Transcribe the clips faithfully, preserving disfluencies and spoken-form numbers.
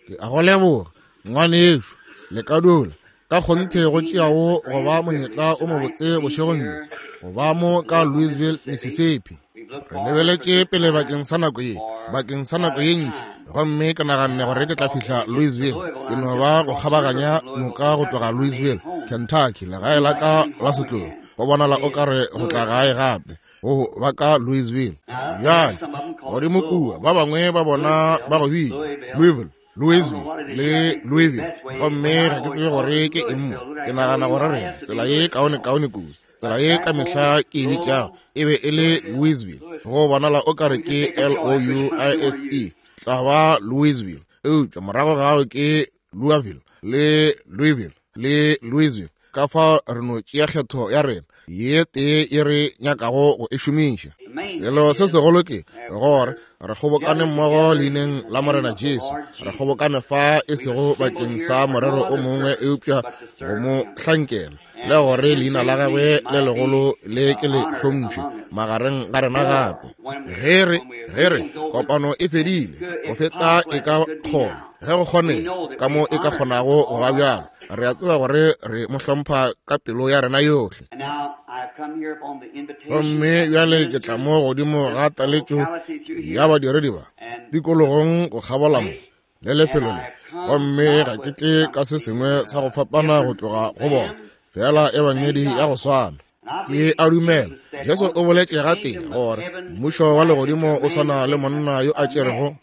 Ke a go leboga, ngwanešu, le ka dula. Ka kgonthe go tšeago go ba monyetla o mobotse bošegong bjo, go ba mo ka Louisville, Mississippi. Re lebeletše pele bakeng sa nako ye, bakeng sa nako ye ntši, gomme ke naganne gore ke tla fihla Louisville. Ke no ba go kgabaganya noka go tloga Louisville, Kentucky, legae la ka la setlogo. Go bonala o ka re go tla gae gape, go ba ka Louisville. Bjale, godimo kua, ba bangwe ba bona ba go bitša Louisville, Louisville le Louisville, gomme ga ke tsebe gore ke eng mo. Ke nagana gore rena tsela ye kaone-kaone kudu, tsela ye ka mehla ke e bitšago e be e le Louisville. Go bonala o ka re ke L O U I S E, tla ba Louisville, eupša morago gao ke Louisville le Louisville le Louisville. Ka fao re no tšea kgetho ya rena ye tee ye re nyakago go e šomiša. Selo se segolo ke gore re kgobokane mmogo leineng la Morena Jesu. Re kgobokane fa e sego bakeng sa morero o mongwe eupša go mo hlankela, le gore leina la gagwe le legolo le ke le hlompšhe magareng ga rena gape. Ge re ge re kopano e fedile, go feta e ka kgona, ge go kgonega ka mo e ka kgonago go ba bjalo, re a tseba gore re mo hlompha ka pelo ya rena yohle. Gomme bjale ke tla mo godimo ga taletšo ya badiredi ba tikologong go kgabola mo le lefelo le, gomme ga ke tle ka se sengwe sa go fapana go tloga go bona, fela ebangedi ya go swana. Ke a dumela Jesu o boletše gatee gore mmušo wa legodimo o swana le monna yo a tšerego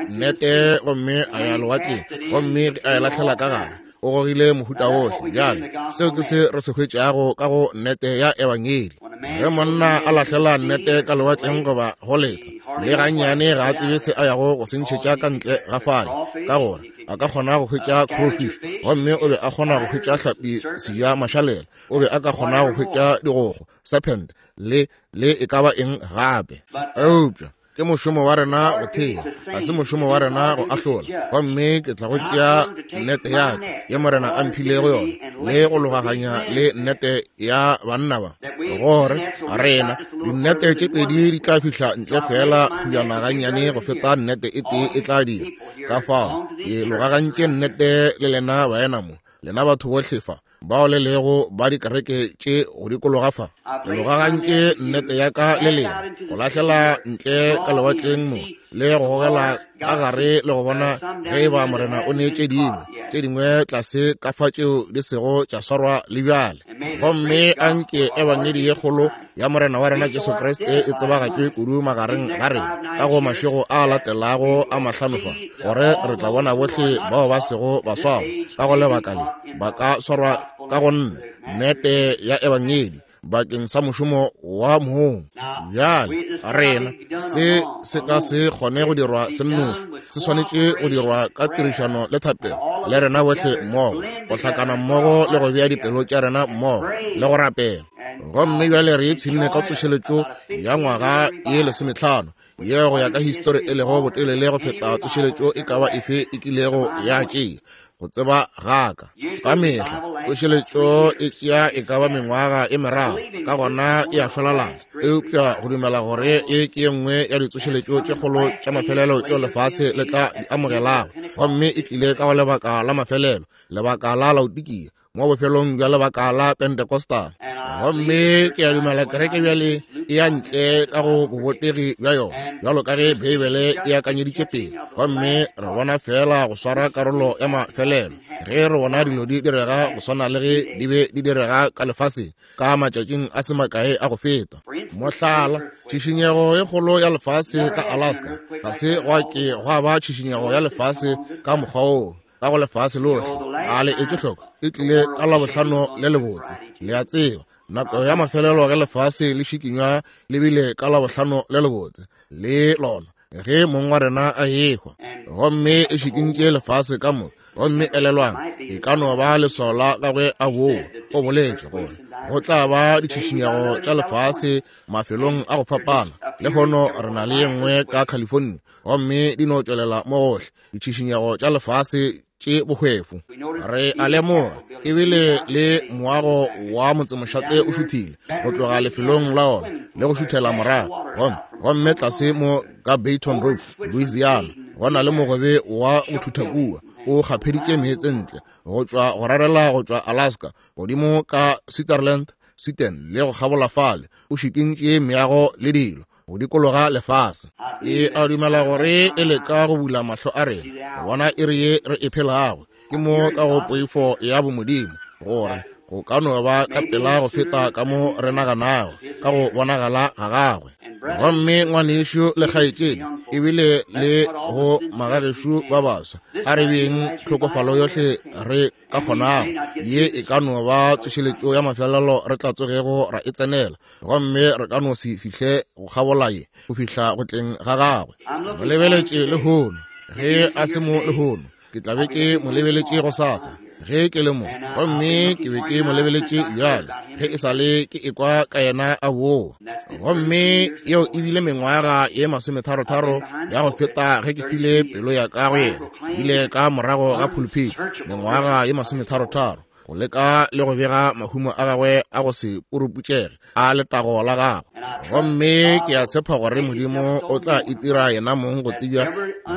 nnete gomme a ya lewatleng, gomme a e lahlela ka gare, o gogile mohuta wohle. Bjale seo ke se re se hwetšago ka go nnete ya ebangedi. Ge monna a lahlela nnete ka lewatleng goba go letsha, le gannyane ga a tsebe se a yago go se ntšhetša ka ntle ga fale, ka gore a ka kgona go hwetša crowfish, gomme o be a kgona go hwetša hlapi seja mašalela, o be a ka kgona go hwetša digogo, serpent, le le e ka ba eng gape. Eupša ke mošomo wa rena go thea, ga se mošomo wa rena go ahlola. Gomme ke tla go tšea nnete ya ka ye Morena a mphilego yona, le go logaganya le nnete ya banna ba, gore rena dinnete tše pedi di tla fihla ntle fela kgujana gannyane go feta nnete e tee e tla dira. Ka fao ke logagantše nnete le lena baena mo, lena batho bohle fa bao le lego ba dikereke tše go dikologa fa. Ke logagantše nnete ya ka le lena, go lahlela ntle ka lewatleng mo, le go gogela ka gare le go bona ge e ba Morena o neetše dingwe tše dingwe tlase ka fa tšeo di sego tša swarwa le bjale. Gomme anke ebangedi ye kgolo ya Morena wa rena Jesu Kriste e tsebagatšwe kudu magareng ga rena ka go mašego a latelago a mahlano fa, gore re tla bona bohle bao ba sego ba swarwa ka go lebaka le ba ka swarwa ka go nne nnete ya ebangedi bakeng sa mošomo wa mong. Bjale rena se se ka se kgone go dirwa se nnoši, se swanetše go dirwa ka tirišano le thapelo le rena bohle mmogo, go hlakana mmogo le go bea dipelo tša rena mmogo le go rapela. Gomme bjale re ipshinne ka tsošeletšo ya ngwaga ye lesometlhano ye go ya ka histori e lego botelele go feta tsošeletšo e ka ba efe e kilego ya tšea go tseba gaka. Ka mehla tsošeletšo e tšea e ka ba mengwaga e meraro, ka gona e a šwalalana. Eupša go dumela gore e ke ye nngwe ya ditsošeletšo tše kgolo tša mafelelo tšeo lefase le tla di amogelago, gomme e tlile ka go lebaka la mafelelo, lebaka la Laodikia, mo bofelong bja lebaka la Pentecostal. Gomme ke a dumela kereke bjale e ya ntle ka go bobotegi bja yona, bjalo ka ge Beibele e akanyeditše pele. Gomme re bona fela go swara karolo ya mafelelo ge re bona dilo di direga go swana le ge di be di direga ka lefaseng ka matšatšing a se makae a go feta. Mohlala, tšhišinyego e kgolo ya lefase ka Alaska, ga se gwa ke gwa ba tšhišinyego ya lefase ka mokgwa woo ka go lefase lohle. A le etše hloko, e tlile ka Labohlano le lebotse. Le a tseba, nako ya mafelelo ge lefase le šikinywa le bile ka Labohlano le lebotse le lona ge mong wa rena a ehwa, gomme e šikintše lefase ka moka. Gomme elelwang, e ka no ba leswao la gagwe a boa. O boletše gore go tla ba ditšhišinyego tša lefase mafelong a go fapana. Lehono re na le ye nngwe ka California, gomme di no tšwelela mo gohle ditšhišinyego tša lefase tše bohwefo. Re a lemoga ebile le moago wa motsemošate o šuthile go tloga lefelong la ona le go šuthela morago, gomme gomme tlase mo ka Baton Rouge, Louisiana, Go na le mogobe wa go thutha kua, o kgapheditše meetse ntle go tšwa go rarela go tšwa Alaska godimo ka Switzerland, Sweden le go kgabola fale, o šikintše meago le dilo go dikologa lefase. E a dumela gore e leka go bula mahlo a rena go bona iri ye re e phelago. Ke mo ka go poifo ya bomodimo gore go ka no ba ka pela go feta ka mo re naganago ka go bonagala ga gagwe. Gomme ngwanešu le kgaetšedi ebile le go magagešo ba baswa, a re beng tlhokofalo yohle re ka kgonago. Ye e ka no ba tsošeletšo ya mafelelo re tla tsogego ra e tsenela, gomme re ka no se fihle go kgabola ye go fihla go tleng ga gagwe. Mo lebeletše lehono, ge a se mo lehono, ke tla be ke mo lebeletše gosasa ge ke le mo, gomme ke be ke mo lebeletše bjale ge e sa le ke ekwa ka yena a boa. Gomme yeo e bile mengwaga ye masometharotharo ya go feta ge ke file pelo ya ka go yena, bile ka morago ga pulpit mengwaga ye masometharotharo go leka le go bega mahumo a gagwe a go se puruputšege a letago la gagwe. Gomme ke a tshepa gore Modimo o tla itira yena mong go tsebja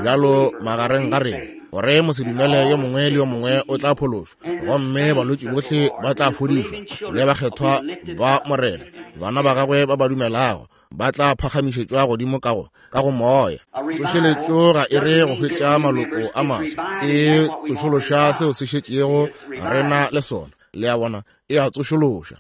bjalo magareng ga rena, gore mosedumele yo mongwe le yo mongwe o tla phološwa, gomme balwetši bohle ba tla fodišwa, le bakgethwa ba Morena, bana ba gagwe ba ba dumelago ba tla phagamišetšwa godimo ka go ka go moya. Tsošeletšo ga e re go hwetša maloko a maswa, e tsošološa seo se šetšego rena le sona. Le a bona, e a tsošološa.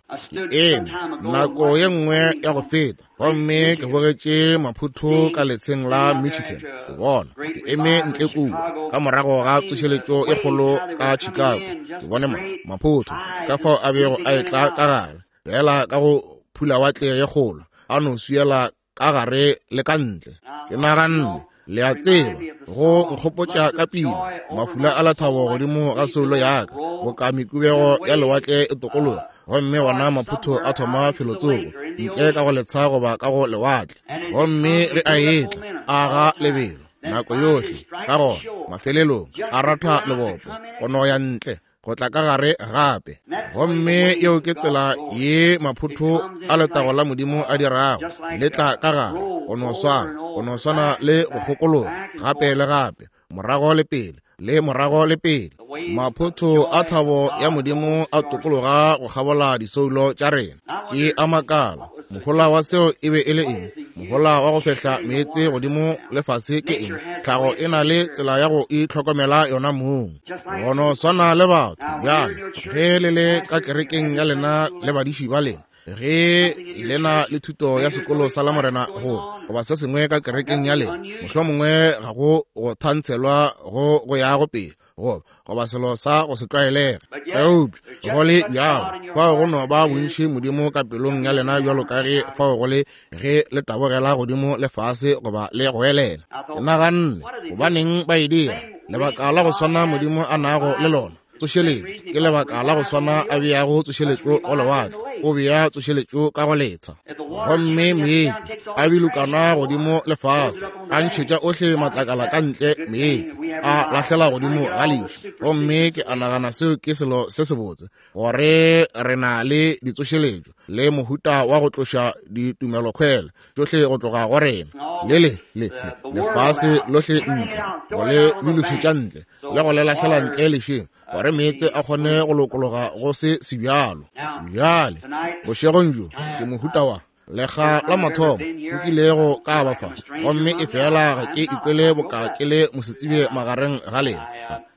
Ke eme nako ye nngwe ya go feta, gomme ke bogetše maphutho ka letsheng la Michigan. Ke bona ke eme ntle kua ka morago ga tsošeletšo e kgolo ka Chicago. Ke bone maphutho ka fao a bego a etla ka gare, fela ka go phulawatle ye kgolo, a no swiela ka gare le ka ntle. Ke naganne, le a tseba, go nkgopotša ka pina mafula a lethabo godimo ga soulo ya ka, boka mekubego ya lewatle e tokologa, gomme wona maphutho a thoma felotsoko ntle ka go letsha goba ka go lewatle. Gomme ge a etla a ga lebelo nako yohle, ka gona mafelelong a ratha lebopo go no ya ntle go tla ka gare gape. Gomme yeo ke tsela ye maphutho a letago la Modimo a dirago, le tla ka gare go no swana, go no swana le go kgokologa gape le gape, morago le pele le morago le pele. Maphutho a thabo ya Modimo a tokologa go kgabola disoulo tša rena. Ke a makala, mohola wa seo e be e le eng? Mohola wa go fehla meetse godimo le fase ke eng? Tlhago e na le tsela ya go itlhokomela yona mong, go no swana le batho. Bjale ge le le ka kerekeng ya lena le badiši ba lena, ge le na le thuto ya sekolo sa Lamorena go goba se sengwe ka kerekeng ya lena, mohlomongwe ga go go thantshelwa go go yago pele goba goba selo sa go se tlwaelege, eupša go le bjalo fao go no ba bontši Modimo ka pelong ya lena bjalo ka ge fao go le ge le tabogela godimo le fase goba le goelela. Ke naganne, gobaneng ba e dira? Lebaka la go swana Modimo a nago le lona tsošeletšo ke lebaka la go swana a beago tsošeletšo go lewatle, o bea tsošeletšo ka go letsha. Gomme meetse a bilokana godimo le fase, a ntšhetša ohle matlakala ka ntle, meetse a lahlela godimo ga lešu. Gomme ke a nagana seo ke selo se sebotse, gore re na le ditsošeletšo le mohuta wa go tloša ditumelokhwele tšohle go tloga go rena, le le le lefase lohle ntle, go le bilošetša ntle le go le lahlela ntle lešeng, gore meetse a kgone go lokologa go se sebjalo. Bjale bošegong bjo ke mohuta wa lekga la mathomo nkilego ka ba fa, gomme e fela ga ke ikwele boka ke le mosetsebje magareng ga lena.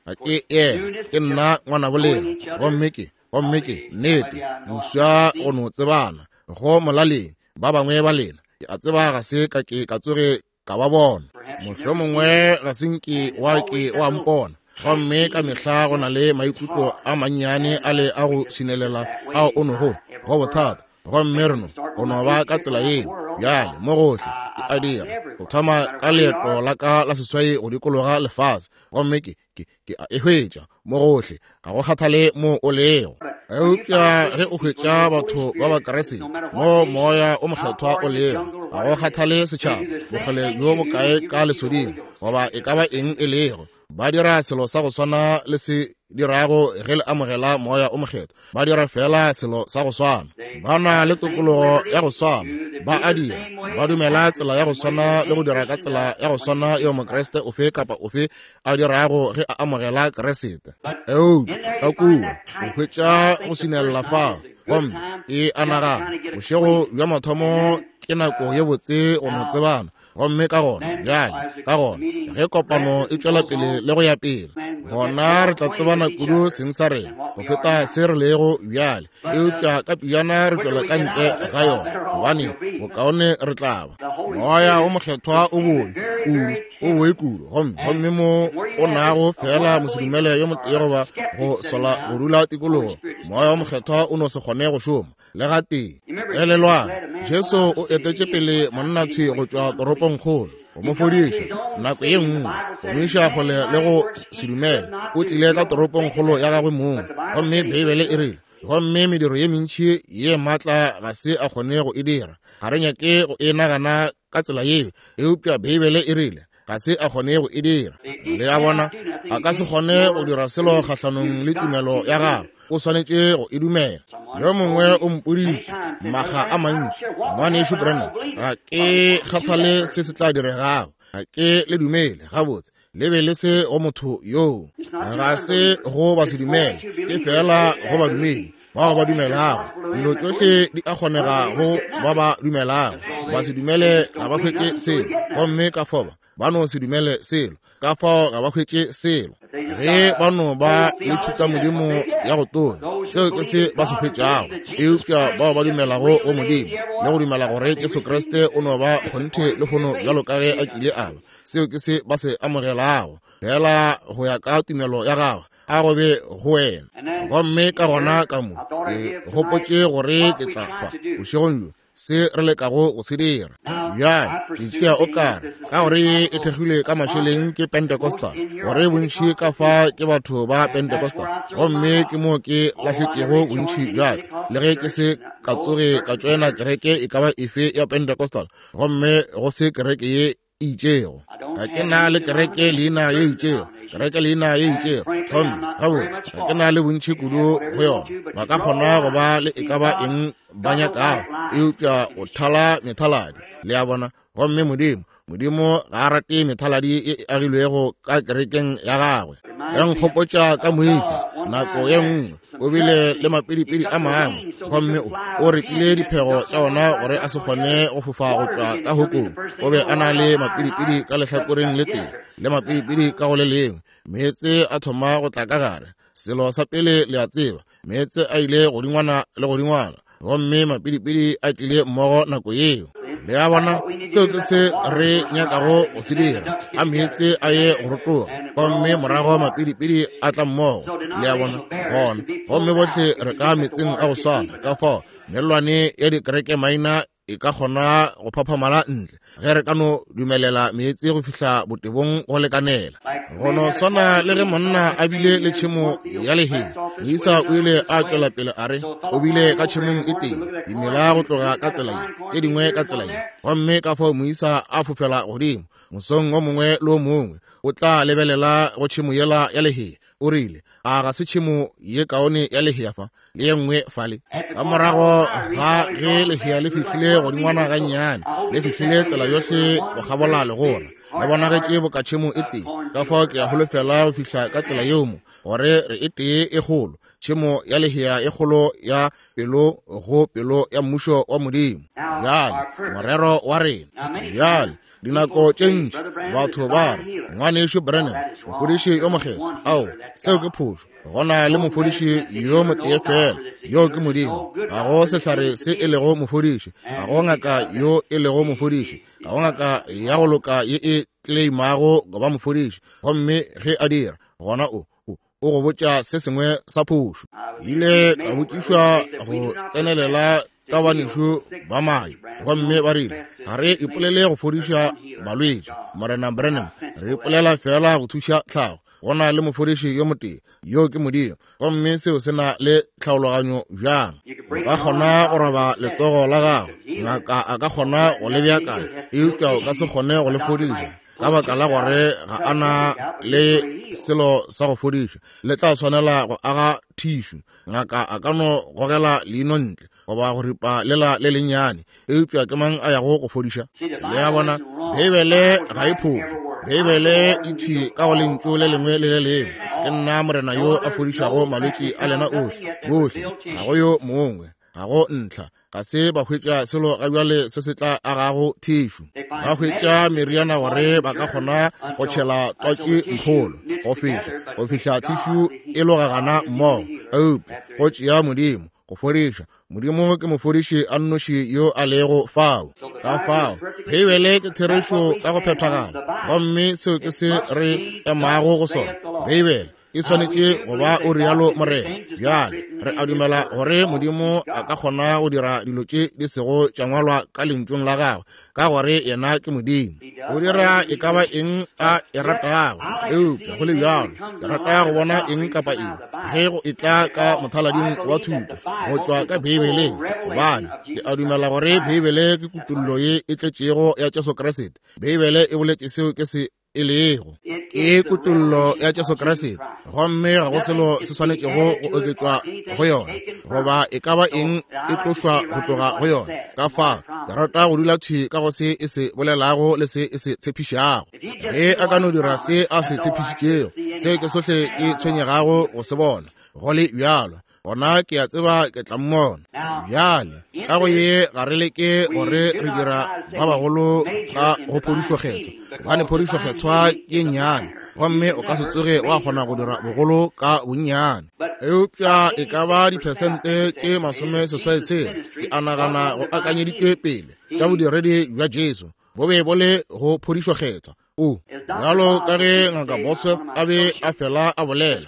Ga ke yena, ke nna ngwanabo lena, gomme ke gomme ke nnete boswa go no tsebana go molaleng ba bangwe ba lena. Ke a tseba ga se ka ke ka tsoge ka ba bona, mohlomongwe ga se nke wa ke wa mpona. Gomme ka mehla go na le maikutlo a mannyane a le a go sinelela ao o nogo go bothata, gomme re no go no ba ka tsela yeo. Bjale mo gohle ke a dira go thoma ka leeto la ka la seswai go dikologa lefase, gomme ke ke ke a e hwetša mo gohle, ga go kgathale mo o lego. Eupša ge o hwetša batho ba ba Kriste mo moya o mokgethwa o lego, ga go kgathale setšhaba bokgole bjo bokae ka lesoding goba e ka ba eng e lego, ba dira selo sa go swana le se dirago ge le amogela moya o mokgethwa. Ba dira fela selo sa go swana, ba na le tokologo ya go swana, Ba a dira, ba dumela tsela ya go swana le go dira ka tsela ya go swana yeo Mokriste ofe kapa ofe a dirago ge a amogela Kriste. Eupša ka kua o hwetša go sinella fao, gomme e a nagana bošego bja mathomo ke nako ye botse go no tsebana. Gomme ka gona bjale, ka gona ge kopano e tšwela pele le go ya pele, gona re tla tsebana kudu seng sa rena go feta se re lego bjale. Eupša ka pejana re tšwela ka ntle ga yona, gobane bokaone re tla ba. Moya o Mokgethwa o boe kudu, o boe kudu, gomme gomme mo o nago fela mosedumele yo motee goba go sola go dula tikologo, Moya o Mokgethwa o no se kgone go šoma le gatee. Elelwang, Jesu o etetše pele monna thwi go tšwa toropongkgolo go mo fodiša nako ye nngwe, go mo iša kgole le go se dumele. O tlile ka toropongkgolo ya gagwe mong, gomme Beibele e rile, gomme mediro ye mentši ye maatla ga se a kgone go e dira. Ga re nyake go e nagana ka tsela yeo, eupša Beibele e rile ga se a kgone go e dira. Le a bona, a ka se kgone go dira selo kgahlanong le tumelo ya gagwe. O swanetše go e dumela. Yo mongwe o mpoditše makga a mantši, ngwanešu Branham, ga ke kgathale se se tla diregago, ga ke le dumele. Gabotse, le be le se go motho yoo, ga se go ba se dumele, ke fela go badumedi bao ba dumelago. Dilo tšohle di a kgonega go ba ba dumelago. Ba se dumele ga ba hwetše selo, gomme ka fao ba no se dumele selo, ka fao ga ba hwetše selo. Ge ba no ba le thutamodimo ya go tonya, seo ke se ba se hwetšago. Eupša bao ba dumelago go Modimo le go dumela gore Jesu Kriste o no ba kgonthe lehono bjalo ka ge a kile a ba, seo ke se ba se amogelago, fela go ya ka tumelo ya gagwe, a go be go wena. Gomme ka gona ka mo ke gopotše gore ke tla fa bošegong bjo se re lekago go se dira. Bjale ke tšea o kare ka gore e thekgilwe ka mašeleng ke Pentecostal, gore bontši ka fa ke batho ba Pentecostal, gomme ke mo ke lahletšego bontši bja ka, le ge ke se ka tsoge ka tšoena kereke e ka ba efe ya Pentecostal, gomme go se kereke ye itšego. Ga ke na le kereke leina ye itšego, kereke leina ye itšego, gomme gabotse ga ke na le bontši kudu go yona. Ba ka kgona go ba le e ka ba eng ba nyakago, eupša o thala methaladi, le a bona. Gomme Modimo, Modimo ga a rate methaladi ye e agilwego ka kerekeng ya gagwe. Ya nkgopotša ka moisa nako ye nngwe o bile le mapidipidi a mangwe, gomme o o repile diphego tša ona gore a se kgone go fofa go tšwa ka hokong. O be a na le mapidipidi ka lehlakoreng le tee le mapidipidi ka go le lengwe. Meetse a thoma go tla ka gare. Selo sa pele le a tseba, meetse a ile godingwana le godingwana, gomme mapidipidi a tlile mmogo nako yeo. Le a bona, seo ke se re nyakago go se dira. A meetse a ye go rotoga, gomme morago mapidipidi a tla mmogo. Le a bona, gona gomme bohle re ka metseng a go swana. Ka fao mellwane ya dikereke maina e ka kgona go phaphamala ntle ge re ka no dumelela meetse go fihla botebong go lekanela. Go no swana le ge monna a bile le tšhemo ya lehea, moisa o ile a tšwela pele a re o bile ka tšhemong e tee, dimela go tloga ka tsela ye, tše dingwe ka tsela ye, gomme ka fao moisa a fofela godimo mosong o mongwe le o mongwe o tla lebelela go tšhemo yela ya lehea. O rile, a ga se tšhemo ye kaone ya lehea fa le ye nngwe fale? Ka morago ga ge lehea le fihlile godingwana gannyane, le fihlile tsela yohle go kgabola legora, le bonagetše boka tšhemo e tee. Ka fao ke a holofela go fihla ka tsela yeo mo, gore re e tee e kgolo, tšhemo ya lehea e kgolo ya pelo go pelo ya mmušo wa Modimo. Bjale morero wa rena bjale, dinako tše ntši batho ba re, ngwanešu Branham, mofodiši yo mokgethwa. Ao, seo ke phošo. Go na le mofodiši yo motee fela, yo ke Modimo. Ga go sehlare se e lego mofodiši, ga go ngaka yo e lego mofodiši, ga go ngaka ya go loka ye e claimago go ba mofodiši. Gomme ge a dira, gona o o go botša se sengwe sa phošo. Ile ka botšišwa go tsenelela ka banešu ba Mayo, gomme ba rile, ga re ipolele go fodiša balwetši, Morena Branham, re ipolela fela go thuša tlhago. Go na le mofodiši yo motee, yo ke Modimo, gomme seo se na le tlhaologanyo bjang. O ka kgona go roba letsogo la gago, ngaka a ka kgona go le beakanya, eupša o ka se kgone go le fodiša ka baka la gore ga a na le selo sa go fodiša. Le tla swanela go aga thišu. Ngaka a ka no gogela leino ntle, goba go ripa lela le lennyane, eupša ke mang a yago go fodiša? Le a bona, Beibele ga e phošo. Beibele e thwi ka go lentšu le lengwe le le lengwe. Ke nna Morena yo a fodišago malwetši a lena ohle, bohle, ga go yo mongwe, ga go ntlha. Ga se ba hwetša selo ga bjale se se tla agago thišu. Ba hwetša meriana gore ba ka kgona go tšhela twatši mpholo go fihla go fihla thišu e logagana mmogo. Eupša go tšea Modimo go fodiša. Modimo ke mofodiši a nnoši yo a lego fao. Ka fao Beibele ke therešo ka go phethagala, gomme seo ke se re emago go sona. Beibele e swanetše go ba o rialo Morena. Bjale re a dumela gore Modimo a ka kgona go dira dilo tše di sego tša ngwalwa ka lentšung la gagwe, ka gore yena ke Modimo. O dira e ka ba eng a e ratago, eupša go le bjalo ke rata go bona eng kapa eng ge go etla ka mothalading wa thuto go tšwa ka Beibeleng, gobane ke a dumela gore Beibele ke kutollo ye e tletšego ya Jesu Kriste. Beibele e boletše seo ke se e lego, ke kutollo ya Jesu Kriste, gomme ga go selo se swanetšego go oketšwa go yona, goba e ka ba eng e tlošwa go tloga go yona. Ka fao ke rata go dula thwi ka go se e se bolelago le se e se tshepišago. Ge a ka no dira se a se tshepišitšego, se ke sohle ke tshwenyegago go se bona. Go le bjalo, gona ke a tseba ke tla mmona. Bjale ka go ye ga re leke gore re dira ba bagolo ka go phodišo kgethwa, gobane phodišo kgethwa ke nnyane, gomme o ka se tsoge wa kgona go dira bogolo ka bonnyane. Eupša e ka ba diphesente tše masome seswai tshela ke a nagana go akanyeditšwe pele tša bodiredi bja Jesu bo be bo le go phodišo kgethwa. O bjalo ka ge Ngaka Bosworth a be a fela a bolela,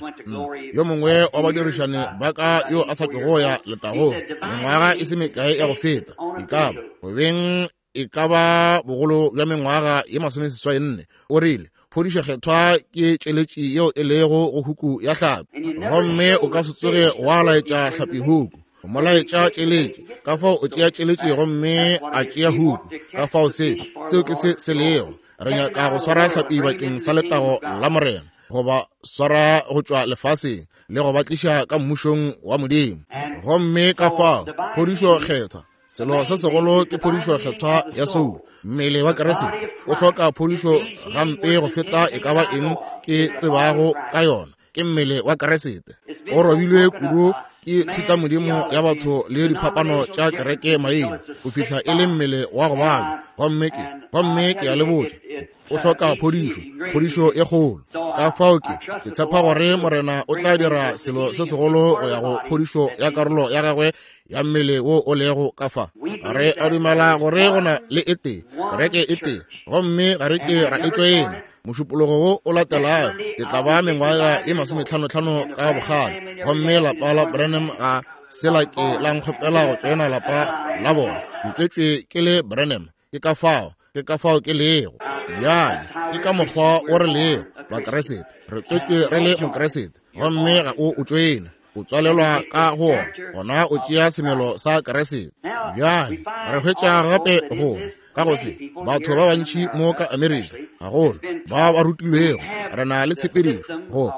yo mongwe wa badirišane ba ka yo a sa tšogo ya letagong mengwaga e se mekae ya go feta, e ka ba go beng e ka ba bogolo bja mengwaga ye masomeseswai nne, o rile phodišo kgethwa ke tšeletši yeo e lego go huku ya hlapi, gomme o ka se tsoge wa laetša hlapi huku. O mo laetša tšeletši, ka fao o tšea tšeletši gomme a tšea huku. Ka fao se seo ke se se lego. Re nyaka go swara hlapi bakeng sa letago la Morena, goba swara go tšwa lefaseng le go ba tliša ka mmušong wa Modimo. Gomme ka fao phodišo kgethwa, selo se segolo ke phodišo kgethwa ya soulo. Mmele wa Kriste o hloka phodišo gampe go feta e ka ba eng ke tsebago ka yona. Ke mmele wa Kriste o robilwe kudu ke thutamodimo ya batho le diphapano tša kereke maina go fihla e le mmele wa go babja. Gomme ke gomme ke a le botša, o hloka phodišo, phodišo e kgolo. Ka fao ke ke tshepa gore Morena o tla dira selo se segolo go ya go phodišo ya karolo ya gagwe ya mmele wo o lego ka fa. Re a dumela gore go na le e tee kereke e tee, gomme ga re ke ra e tšoena. Mošupologo wo o latelago ke tla ba mengwaga e masometlhanotlhano ka bogale, gomme lapa la Branham ga se la ke la nkgopela go tšoena lapa la bona. Ke tswetšwe ke le Branham, ke ka fao ke ka fao ke lego. Bjale ke ka mokgwa o re lego Bakriste, re tswetšwe re le Mokriste, gomme ga o o tšoena, o tswalelwa ka go ona, gona o tšea semelo sa Kriste. Bjale re hwetša gape gore ka go se batho ba bantši mo ka Amerika gagolo ba ba rutilwego, re na le tshepedišo go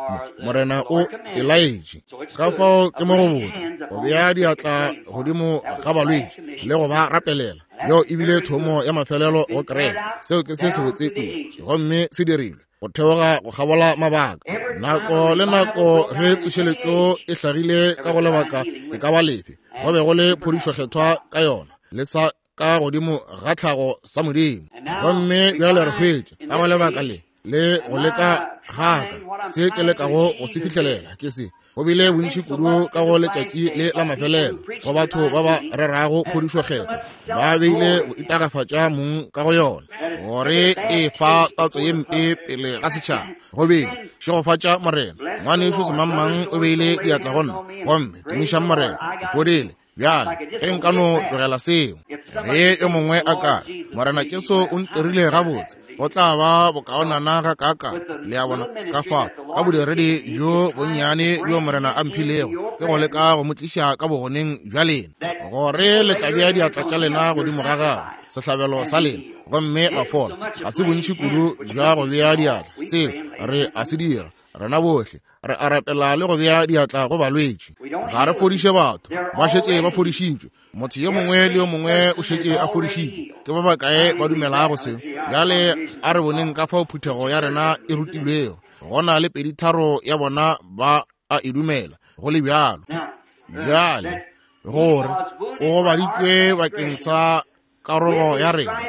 Morena o e laetše. Ka fao ke mo go botse go bea diatla godimo ga balwetši le go ba rapelela. Yeo e bile thomo ya mafelelo go kereke. Seo ke se sebotse kudu, gomme se dirilwe go theoga go kgabola mabaka. Nako le nako ge tsošeletšo e hlagile ka go lebaka e ka ba lefe, go be go le phodišo kgethwa ka yona, le sa ka godimo ga tlhago sa Modimo. Gomme bjale re hwetša ka go lebaka le le go leka gaka se ke lekago go se fihlelela ke se. Go bile bontši kudu ka go letšatši le la mafelelo go batho ba ba rerago phodišo kgethwa, ba beile go itagafatša mong ka go yona gore e fa tatso ye mpe pele ga setšhaba. Go bile šegofatša Morena, ngwanešu semangmang o beile diatla go nna, gomme tumišang Morena, ke fodile. Bjale ge nka no tlogela seo, ge yo mongwe a ka re Morena Jesu o ntirile gabotse, go tla ba bokaonana ga kaaka. Le a bona, ka fao ka bodiredi bjo bonnyane bjo Morena a mphilego, ke go leka go mo tliša ka bogoneng bja lena, gore le tla bea diatla tša lena godimo ga gagwe, sehlabelo sa lena, gomme la fola. Ga se bontši kudu bja go bea diatla, seo re a se dira. Rena bohle re a rapela le go bea diatla go balwetši. Ga re fodiše batho, ba šetše ba fodišitšwe. Motho yo mongwe le yo mongwe o šetše a fodišitšwe. Ke ba bakae ba dumelago seo? Bjale a re boneng ka fao phuthego ya rena e rutilwego. Go na le peditharo ya bona ba a e dumela go le bjalo. Bjale gore o gobaditšwe bakeng sa karogo ya rena,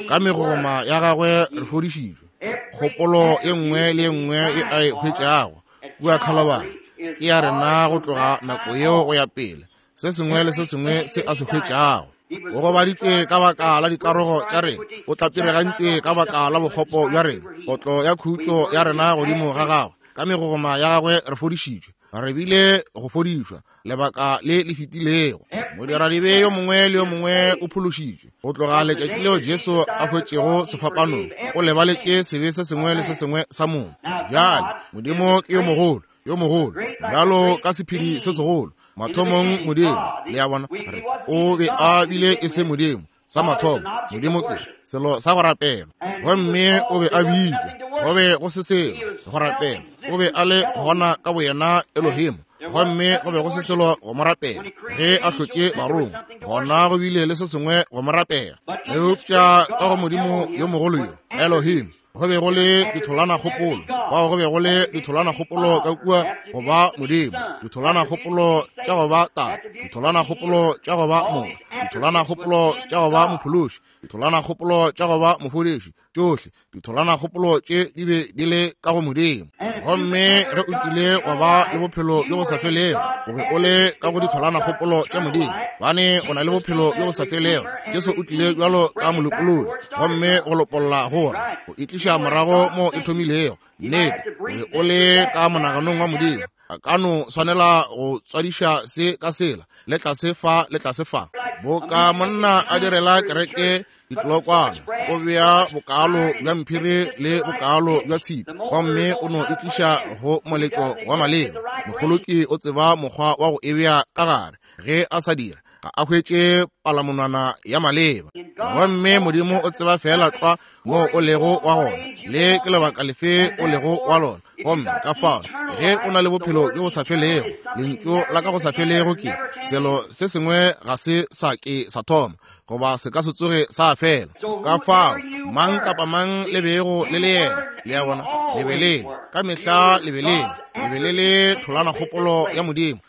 ka megoma ya gagwe re fodišitšwe. Kgopolo e nngwe le e nngwe e a e hwetšago kua Calvary ke ya rena go tloga nako yeo go ya pele. Se sengwe le se sengwe se a se hwetšago. O gobaditšwe ka baka la dikarogo tša rena, o tlapiregantšwe ka baka la bokgopo bja rena. Kotlo ya khutšo ya rena godimo ga gagwe, ka megogoma ya gagwe re fodišitšwe. Re bile go fodišwa lebaka le le fetilego. Modiradibe yo mongwe le yo mongwe o phološitšwe go tloga letšatši leo Jesu a hwetšego sefapanong. O lebaletše sebe se sengwe le se sengwe sa mong. Bjale Modimo ke yo mogolo, yo mogolo, bjalo ka sephiri se segolo. Mathomong Modimo, le a bona, re o be a bile e se Modimo sa mathomo. Modimo ke selo sa go rapela, gomme o be a bitšwa. Go be go se selo go rapela. O be a le gona ka boyena Elohim, gomme go be go se selo go mo rapela. Ge a hlotše barongwa, gona go bile le se sengwe go mo rapela. Eupša ka go Modimo yo mogolo yo Elohim, go be go le ditholwana kgopolo. Bao go be go le ditholwana kgopolo ka kua go ba Modimo, ditholwana kgopolo tša go ba Tate, ditholwana kgopolo tša go ba Morwa, ditholwana kgopolo tša go ba Mophološi, ditholwana kgopolo tša go ba Mofodiši. Tšohle ditholwana kgopolo tše di be di le ka go Modimo. Gomme ge o kile wa ba le bophelo bjo bo sa felego, o be o le ka go ditholwana kgopolo tša Modimo, bane o na le bophelo bjo bo sa felego. Jesu o tlile bjalo ka molopolodi, gomme go lopolla gore go e tliša morago mo e thomilego. Nnete, o be o le ka monaganong wa Modimo. A ka no swanela go tswadiša se ka sela, le tlase fa le tlase fa. Boka monna a direla kereke ditlokwana, o bea bokalo bja mphiri le bokalo bja tshipi, gomme o no e tliša go moletlo wa maleba. Mokgoloki o tseba mokgwa wa go e bea ka gare. Ge a sa dira, ga a hwetše palamonwana ya maleba. Gomme Modimo o tseba fela tlwa mo o lego wa gona, le ke lebaka lefe o lego wa lona. Gomme ka fao ge o na le bophelo bjo bo sa felego, lentšu la ka go sa felego ke selo se sengwe ga se sa ke sa thoma, goba se ka se tsoge sa fela. Ka fao mang kapa mang le bego le le yena, le a bona, le be le ka mehla le be le le be le le tholwana kgopolo ya Modimo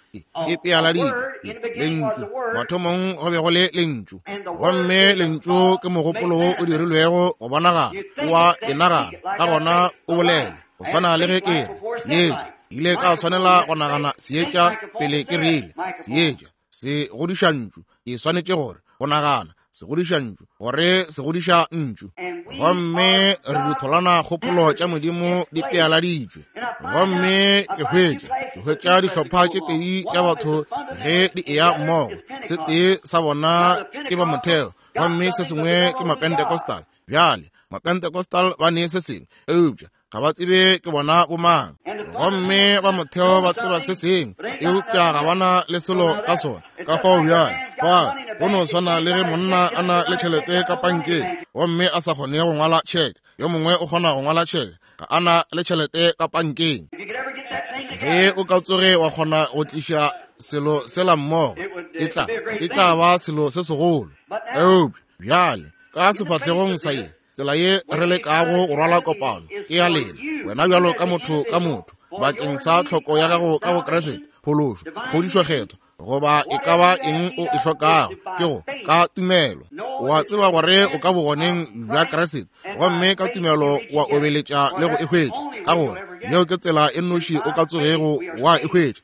e pealaditšwe lentšu. Mathomong go be go le lentšu, gomme lentšu ke mogopolo wo o dirilwego go bonagala, o a e nagana, ka gona o bolele. Go swana le ge ke re seetša, ile ka swanela go nagana seetša pele ke rile seetša se godiša ntšu. Ke swanetše gore go nagana se godiša ntšu, gore se godiša ntšu. Gomme re ditholwana kgopolo tša Modimo di pealaditšwe. Gomme ke hwetša ke hwetša dihlopha tše pedi tša batho ge di eya mmogo. Se tee sa bona ke ba motheo, gomme se sengwe ke Mapentecostal. Bjale Mapentecostal ba ne se sengwe, eupša ga ba tsebe ke bona bomang. Gomme ba motheo ba tseba se sengwe, eupša ga bana le selo ka sona. Ka fao bjale ba go no swana le ge monna a na le tšhelete ka pankeng gomme a sa kgone go ngwala tšheke. Yo mongwe o kgona go ngwala tšheke, ga a na le tšhelete ka pankeng. Ge o ka tsoge wa kgona go tliša selo sela mmogo, e tla e tla ba selo se segolo. Eupša bjale ka sefahlegong sa ye tsela ye re lekago go rwala kopano ke ya lena, wena bjalo ka motho ka motho, bakeng sa tlhoko ya gago ka go Kriste, phološo, phodišo kgetho, goba e ka ba eng o e hlokago, ke go ka tumelo. O a tseba gore o ka bogoneng bja Kriste, gomme ka tumelo wa obeletša le go e hwetša, ka gore yeo ke tsela e nnoši o ka tsogego wa e hwetša.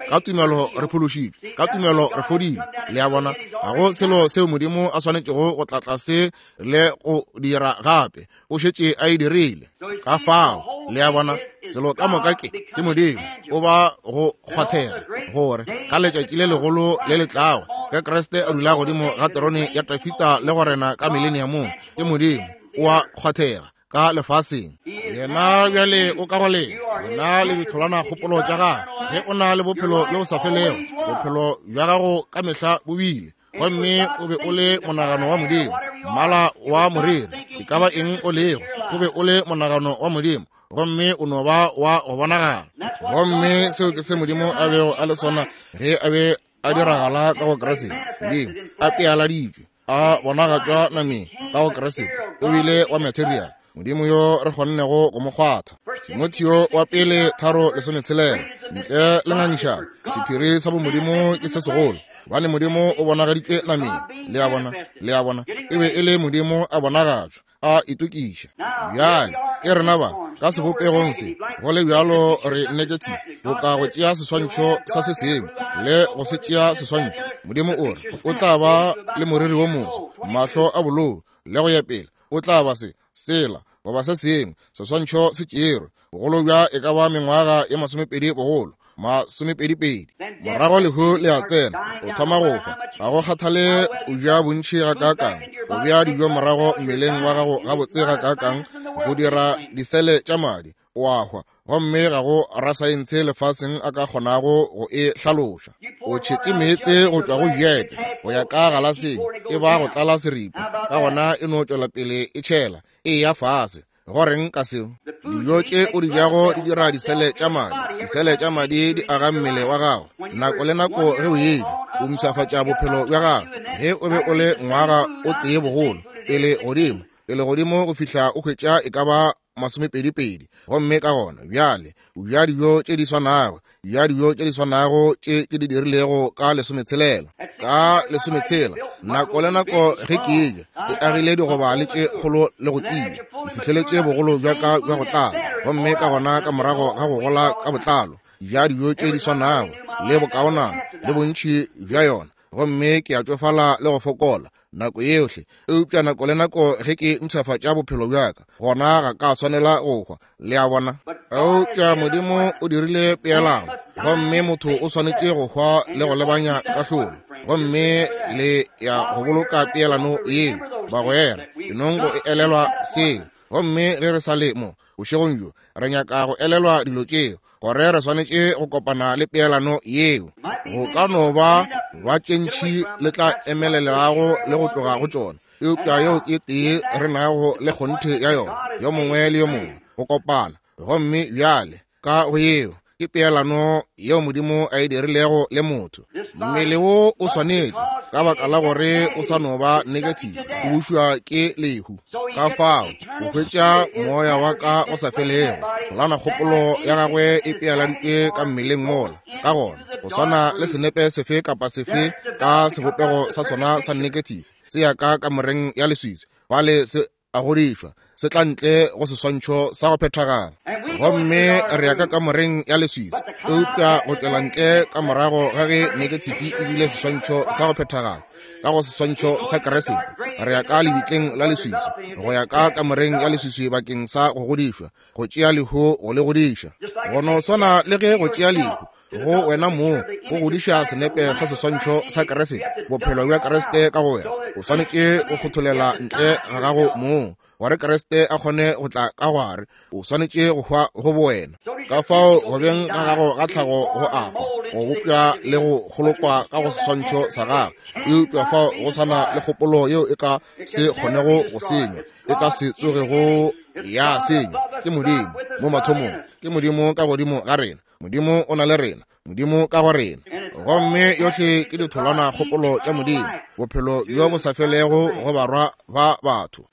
Ka tumelo re phološitšwe, ka tumelo re fodile. Le a bona, ga go selo seo Modimo a swanetšego go tla tlase le go dira gape, o šetše a e dirile. Ka fao le a bona, selo ka moka ke ke Modimo o ba go kgwathega, gore ka letšatši le legolo le le tlago, ge Kriste a dula godimo ga terone ya Dafida le go rena ka mileniamong, ke Modimo o a kgwathega ka lefaseng. Yena bjale o ka go lena, wena le ditholwana kgopolo tša gagwe. Ge o na le bophelo bjo bo sa felego, bophelo bja gago ka mehla bo bile, gomme o be o le monagano wa Modimo, mmala wa moriri, e ka ba eng o lego, o be o le monagano wa Modimo. gomme o no ba wa go bonagala. Gomme seo ke se Modimo a bego a le sona ge a be a diragala ka go Kriste. Modimo a pealaditšwe, a bonagatšwa nameng ka go Kriste, o bile wa material, Modimo yo re kgonnego go mo kgwatha. Timotheo wa pele tharo lesometshelela, ntle le ngangišano, sephiri sa bomodimo ke se segolo, gobane Modimo o bonagaditšwe nameng. Le a bona, le a bona, e be e le Modimo a bonagatšwa, a itokiša. Bjale ke rena ba ka sebopegong se, go le bjalo re negative, boka go tšea seswantšho sa se sengwe le go se tšea seswantšho. Modimo o re o tla ba le moriri wo moso, mahlo a bolou, le go ya pele, o tla ba se sela goba se sengwe, seswantšho se tšerwe, bogolo bja e ka ba mengwaga ye masomepedi bogolo, masomepedipedi. Morago lehu le a tsena, o thoma go hwa. Ga go kgathale o ja bontši gakaakang, o bea dijo morago mmeleng wa gago gabotse gakaakang go dira disele tša madi, o a hwa. Gomme ga go rasaense lefaseng a ka kgonago go e hlaloša. O tšhetše meetse go tšwa go jeke go ya ka galaseng, e ba go tlala seripa, ka gona e no tšwela pele e tšhela, e ya fase. Go reng ka seo? Dijo tše o di jago di dira disele tša madi, disele tša madi di aga mmele wa gago. Nako le nako ge o eja, o mpshafatša bophelo bja gago. Ge o be o le ngwaga o tee bogolo, pele godimo, pele godimo go fihla o hwetša e ka ba masomepedipedi, gomme ka gona bjale o ja dijo tše di swanago, ja dijo tše di swanago tše ke di dirilego ka lesometshelela, ka lesometshela. Nako le nako ge ke eja, e agile digoba le tše kgolo le go tia, di fihleletše bogolo bja ka bja go tlala, gomme ka gona ka morago ga go gola ka botlalo, ja dijo tše di swanago le bokaonana le bontši bja yona, gomme ke a tšofala le go fokola nako yohle. Eupša nako le nako ge ke mpshafatša bophelo bja ka, gona ga ka swanela go hwa. Le a bona? Eupša Modimo o dirile peelano, gomme motho o swanetše go hwa le go lebanya kahlolo, gomme le ya go boloka peelano yeo. Bagwera, enong go e elelwa seo. Gomme ge re sa le mo bošegong bjo, re nyaka go elelwa dilo tšeo, gore re swanetše go kopana le peelano yeo. Go ka no ba ba tše ntši le tla emelelago le go tloga go tšona, eupša yeo ke tee re nago le kgonthe ya yona, yo mongwe le yo mongwe go kopana. Gomme bjale ka go yeo ke peelano yeo Modimo a e dirilego le motho. Mmele wo o swanetše, ka baka la gore o sa no ba negative, o bušwa ke lehu. Ka fao o hwetša moya wa ka o sa felego, polana kgopolo ya gagwe e pealaditšwe ka mmeleng mola. Ka gona go swana le senepe sefe kapa sefe ka sebopego sa sona sa negative, se ya ka kamoreng ya leswiswi, bale se a godišwa, se tla ntle go seswantšho sa go phethagala. Gomme re ya ka kamoreng ya leswiswi, eupša go tšwela ntle ka morago ga ge negative e bile seswantšho sa go phethagala ka go seswantšho sa Kriste, re ya ka lebitleng la leswiswi, go ya ka kamoreng ya leswiswi bakeng sa go godišwa, go tšea lehu go le godiša. Go no swana le ge go tšea lehu go wena moo go godiša senepe sa seswantšho sa Kriste, bophelo bja Kriste ka go wena, o swanetše go kgotholela ntle ga gago moo gore Kriste a kgone go tla ka gare. O swanetše go hwa go bowena. Ka fao go beng ga gago ga tlhago go a hwa, go bopša le go kgolokwa ka go seswantšho sa gagwe, eupša fao go sana le kgopolo yeo e ka se kgonego go senywa, e ka se tsogego ya senywa, ke Modimo mo mathomong, ke Modimo ka godimo ga rena, Modimo o na le rena, Modimo ka go rena. Gomme yohle ke ditholwana kgopolo tša Modimo, bophelo bjo bo sa felego go barwa ba batho.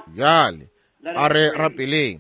Bjale a re rapeleng.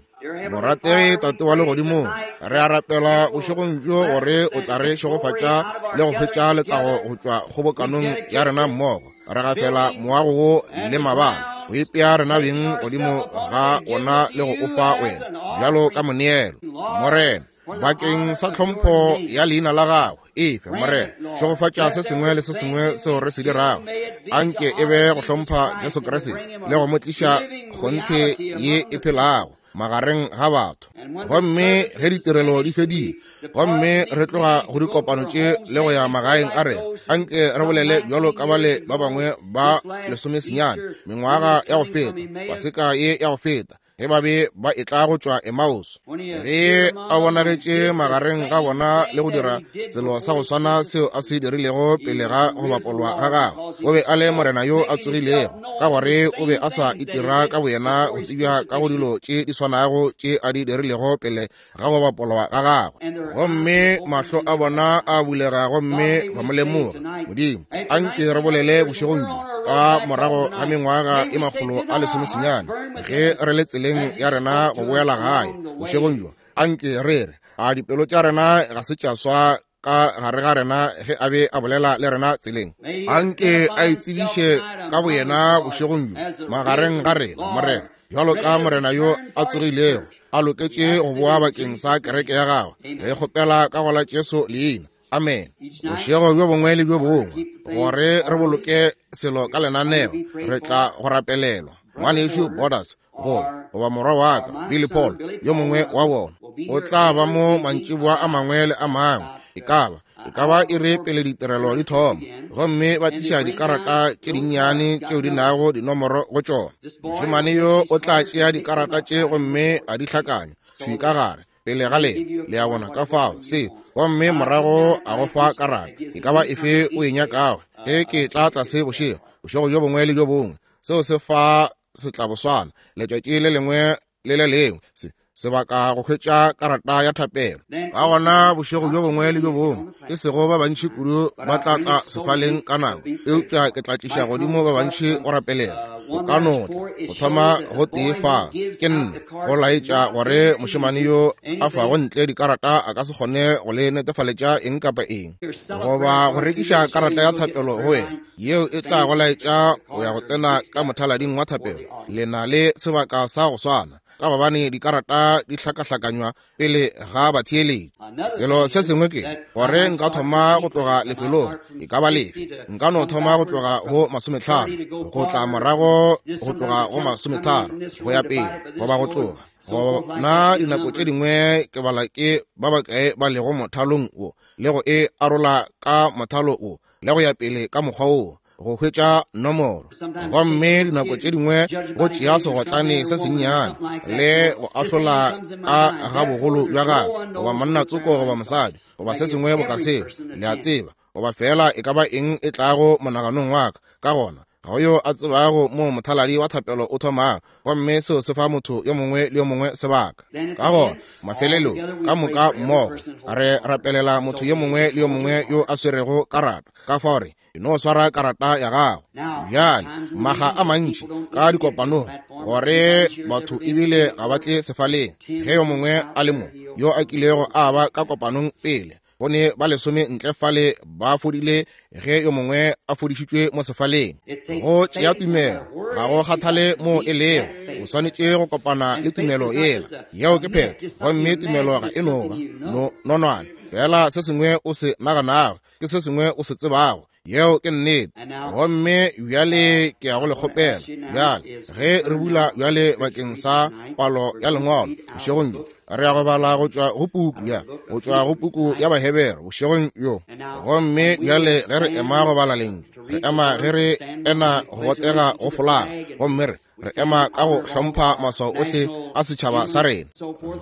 Morategi Tate wa legodimong, re a rapela bošegong bjo gore o tla re šegofatša le go hwetša letago go tšwa kgobokanong ya rena mmogo. Re gafela moago wo le mabala, go ipea rena beng godimo ga ona le go o fa wena bjalo ka moneelo. Morena, bakeng sa tlhompho ya leina la gago, efe Morena, šegofatša se sengwe le se sengwe seo re se dirago. Anke e be go hlompha Jesu Kriste le go mo tliša kgonthe ye e phelago magareng ga batho. Gomme ge ditirelo di fedile, gomme re tloga go dikopano tše le go ya magaeng a rena, anke re bolele bjalo ka bale ba bangwe ba lesomesenyane mengwaga ya go feta, Paseka ye ya go feta, ge ba be ba etla go tšwa Emmaus, ge a bonagetše magareng ga bona le go dira selo sa go swana seo a se dirilego pele ga go bapolwa ga gagwe. O be a le Morena yo a tsogilego, ka gore o be a sa itira ka boyena go tsebja ka go dilo tše di swanago tše a di dirilego pele ga go bapolwa ga gagwe. Gomme mahlo a bona a bulega gomme ba mo lemoga. Modimo, anke re bolele bošegong bjo ka morago ga mengwaga e makgolo a lesomesenyane, ge re le tseleng ya rena go boela gae bošegong bjo, anke re re a dipelo tša rena ga se tša swa ka gare ga rena ge a be a bolela le rena tseleng. Anke a itsebiše ka boyena bošegong bjo magareng ga rena, Morena, bjalo ka Morena yo a tsogilego, a loketše go boa bakeng sa kereke ya gagwe. Re kgopela ka go la Jesu leina. Amen. Bošego bjo bongwe le bjo bongwe, gore re boloke selo ka lenaneo, re tla go rapelelwa. Ngwanešu Borders, go goba morwa wa ka Billy Paul, yo mongwe wa bona, o tla ba mo mantšiboa a mangwe le a mangwe, e ka ba e ka ba iri pele ditirelo di thoma, gomme ba tliša dikarata tše dinnyane tšeo di nago dinomoro go tšona. Mošemane yo o tla tšea dikarata tše gomme a di hlakanya thwi ka gare pele ga lena, le a bona, ka fao se, gomme morago a go fa karata e ka ba efe o e nyakago. Ge ke tla tlase bošego, bošego bjo bongwe le bjo bongwe, seo se fa setlaboswana letšatši le lengwe le le lengwe, se sebaka go hwetša karata ya thapelo. Ka gona bošego bjo bongwe le bjo bongwe, e sego ba bantši kudu ba tla tla sefaleng ka nako, eupša ke tla tliša godimo ba bantši go rapelela. O ka no tla go thoma go tee fa ke nne go laetša gore mošemane yo a fago ntle dikarata a ka se kgone go le netefaletša eng kapa eng, goba go rekiša karata ya thapelo go wena yeo e tla go laetša go ya go tsena ka mothalading wa thapelo. Le na le sebaka sa go swana, ka gobane dikarata di hlakahlakanywa pele ga batheeletši. Selo se sengwe ke gore nka thoma go tloga lefelong e ka ba lefe, nka no thoma go tloga go masometlhano go tla morago go tloga go masometharo go ya pele, goba go tloga gona. Dinako tše dingwe ke bala ke ba bakae ba lego mothalong wo, le go e arola ka mothalo wo, le go ya pele ka mokgwa wo, go hwetša nomoro. Gomme dinako tše dingwe go tšea segotlane se sennyane le go ahlola ka ga bogolo bja gagwe, goba monna tsoko goba mosadi goba se sengwe boka seo, le a tseba, goba fela e ka ba eng e tlago monaganong wa ka. Ka gona ga go yo a tsebago mo mothaladi wa thapelo o thomago, gomme seo se fa motho yo mongwe le yo mongwe sebaka. Ka gona mafelelong ka moka mmogo re rapelela motho yo mongwe le yo mongwe yo a swerego karata. Ka fao re no swara karata ya gago. Bjale maga a mantši ka dikopanong gore batho ebile ga ba tle sefaleng ge yo mongwe a le mo yo a kilego a ba ka kopanong pele, go ne ba lesome ntle fale ba fodile ge yo mongwe a fodišitšwe mo sefaleng. Go tšea tumelo, ga go kgathale mo e lego, o swanetše go kopana le tumelo yela. Yeo ke phetho. Gomme tumelo ga e no ba no nonwane fela, se sengwe o se naganago ke se sengwe o se tsebago. Yeo ke nnete. Gomme bjale ke ya go le kgopela bjale, ge re bula bjale bakeng sa palo ya lengwalo bošegong bjo, re ya go bala go tšwa go puku ya go tšwa go puku ya Bahebere bošegong bjo. Gomme bjale ge re ema go bala lentšu, re ema ge re ena go botega go folaga, gomme re re ema ka go hlompha maswao ohle a setšhaba sa rena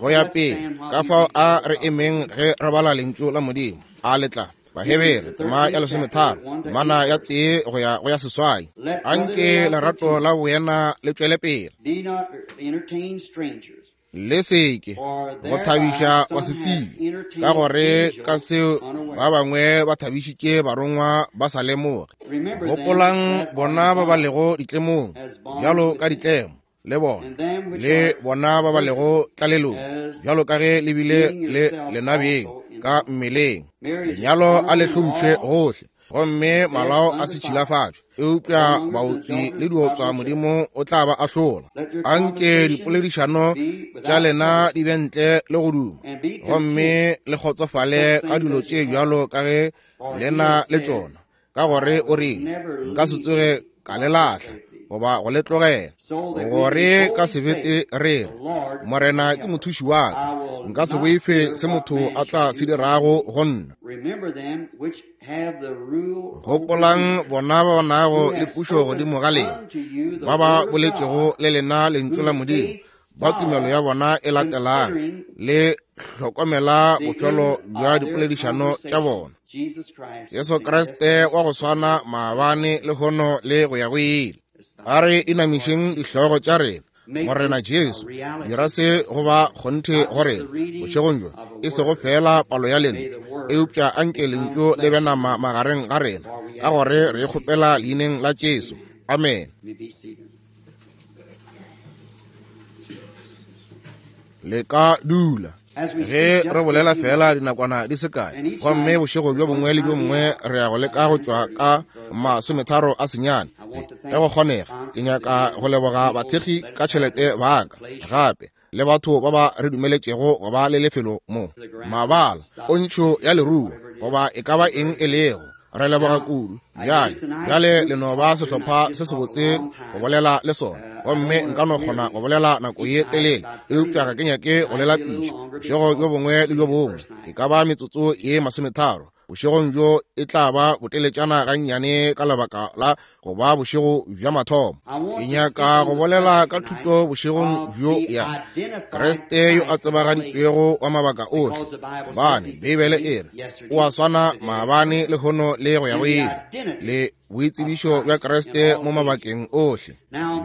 go ya pele. Ka fao a re emeng ge re bala lentšu la Modimo. A le tla Bahebere tema ya lesometharo, temana ya tee go ya go ya seswai. Anke lerato la boena le tšwele pele. Le seke go thabiša basetsebje, ka gore ka seo ba bangwe ba thabišitše barongwa ba sa lemoge. Gopolang bona ba ba lego ditlemong bjalo ka ditlemo, le bona le bona ba ba lego tlalelong bjalo ka ge le bile le lenabeng ka mmeleng. Lenyalo a le hlompšhe gohle, gomme malao a se tšhilafatšwe, eupša baotswi le diotswa Modimo o tla ba ahlola. Anke dipoledišano tša lena di be ntle le go duma, gomme le kgotsofale ka dilo tše bjalo ka ge lena le tšona, ka gore o rile, nka se tsoge ka le lahla goba go le tlogela. Gore ka sebete re re, Morena ke mothuši wa ka, nka se boife se motho a tla se dirago go nna. Gopolang bona ba ba nago le pušo godimo ga lena, ba ba boletšego le lena lentšu la Modimo, ba tumelo ya bona e latelang le hlokomela bofelo bja dipoledišano tša bona. Jesu Kriste wa go swana maabane lehono le go ya go ile. A re inamišeng dihlogo tša rena. Morena Jesu, dira se go ba kgonthe go rena bošegong bjo, e sego fela palo ya lentšu, eupša anke lentšu le be nama magareng ga rena, ka gore re kgopela leineng la Jesu. Amen. Le ka dula. Ge re bolela fela dinakwana di se kae, gomme bošego bjo bongwe le bjo bongwe re ya go leka go tšwa ka masometharo a senyane ge go kgonega. Ke nyaka go leboga bathekgi ka tšhelete ba ka, gape le batho ba ba re dumeletšego go ba le lefelo mo, mabala, pontšho ya leruo, goba e ka ba eng e lego. Re leboga kudu. Bjale, bjale le no ba sehlopha se sebotse go bolela le sona, gomme nka no kgona go bolela nako ye telele, eupša ga ke nyake go le lapiša. Bošego bjo bongwe le bjo bongwe e ka ba metsotso ye masometharo. Bošegong bjo e tla ba boteletšana gannyane ka lebaka la go ba bošego bja mathomo. Ke nyaka go bolela ka thuto bošegong bjo ya Kriste yo a tsebagaditšwego wa mabaka ohle, gobane Beibele e re o a swana maabane lehono le go ya go ile, le boitsebišo bja Kriste mo mabakeng ohle.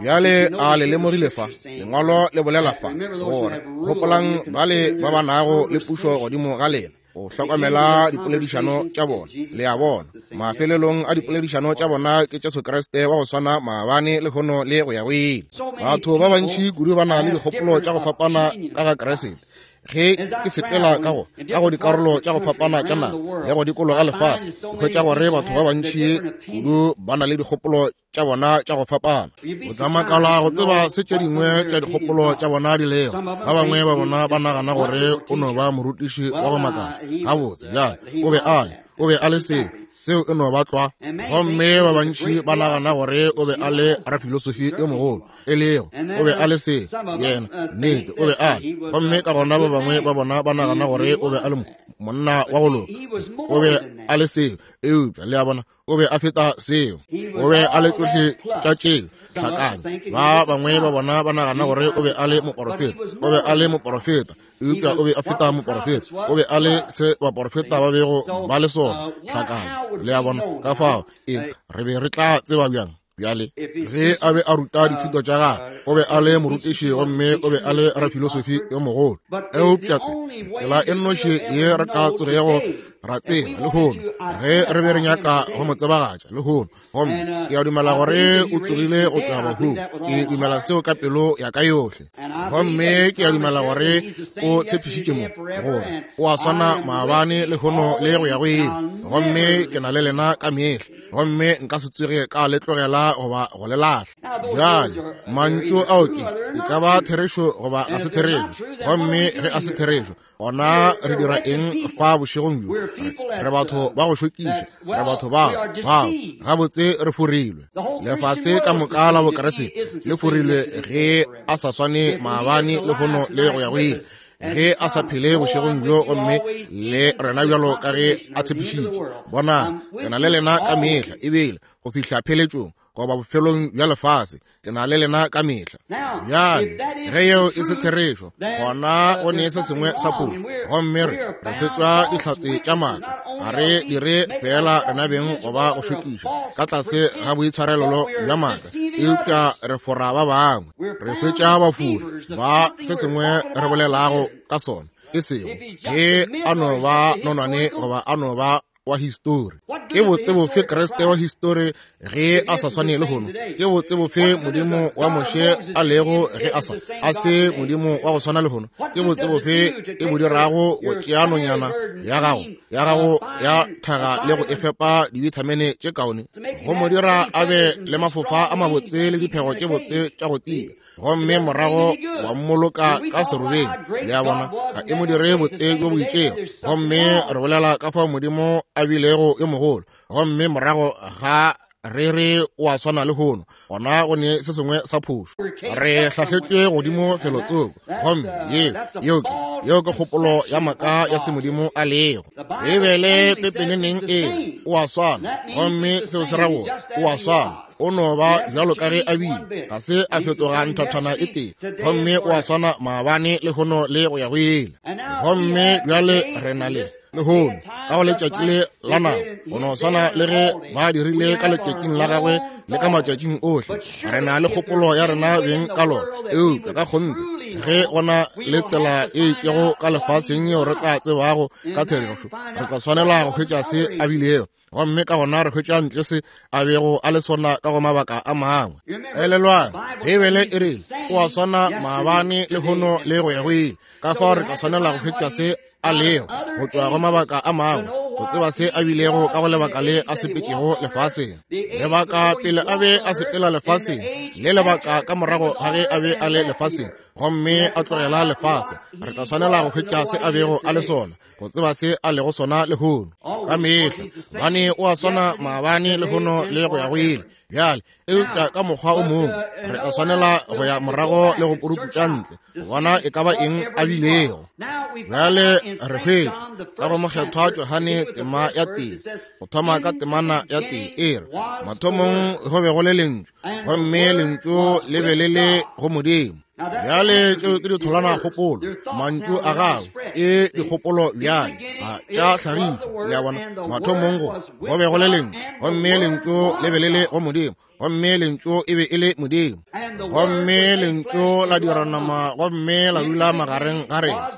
Bjale a le lemogile fa, lengwalo le bolela fa gore gopolang bale ba ba nago le pušo godimo ga lena, o hlokomela dipoledišano tša bona. Le a bona, mafelelong a dipoledišano tša bona ke Jesu Kriste wa go swana maabane lehono le go ya go ile. Batho ba bantši kudu ba na le dikgopolo tša go fapana ka ga Kriste. Ge ke sepela ka go ka go dikarolo tša go fapana tša naga le go dikologa lefase, ke hwetša gore batho ba bantši kudu ba na le dikgopolo tša bona tša go fapana. O tla makala go tseba se tše dingwe tša dikgopolo tša bona di lego. Ba bangwe ba bona ba nagana gore o no ba morutiši wa go makatša. Gabotse, bjale o be a le o be a le seo, seo e no ba tlwa. Gomme ba bantši ba nagana gore o be a le rafilosofi yo mogolo, e lego o be a le seo, yena nnete o be a le. Gomme ka gona ba bangwe ba bona ba nagana gore o be a le monna wa go loka, o be a le seo, eupša le a bona o be a feta seo, o be a le tšohle tša tšeo hlakanya. Ba bangwe ba bona ba nagana gore o be a le moporofeta, o be a le moporofeta, eupša o be a feta moporofeta, o be a le se baporofeta ba bego ba le sona hlakanya. Le a bona ka fao e re be re tla tseba bjang? Bjale ge a be a ruta dithuto tša gagwe, o be a le morutiši gomme o be a le rafilosofi yo mogolo. Eupša tsela e nnoši ye re ka tsogego ra tseba lehono, ge re be re nyaka go mo tsebagatša lehono, gomme ke a dumela gore o tsogile go tšwa bahung. Ke dumela seo ka pelo ya ka yohle, gomme ke a dumela gore o tshepišitše mo gore o a swana maabane lehono le go ya go ile, gomme ke na le lena ka mehla, gomme nka se tsoge ka le tlogela goba go le lahla. Bjale mantšu ao ke e ka ba therešo goba ga se therešo, gomme ge a se therešo, gona re dira eng fa bošegong bjo? Re batho ba go šokiša, re batho ba bao gabotse re forilwe. Lefase ka moka la Bokriste le forilwe ge a sa swane maabane lehono le go ya go ile, ge a sa phele bošegong bjo gomme le rena bjalo ka ge a tshepišitše. Bona, ke na le lena ka mehla, ebile go fihla pheletšong goba bofelong bja lefase, ke na le lena ka mehla. Bjale ge yeo e se therešo, gona go ne se sengwe sa phošo, gomme re re hwetšwa dihlatse tša maaka. Ga re dire fela rena beng goba go šokiša ka tlase ga boitshwarelelo bja maaka, eupša re fora ba bangwe. Re hwetša bafuri ba se sengwe re bolelago ka sona, e sego ge a no ba nonwane goba a no ba wa histori. Ke botse bofe Kriste wa histori ge a sa swane lehono? Ke botse bofe Modimo wa Moshe a lego ge a sa a se Modimo wa go swana lehono? Ke botse bofe e bo dirago go tšea nonyana ya gago ya gago ya thaga le go e fepa dibithamene tše kaone, go mo dira a be le mafofa a mabotse le diphego tše botse tša go tia, gomme morago wa mmoloka ka serobeng? Le a bona, ga e mo dire botse bjo bo itšego. Gomme re bolela ka fao Modimo a bilego yo mogolo, gomme morago ga re re o a swana lehono, gona go ne se sengwe sa phošo. Re hlahletšwe godimo felotsoko, gomme yeo yeo ke yeo ke kgopolo ya maaka ya se Modimo a lego. Beibele pepeneneng e o a swana, gomme seo se ra gore o a swana O no ba bjalo ka ge a bile, ga se a fetoga nthathana e tee, gomme o a swana maabane lehono le go ya go ile. Gomme bjale re na le lehono ka go letšatši le la nako, go no swana le ge ba dirile ka letšatšing la gagwe le ka matšatšing ohle. Re na le kgopolo ya rena beng ka lona, eupša ka kgonthe ge gona le tsela e itšego ka lefaseng yeo re tla tsebago ka therešo, re tla swanela go hwetša se a bilego, gomme ka gona re hwetša ntle se a bego a le sona ka go mabaka a mangwe. Elelwang, Beibele e re o a swana maabane lehono le go ya go ile. Ka fao re tla swanela go hwetša se a lego go tšwa go mabaka a mangwe, go tseba se a bilego ka go lebaka le a sepetšego lefaseng, lebaka pele a be a sepela lefaseng, le lebaka ka morago ga ge a be a le lefaseng gomme a tlogela lefase. Re tla swanela go hwetša se a bego a le sona, go tseba se a lego sona lehono. Ka mehla bane o a swana maabane lehono le go ya go ile. Bjale eupša ka mokgwa o mongwe re tla swanela go ya morago le go puruputša ntle go bona e ka ba eng a bilego. Bjale re hwetša ka go Mokgethwa Johane tema ya tee, go thoma ka temana ya tee, e re mathomong go be go le lentšu, gomme lentšu le be le le go Modimo. Bjale tšeo ke ditholwana kgopolo, mantšu a gagwe e dikgopolo bjale a tša hlagišo. Le a bona, mathomong go go be go le lentšu, gomme lentšu le be le le go Modimo, gomme lentšu e be e le Modimo, gomme lentšu la dira nama gomme la dula magareng ga rena.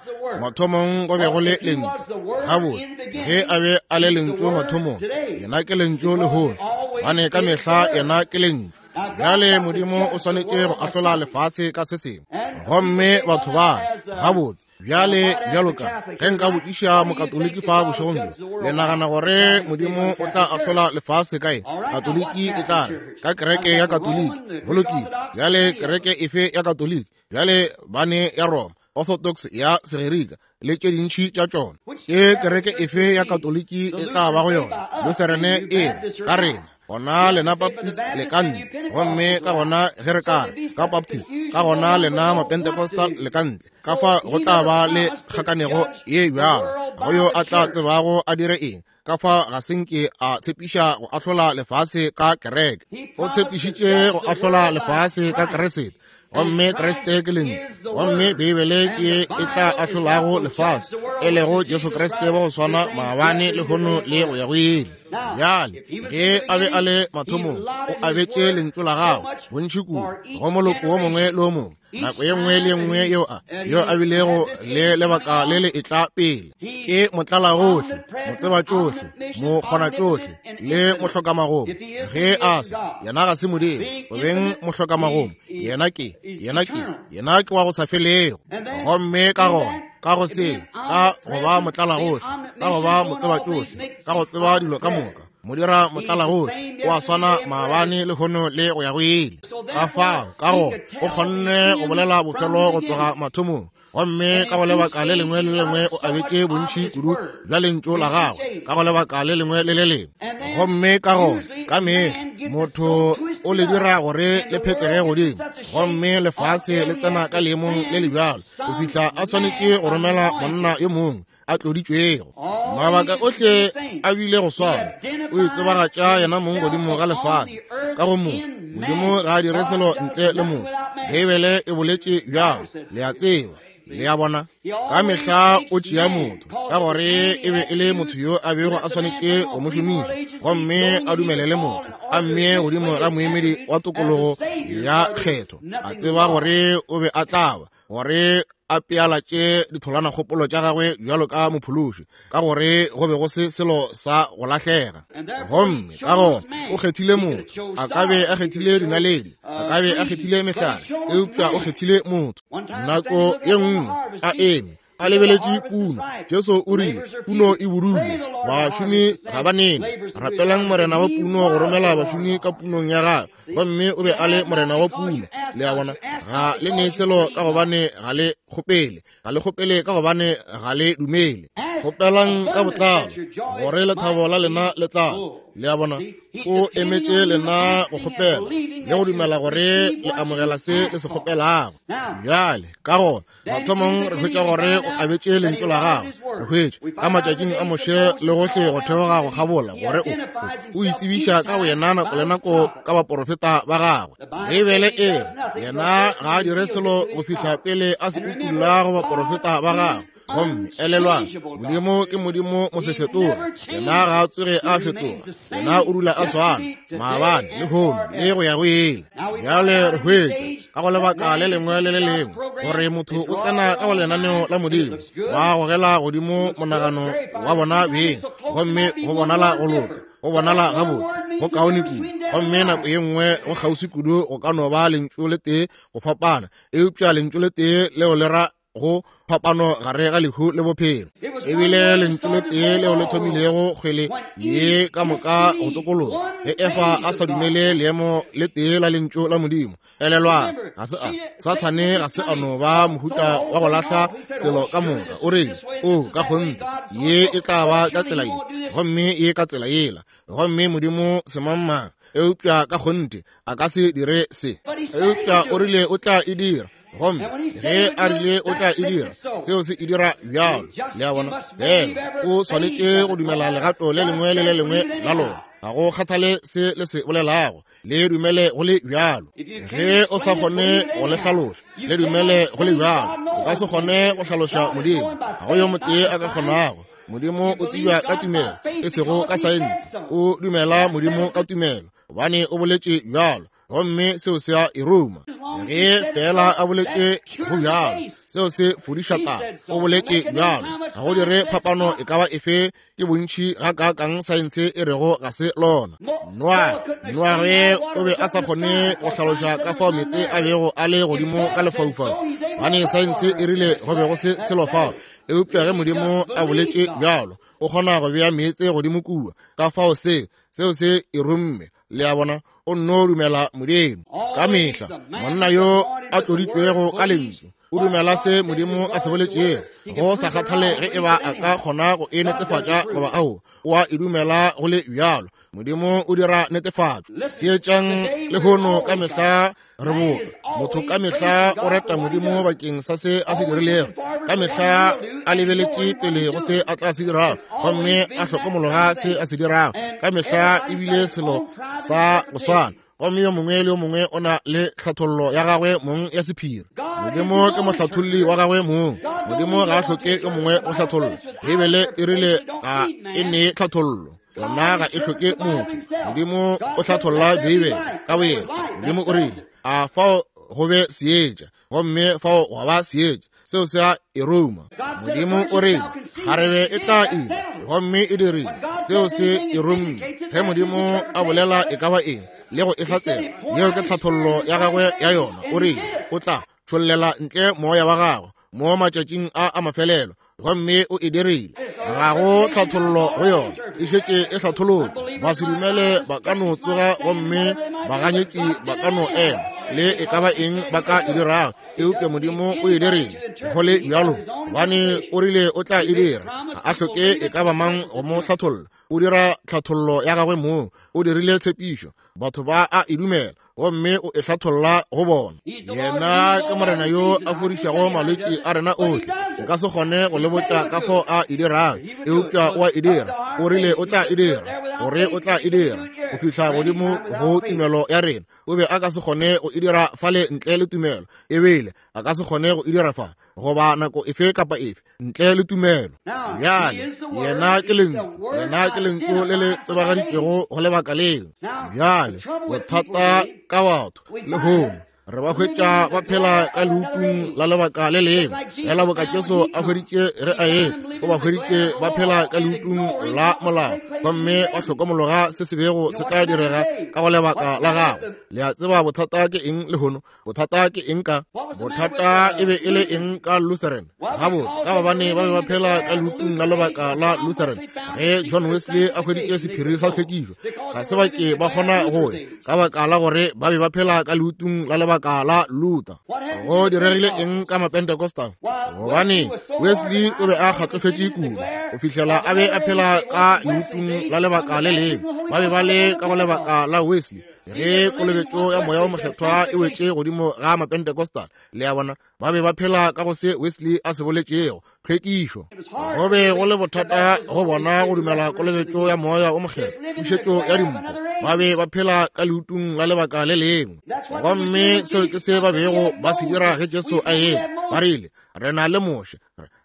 Mathomong go be go le lentšu. Gabotse, ge a be a le lentšu mathomong, yena ke lentšu lehono, gobane ka mehla yena ke lentšu. Bjale Modimo o swanetše go ahlola lefase ka se sengwe, gomme batho ba gabotse bjale bjalo ka ge nka botšiša mokatoliki fa bošegong bjo, le nagana gore Modimo o tla ahlola lefase kae? Katoliki e tla re ka kereke ya Katoliki. Go lokile, bjale kereke efe ya Katoliki? Bjale bane ya Roma, Orthodox ya Segerika le tše dintši tša tšona. Ke kereke efe ya Katoliki e tla ba go yona? Lutheran e re ka rena, gona lena Baptist le ka ntle, gomme ka gona ge re ka re ka Baptist, ka gona lena Mapentecostal le ka ntle. Ka fa go tla ba le kgakanego ye bjalo, go yo a tla tsebago a dire eng. Ka fa ga se nke a tshepiša go ahlola lefase ka kereke, o tshepišitše go ahlola lefase ka Kriste, gomme Kriste ke lentšu, gomme Beibele ke e tla ahlolago lefase, e lego Jesu Kriste wa go swana maabane lehono le go ya go ile. Bjale ge a be a le mathomong, o abetše lentšu la gagwe bontši kudu go moloko wo mongwe le wo mongwe, nako ye nngwe le ye nngwe yeo a yo a bilego le lebaka le le etla pele. Ke motlalagohle, motsebatšohle, mokgonatšohle le mohlokamagomo. Ge a se, yena ga se Modimo, go beng mohlokamagomo, yena ke, yena ke, yena ke wa go sa felego. Gomme ka gona, ka go se, ka go ba motlalagohle, ka go ba motsebatšohle, ka go tseba dilo ka moka, mo dira motlalagohle, o a swana maabane lehono le go ya go ile. Ka fao ka go o kgonne go bolela bofelo go tloga mathomong, gomme ka go lebaka le lengwe le lengwe o abetše bontši kudu bja lentšu la gagwe ka go lebaka le lengwe le le lengwe. Gomme ka go ka mehla motho o le dira gore le phetlege godimo, gomme lefase le tsena ka leemong le le bjalo go fihla a swanetše go romela monna yo mongwe a tloditšwego. Mabaka ohle a bile go swana, o itsebagatša yena mong godimo ga lefase ka go motho. Modimo ga a dire selo ntle le motho. Beibele e boletše bjalo, le a tseba. Le a bona, ka mehla o tšea motho, ka gore e be e le motho yo a bego a swanetše go mo šomiša, gomme a dumelele motho a mmee godimo ga moemedi wa tokologo ya kgetho, a tseba gore o be a tla ba gore a pealatše ditholwana kgopolo tša gagwe bjalo ka mophološi, ka gore go be go se selo sa go lahlega. Gomme ka gona o kgethile motho. A ka be a kgethile dinaledi, a ka be a kgethile mehlare, eupša o kgethile motho. Nako ye nngwe a eme a lebeletše puno, Jesu o rile, puno e budule, bašomi ga ba nene. Rapelang morena wa puno go romela bašomi ka punong ya gagwe. Gomme o be a le morena wa puno. Le a bona, ga le ne selo ka gobane ga le kgopele, ga le kgopele ka gobane ga le dumele. Kgopelang ka botlalo gore lethabo la lena le tlale. Le a bona, o emetše lena go kgopela le go dumela gore le amogela se le se kgopelago. Bjale ka gona mathomong re hwetša gore o abetše lentšu la gagwe. Re hwetša ka matšatšing a Moshe le gohle go theoga go kgabola gore o o itsebiša ka boyena nako le nako ka baporofeta ba gagwe. Beibele e re yena ga a dire selo go fihla pele a se utulla go baporofeta ba gagwe. Gomme elelwang, Modimo ke Modimo mosefetoge. Yena ga a tsoge a fetoga. Yena o dula a swana maabane, lehono le go ya go ile. Bjale re hwetša ka go lebaka le lengwe le le lengwe gore motho o tsena ka go lenaneo la Modimo, ba gogela godimo monagano wa bona beng, gomme go bonala go loka, go bonala gabotse, go kaone kudu. Gomme nako ye nngwe go kgauswi kudu go ka no ba lentšu le tee go fapana, eupša lentšu le tee leo le ra go phapano gare ga lehu le bophelo. Ebile lentšu le tee leo le thomilego kgwele ye ka moka go tokologa, ge Efa a sa dumele leemo le tee la lentšu la Modimo. Elelwang, ga se a Sathane ga se a no ba mohuta wa go lahla selo ka moka. O rile, o ka kgonthe ye e tla ba ka tsela ye, gomme ye ka tsela yela, gomme Modimo semangmang, eupša ka kgonthe a ka se dire se. Eupša o rile o tla e dira, gomme ge a rile o tla e dira, seo se e dira bjalo. Le a bona, fela o swanetše go dumela legato le lengwe le le lengwe la lona. Ga go kgathale se le se bolelago, le dumele go le bjalo. Ge o sa kgone go le hlaloša, le dumele go le bjalo. O ka se kgone go hlaloša Modimo, ga go yo motee a ka kgonago. Modimo o tsebja ka tumelo, e sego ka saense. O dumela Modimo ka tumelo, gobane o boletše bjalo, gomme seo se a e ruma. Ge fela a boletše go bjalo, seo se fodiša taba. O boletše bjalo, ga go dire phapano e ka ba efe ke bontši ga kaakang saense e rego ga se lona. Noage, Noage o be a sa kgone go hlaloša ka fao meetse a bego a le godimo ka lefaufau, gobane saense e rile go be go se selo fao. Eupša ge Modimo a boletše bjalo, o kgona go bea meetse godimo kua. Ka fao se seo se e rumme. Le a bona, o nno dumela Modimo ka mehla. Monna yo a tloditšwego ka lentšu o dumela se Modimo a se boletšego, go sa kgathale ge e ba a ka kgona go e netefatša goba ao, o a e dumela go le bjalo. Modimo o dira netefatšo. Theetšang lehono ka mehla re boka motho ka mehla o reta Modimo bakeng sa se a se dirilego, ka mehla a lebeletše pele go se a tla se dirago, gomme a hlokomologa se a se dirago. Ka mehla ebile selo sa go swana, gomme yo mongwe le yo mongwe o na le tlhathollo ya gagwe mong ya sephiri. Modimo ke mohlatholli wa gagwe mong. Modimo ga a hloke yo mongwe go hlatholla. Beibele e rile ga e nee tlhathollo, yona ga e hloke motho. Modimo o hlatholla Beibele ka boyena. Modimo o rile, a fao go be seetša, gomme fao gwa ba seetša. Seo se a e ruma. Modimo o rile, kgarebe e tla ima, gomme e dirile. Seo se e rumme. Ge Modimo a bolela e ka ba eng le go e hlatsela, yeo ke tlhathollo ya gagwe ya yona. O rile o tla tšhollela ntle moya wa gagwe mo matšatšing a a mafelelo, gomme o e dirile. Ga go tlhathollo go yona, e šetše e hlatholotšwe. Ba se dumele ba ka no tsoga, gomme baganyetši ba ka no ema le e ka ba eng ba ka e dirago, eupša Modimo o e dirile go le bjalo, gobane o rile o tla e dira. Ga a hloke e ka ba mang go mo hlatholla. O dira tlhathollo ya gagwe mong. O dirile tshepišo, batho ba a e dumela, gomme o e hlatholla go bona. Yena ke Morena yo a fodišago malwetši a rena ohle. Nka se kgone go le botša ka fao a e dirago, eupša o a e dira. O rile o tla e dira, gore o tla e dira go fihla godimo go tumelo ya rena. O be a ka se kgone go e dira fale ntle le tumelo, ebile a ka se kgone go e dira fa goba nako efe kapa efe ntle le tumelo. Bjale yena ke lentšu, yena ke lentšu le le tsebagaditšwego go lebaka leo. Bjale bothata ka batho lehono, re ba hwetša ba phela ka leutung la lebaka le lengwe. Fela boka Jesu a hweditše ge a etla, o ba hweditše ba phela ka leutung la molao, gomme ba hlokomologa se se bego se tla direga ka go lebaka la gagwe. Le a tseba bothata ke eng lehono? Bothata ke eng ka bothata e be e le eng ka Lutheran? Gabotse, ka gobane ba be ba phela ka leutung la lebaka la Lutheran. Ge John Wesley a hweditše sephiri sa tlhwekišo, ga se ba ke ba kgona go ya, ka baka la gore ba be ba phela ka leutung la lebaka lebaka la Luther. Go diregile eng ka Mapentecostal? Gobane Wesley o be a kgatlofetše kudu go fihlela a be a phela ka leutung la lebaka le lengwe. Ba be ba le ka go lebaka la Wesley ge kolobetšo ya moya o mokgethwa e wetše godimo ga Mapentecostal. Le a bona, ba be ba phela ka go se Wesley a se boletšego, tlhwekišo. Go be go le bothata go bona go dumela kolobetšo ya moya o mokgethwa, pušetšo ya dimpho. Ba be ba phela ka leutung la lebaka le lengwe. Gomme seo ke se ba bego ba se dira ge Jesu a etla. Ba rile, re na le Moshe,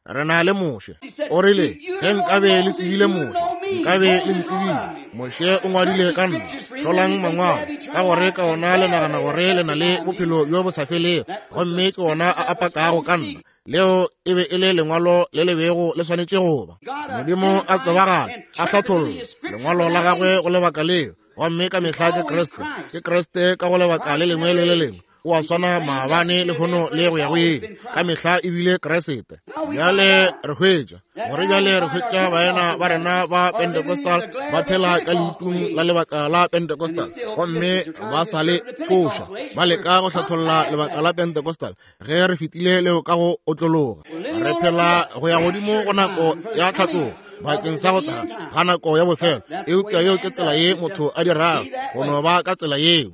re na le Moshe. O rile, ge nkabe le tsebile Moshe, nkabe le ntsebile. Moshe o ngwadile ka nna. Hlolang mangwalo, ka gore ka ona le nagana gore le na le bophelo bjo bo sa felego, gomme ke ona a apakago ka nna. Leo e be e le lengwalo le le bego le swanetše go ba. Modimo a tsebagala, a hlatholla lengwalo la gagwe go lebaka leo, gomme ka mehla ke Kriste, ke Kriste ka go lebaka le lengwe le le lengwe. O a swana maabane lehono le go ya go ile, ka mehla ebile Kriste. Bjale re hwetša gore bjale re hwetša baena ba rena ba Pentecostal ba phela ka leutung la lebaka la Pentecostal, gomme ba sa le foša, ba leka go hlatholla lebaka la Pentecostal ge re fetile leo ka go otlologa. Re phela go ya godimo go nako ya tlhatlogo bakeng sa go tla ga nako ya bofelo, eupša yeo ke tsela ye motho a dirago, go no ba ka tsela yeo.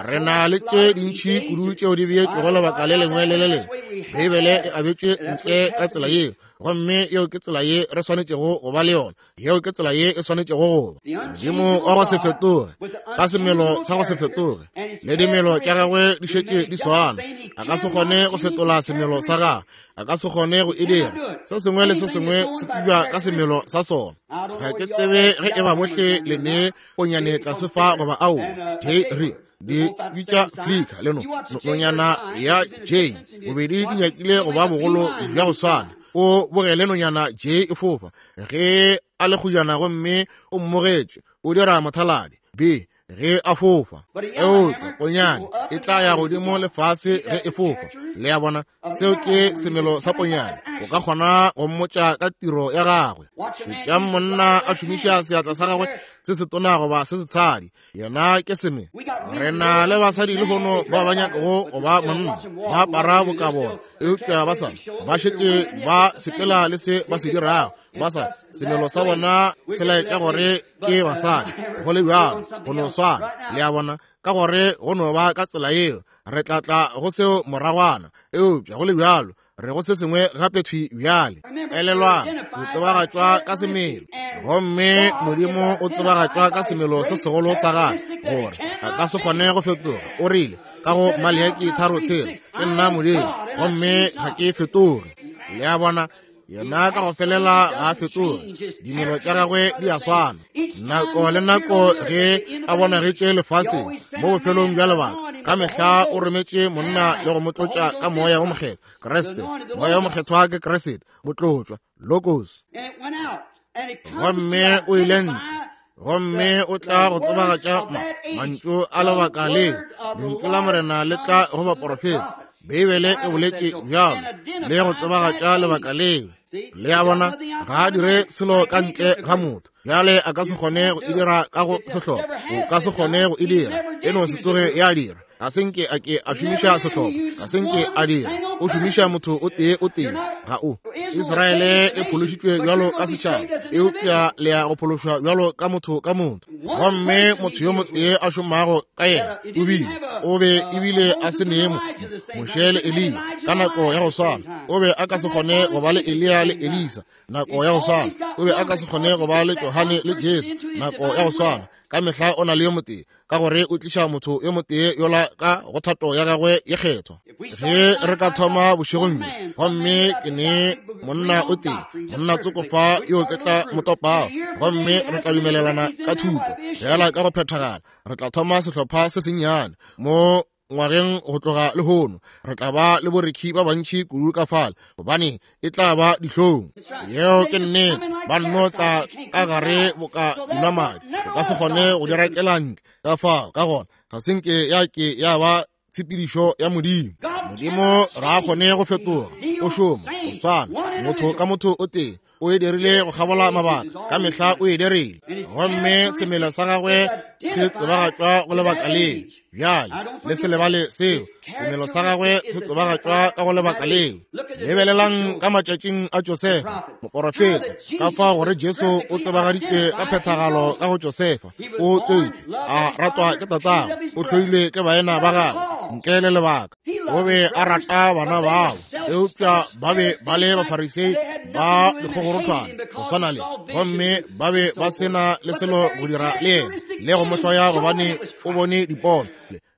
Re na le tše dintši kudu tšeo di beetšwego lebaka le lengwe le le lengwe. Beibele e abetšwe ntle ka tsela yeo, gomme yeo ke tsela ye re swanetšego go ba le yona. Yeo ke tsela ye e swanetšego go ba. Modimo wa go se fetoge, ka semelo sa go se fetoge, le dimelo tša gagwe di šetše di swana. A ka se kgone go fetola semelo sa gagwe, a ka se kgone go e dira. Se sengwe le se sengwe se tsebja ka semelo sa sona. Ga ke tsebe ge e ba bohle le ne ponyane tlase fa goba ao. J re di bitša Flicker le no nonyana ya J bobedi di nyakile go ba bogolo bja go swana. O bogele nonyana J e fofa ge a le kgojana, gomme o mmogetše o dira mothaladi. B ge a fofa, eupša ponyane e tla ya godimo lefase ge e fofa. Le a bona, seo ke semelo sa ponyane. O ka kgona go mmotša ka tiro ya gagwe. Šetšang monna a šomiša seatla sa gagwe se setona goba se setshadi, yena ke seme. Re na le basadi lehono ba ba nyakago go ba monna, ba apara boka bona, eupša ba sa ba šetše ba sepela le se ba se dirago. Ba sa semelo sa bona se laetša gore ke basadi. Go le bjalo, go no swana. Le a bona, ka gore go no ba ka tsela yeo. Re tla tla go seo moragwana, eupša go le bjalo re go se sengwe gape thwi bjale. Elelwang, o tsebagatšwa ka semelo, gomme Modimo o tsebagatšwa ka semelo se segolo sa gagwe, gore a ka se kgone go fetoga. O rile ka go Maleaki tharo tshela, ke nna Modimo gomme ga ke fetoge. Le a bona, yena ka go felela ga a fetoge, dimelo tša gagwe di a swana. Nako le nako ge a bonagetše lefaseng mo bofelong bja lebaka, ka mehla o rometše monna le go mo tlotša ka moya o mokgethwa, Kriste. Moya o mokgethwa ke Kriste, motlotšwa, Logos. Gomme o ile ntle, gomme o tla go tsebagatša mantšu a lebaka leo. Lentšu la Morena le tla go baporofeta. Beibele e boletše bjalo le go tsebagatša lebaka leo. Le a bona, ga a dire selo ka ntle ga motho. Bjale a ka se kgone go e dira ka go sehlopha, o ka se kgone go e dira, e no se tsoge ya dira. Ga se nke a ke a šomiša sehlopha, ga se nke a dira. O šomiša motho o tee o tee. Ga o. Israele e phološitšwe bjalo ka setšhaba, eupša le ya go phološwa bjalo ka motho ka motho. Gomme motho yo motee a šomago ka yena o bile o be ebile a se ne Moshe le Eliya ka nako ya go swana. O be a ka se kgone go ba le Eliya le Elisa nako ya go swana. O be a ka se kgone go ba le Johane le Jesu nako ya go swana. Ka mehla o na le yo motee, ka gore o tliša motho yo motee yola ka go thato ya gagwe ye kgethwa. Ge re ka thoma bošegong bjo, gomme ke ne monna o tee, monna tsoko fa yo ke tla mo topago, gomme re tla dumelelana ka thuto fela ka go phethagala. Re tla thoma sehlopha se sennyane mo ngwageng go tloga lehono. Re tla ba le borekhi ba bantši kudu ka fale, gobane e tla ba dihlong. Yeo ke nnete. Ba nno tla ka gare boka dinwamadi, o ka se kgone go di rakela ntle ka fao. Ka gona ga se nke ya ke ya ba tshepedišo ya Modimo. Modimo ga a kgone go fetoga, o šoma go swana motho ka motho o tee. O e dirile go kgabola mabaka, ka mehla o e dirile. Gomme semelo sa gagwe se tsebagatšwa go lebaka leo. Bjale le se lebale seo, semelo sa gagwe se tsebagatšwa ka go lebaka leo. Lebelelang ka matšatšing a Josefa moporofeta, ka fao gore Jesu o tsebagaditšwe ka phethagalo ka go Josefa. O tswetšwe a ratwa ke tatagwe, o hloilwe ke baena ba gagwe ntle le lebaka. O be a rata bana bao, eupša ba be ba le Bafarisei ba dikgogorothwane go swana le, gomme ba be ba se na le selo go dira le yena le go mo hloya gobane o bone dipono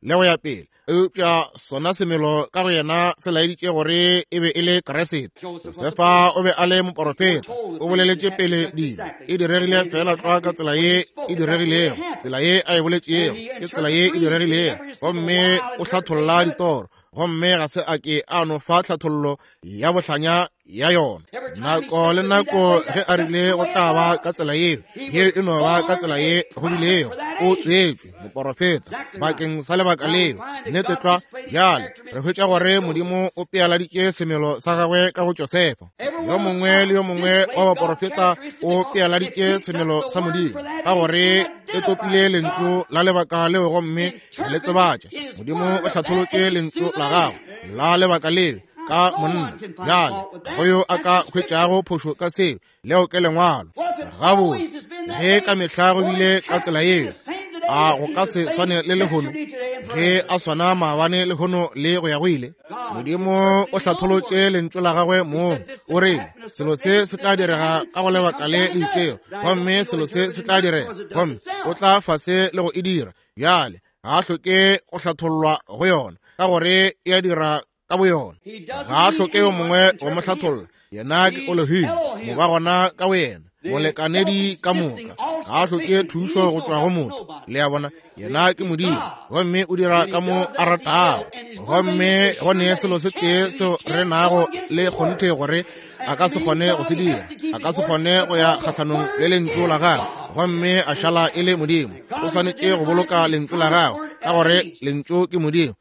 le go ya pele. Eupša sona semelo ka go yena se laeditše gore e be e le Kriste. Josefa o be a le moporofeta, o boleletše pele dilo, e diregile fela tlwa ka tsela ye e diregilego, tsela ye a e boletšego ke tsela ye e diregilego. Gomme o hlatholla ditoro, gomme ga se a ke a no fa tlhathollo ya bohlanya ya yona. Nako le nako ge a rile go tla ba ka tsela yeo, ye e no ba ka tsela ye go bilego. O tswetšwe moporofeta bakeng sa lebaka leo, nnete tlwa. Bjale re hwetša gore Modimo o pealaditše semelo sa gagwe ka go Josefa. Yo mongwe le yo mongwe wa baporofeta o pealaditše semelo sa Modimo ka gore e topile lentšu la lebaka leo gomme le tsebatša. Modimo o hlatholotše lentšu la gagwe la lebaka leo ka monna. Bjale go yo a ka hwetšago phošo ka seo, leo ke lengwalo. Gabotse, ge ka mehla go bile ka tsela yeo, a go ka se swane le lehono ge a swana maabane lehono le go ya go ile. Modimo o hlatholotše lentšu la gagwe mong, o rile selo se se tla direga ka go lebaka le le itšego, gomme selo se se tla direga, gomme o tla fase le go e dira. Bjale ga a hloke go hlathollwa go yona, ka gore e a dira ka boyona. Ga a hloke yo mongwe go mo hlatholla, yena ke Elohim, mo ba gona ka boyena, molekanedi ka moka. Ga a hloke thušo go tšwa go motho, le a bona, yena ke Modimo, gomme o dira ka mo a ratago. Gomme go ne selo se tee seo re nago le kgonthe gore a ka se kgone go se dira, a ka se kgone go ya kgahlanong le lentšu la gagwe gomme a šala e le Modimo. O swanetše go boloka lentšu la gagwe, ka gore lentšu ke Modimo,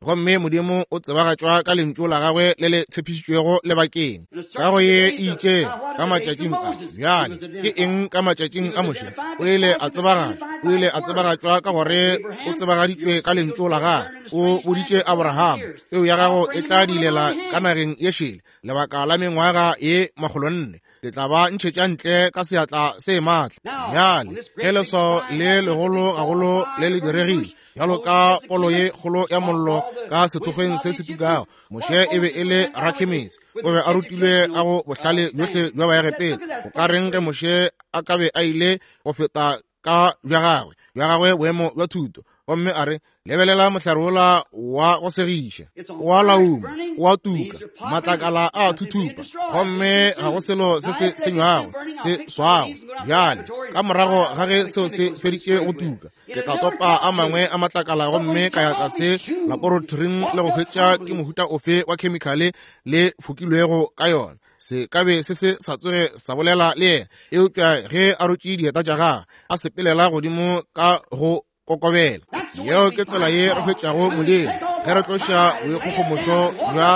gomme Modimo o tsebagatšwa ka lentšu la gagwe le le tshepišitšwego lebakeng. Ka go ye e itšego ka matšatšing a bjale, ke eng ka matšatšing a Moshe? O ile a tsebagatšwa, o ile a tsebagatšwa ka gore o tsebagaditšwe ka lentšu la gagwe. O boditše Abraham, peu ya gago e tla dilela ka nageng ye šele lebaka la mengwaga ye makgolonne, ke tla ba ntšhetša ntle ka seatla se maatla. Bjale ge leswao le legolo gagolo le le diregile, bjalo ka polo ye kgolo ya mollo ka sethokgweng se se tukago, Moshe e be e le rakhemisi, o be a rutilwe ka go bohlale bjohle bja Baegepeta. Go ka reng ge Moshe a ka be a ile go feta ka bja gagwe bja gagwe boemo bja thuto, gomme a re, lebelela mohlare wola wa go segiša, wa lauma, wa tuka, matlakala a thuthupa, gomme ga go selo se se senywago se swago. Bjale ka morago ga ge seo se feditše go tuka, ke tla topa a mangwe a matlakala gomme ka ya tlase laboratoring le go hwetša ke mohuta ofe wa khemikhale le fokilwego ka yona. Se ka be se se sa tsoge sa bolela le yena, eupša ge a rotše dieta tša gagwe a sepelela godimo ka go kokobela. Yeo ke tsela ye re hwetšago Modimo, ge re tloša boikgogomošo bja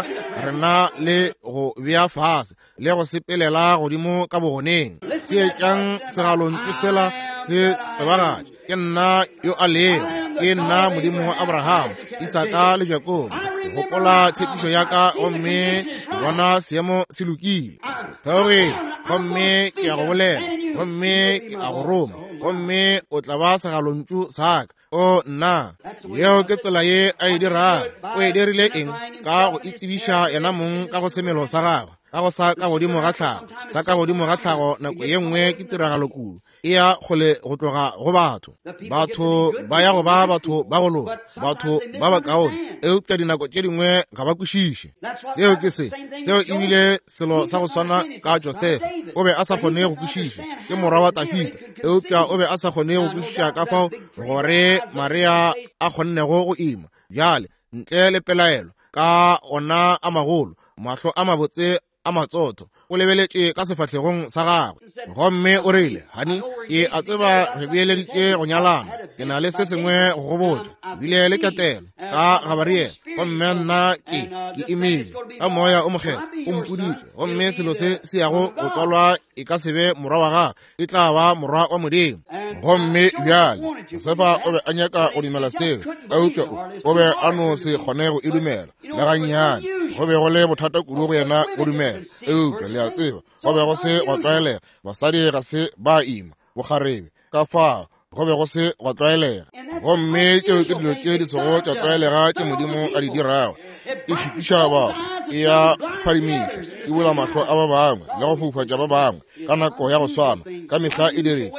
rena le go bea fase le go sepelela godimo ka bogoneng. Theetšang segalontšu sela se tsebagatša, ke nna yo a lego, ke nna Modimo wa Abraham, Isaka le Jakobo. Ke gopola tshepišo ya ka gomme ke bona seemo se lokile. Theogile gomme ke a go bolela, gomme ke a go roma, gomme o tla ba segalontšu sa ka. O nna, yeo ke tsela ye a e dirago. O e dirile eng? Ka go itsebiša yena mong ka go semelo sa gagwe, ka go sa ka godimo ga tlhago. Sa ka godimo ga tlhago nako ye nngwe ke tiragalo kudu, e ya kgole go tloga go batho. Batho ba ya go ba batho ba go loka, batho ba bakaone, eupša dinako tše dingwe ga ba kwešiše. Seo ke se, seo e bile selo sa go swana ka Josefa. O be a sa kgone go kwešiša, ke morwa wa Dafida, eupša o be a sa kgone go kwešiša ka fao gore Maria a kgonnego go ima. Bjale ntle le pelaelo, ka ona a magolo, mahlo a mabotse a matsotho, O lebeletše ka sefahlegong sa gagwe gomme o rile, "Hani, ke a tseba re beeleditše go nyalana. Ke na le se sengwe go go botša. Bile le ketelo ka Gabariele, gomme nna ke ke imile ka moya o mokgethwa o mpoditše, gomme selo se se yago go tswalwa e ka se be morwa wa gagwe, e tla ba morwa wa Modimo." Gomme bjale Josefa o be a nyaka go dumela seo, eupša o be a no se kgone go e dumela le gannyane. Go be go le bothata kudu go yena go dumela, eupša le a tseba go be go se gwa tlwaelega. Basadi ga se ba ima bokgarebe, ka fao go be go se gwa tlwaelega. Gomme tšeo ke dilo tše di sego tša tlwaelega tše Modimo a di dirago. E šitiša batho, e ya phadimiša, e bula mahlo a ba bangwe le go foufatša ba bangwe ka nako ya go swana. Ka mehla e dire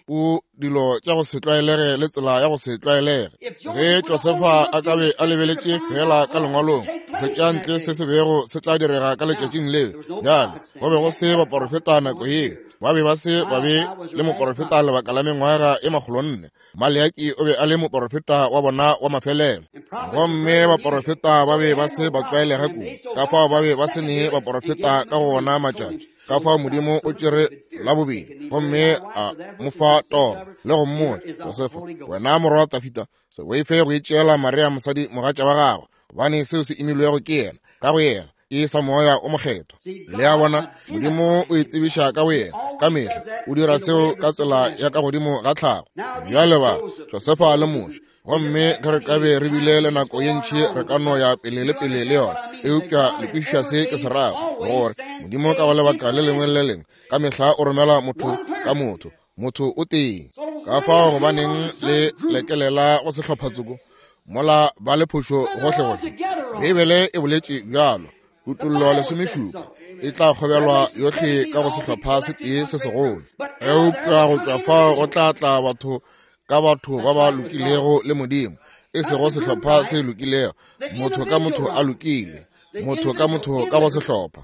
o dilo tša go se tlwaelege le tsela ya go se tlwaelege. Ge Josefa a ka be a lebeletše fela ka lengwalong hwetša ntle se se bego se tla direga ka letšatšing leo. Bjale go be go se baporofeta nako yeo, ba be ba se ba be le moporofeta lebaka la mengwaga e makgolonne. Maleaki o be a le moporofeta wa bona wa mafelelo, gomme baporofeta ba be ba se ba tlwaelega kudu, ka fao ba be ba se ne baporofeta ka go ona matšatši. Ka fao Modimo o tšere la bobedi gomme a mo fa toro le go mmotša, "Josefa, wena morwa wa Tafita, se boife go itšeela Maria mosadi mogatša wa gagwe, gobane seo se imilwego ke yena ka go yena ke sa moya o mokgethwa." Le a bona, Modimo o itsebiša ka boyena ka mehla, o dira seo ka tsela ya ka godimo ga tlhago. Bjale ba Josefa le Moshe, gomme ge re ka be re bile le nako ye ntši re ka no ya pele le pele le yona, eupša le kwešiša se ke se rago, gore Modimo ka go lebaka le lengwe le lengwe ka mehla o romela motho ka motho, motho o tee. Ka fao gobaneng le lekelela go sehlophatsoko mola ba le phošo gohlegohle? Beibele e boletše bjalo, Kutollo lesomešupa, e tla kgobelwa yohle ka go sehlopha se tee se segolo, eupša go tšwa fao go tla tla batho ka batho ba ba lokilego le Modimo, e sego sehlopha se lokilego, motho ka motho a lokile, motho ka motho ka go sehlopha.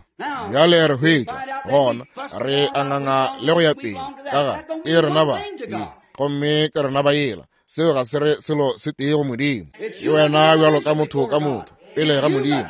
Bjale re hwetša gona re anganga le go ya pele ka ga e rena ba ye, gomme ke rena ba yela. Seo ga se re selo se tee go Modimo. Ke wena bjalo ka motho ka motho pele ga Modimo.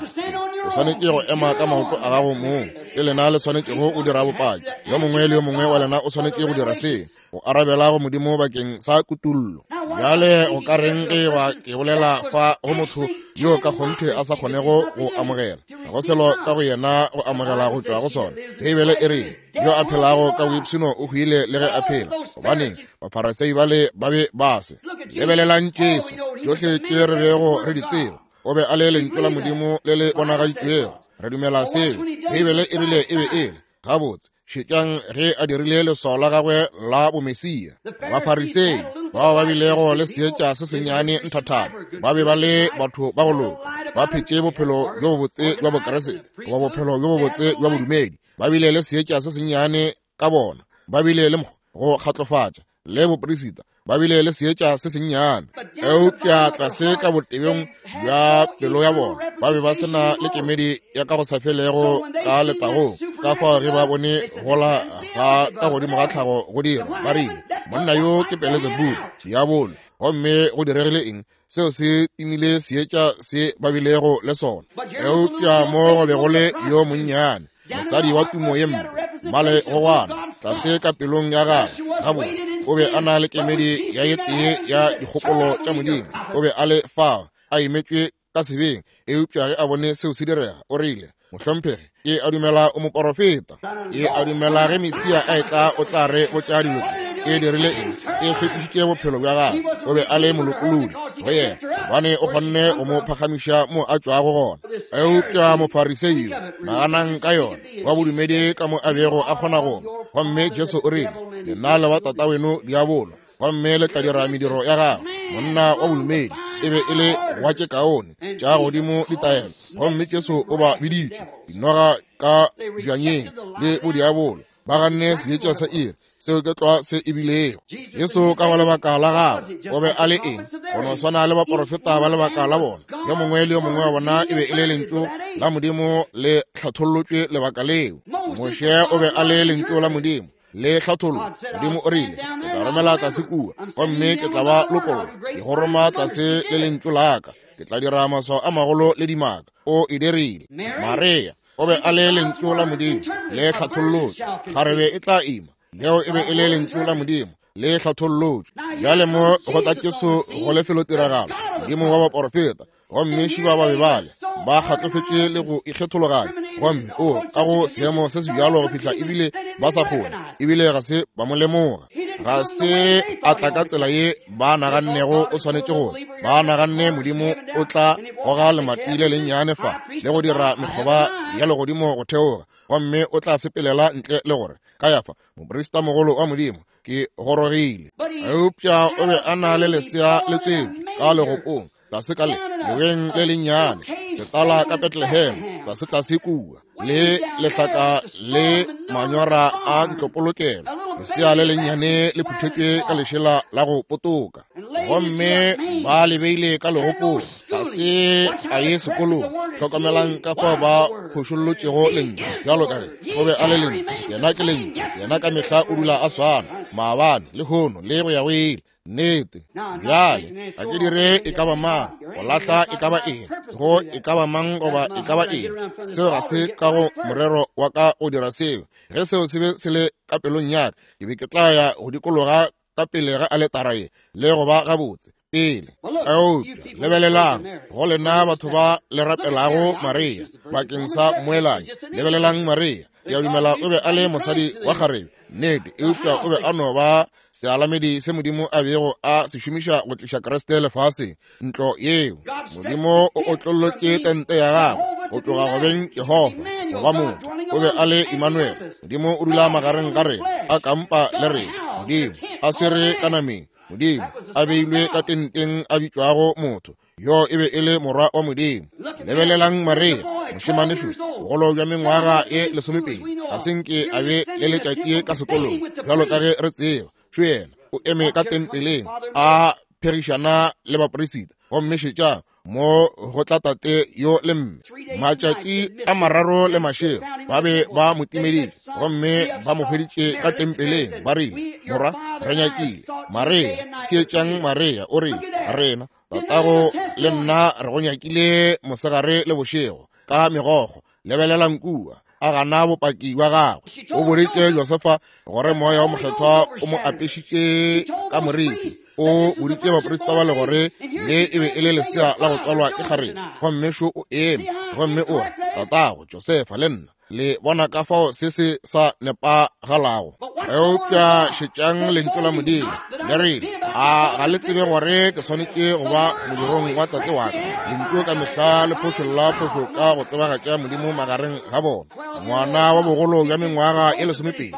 O swanetše go ema ka maoto a gago mong. Ke lena le swanetšego go dira bopaki. Yo mongwe le yo mongwe wa lena o swanetše go dira se, go arabela go Modimo bakeng sa kutullo. Bjale go ka reng ge ba ke bolela fa go motho yo ka kgonthe a sa kgonego go amogela, ga go selo ka go yena go amogela go tšwa go sona? Beibele e rile, yo a phelago ka boipshino o hwile le ge a phela. Gobaneng Bafarasei bale ba be ba se? Lebelelang Jesu, tšohle tše re bego re di tseba, o be a le lentšu la Modimo le le bonagaditšwego. Re dumela seo. Beibele e rile e be e le gabotse. Šetšang ge a dirile leswao la gagwe la bomesia. Bafarisei bao ba bilego le seetša se sennyane nthathana, ba be ba le batho ba go loka, ba phetše bophelo bjo bobotse bja Bokeresete goba bophelo bjo bobotse bja bodumedi. Ba bile le seetša se sennyane ka bona, ba bile le go kgatlofatša le boperisita, ba bile le seetša se sennyane, eupša tlase ka botebeng bja pelo ya bona ba be ba se na le kemedi ya ka go sa felego ka letagong. Ka fao ge ba bone gola ga ka godimo ga tlhago go dira, ba rile, monna yo ke Beelzebub, diabolo. Gomme go diregile eng? Seo se timile seetša se ba bilego le sona. Eupša mo go be go le yo monnyane, mosadi wa tumo ye mpe, mmale gogwana, tlase ka pelong ya gagwe gabotse o be a na le kemedi ya ye tee ya dikgopolo tša Modimo. O be a le fao a imetšwe ka sebeng, eupša ge a bone seo se direga, o rile, "Mohlomphegi, ke a dumela o moporofeta. Ke a dumela ge Mesia a etla o tla re botša dilo tše." E dirile eng? E hlwekišitše bophelo bja gagwe. O be a le molokolodi go yena, gobane o kgonne go mo phagamiša mo a tšwago gona. Eupša Mofarisei yo, naganang ka yona, wa bodumedi ka mo a bego a kgona go. Gomme Jesu o rile, "Lena le wa tata weno diabolo, gomme le tla dira mediro ya gagwe." Monna wa bodumedi e be e le wa tše kaone tša godimo ditaelo, gomme Jesu o ba biditše dinoga ka bjanyeng le bodiabolo. Ba ganne seetša sa iri, seo ke tlwa se e bilego. Jesu ka go lebaka la gagwe o be a le eng? Go no swana le baporofeta ba lebaka la bona. Yo mongwe le yo mongwe wa bona e be e le lentšu la Modimo le hlathollotšwe lebaka leo. Moshe o be a le lentšu la Modimo le hlathollo. Modimo o rile, "Ke tla romela tlase kua, gomme ke tla ba lokolla. Ke go roma tlase le lentšu la ka. Ke tla dira maswao a magolo le dimaka." O e dirile. Maria O be a le lentšu la Modimo le hlathollotšwe. Kgarebe e tla ima. Leo e be e le lentšu la Modimo le hlathollotšwe. Bjale mo go tla Jesu go lefelotiragalo, Modimo wa baporofeta, gomme šiba ba be bale ba kgatlofetše le go ikgethologanya, gomme o ka go seemo se se bjalo go fihla ebile ba sa kgone, ebile ga se ba mo lemoga. Ga se a tla ka tsela ye ba nagannego o swanetše go. Ba naganne Modimo o tla goga lemati le lennyane fa le go dira mekgoba ya legodimo go theoga, gomme o tla sepelela ntle le gore Kayafa, moprista mogolo wa Modimo, ke gorogile. Eupša o be a na le lesea le tswetšwe ka legopong, tlase ka le leweng le lennyane, setala ka Bethlehem, tlase tlase kua, le lehlaka le manyora a ntlopolokelo, lesea le lennyane le phuthetšwe ka lešela la go potoka, gomme ba le beile ka legopong. Ga se a ye sekolong. Hlokomelang ka fao ba phošollotšego lentšu, bjalo ka ge o be a le lentšu. Yena ke lentšu, yena ka mehla o dula a swana, maabane, lehono le go ya go ile. Nnete. Bjale ga ke dire e ka ba mang go lahla e ka ba eng, go e ka ba mang goba e ka ba eng. Seo ga se ka go morero wa ka go dira seo. Ge seo se be se le ka pelong ya ka, ke be ke tla ya go dikologa ka pele ga aletara ye le go ba gabotse pele. Eupša lebelelang go lena batho ba le rapelago Maria bakeng sa mmoelanyi. Lebelelang Maria. Ke a dumela o be a le mosadi wa kgarebe, nnete, eupša o be a no ba sealamedi se Modimo a bego a se šomiša go tliša Kriste lefaseng. Ntlo yeo Modimo o otlollotše tente ya gagwe go tloga go beng Jehofa go ba motho. O be a le Emmanuel. Modimo o dula magareng ga rena, a kampa le rena. Modimo a swere ka nameng, Modimo a beilwe ka tenteng a bitšwago motho. Yo e be e le morwa wa Modimo. Lebelelang Maria, mošemane šo, bogolo bja mengwaga e lesomepedi, ga se nke a be le letšatši ka sekolong, bjalo ka ge re tseba. Šo yena o eme ka tempeleng a phegišana le baporisita, gomme šetšang mo go tla tate yo le mme. Matšatši a mararo le mašego ba be ba mo timeditše, gomme ba mo hweditše ka tempeleng. Ba rile, morwa, re nyakile Maria. Theetšang Maria, o rile, rena tatago le nna re go nyakile mosegare le bošego ka megokgo. Lebelelang kua, a gana bopaki bja gagwe. O boditše Josefa gore moya wa mokgethwa o mo apešitše ka moriti. O boditše baprista ba le gore le e be e le lesea la go tswalwa ke kgarebe, gomme šo o eme gomme o re, tatago Josefa le nna le bona ka fao se se sa nepagalago. Eupša šetšang lentšu la Modimo le rile, a ga le tsebe gore ke swanetše go ba modirong wa tate wa ka? Lentšu ka mehla le phošolla phošo ka go tsebagatša Modimo magareng ga bona. Ngwana wa bogolo bja mengwaga e lesomepedi,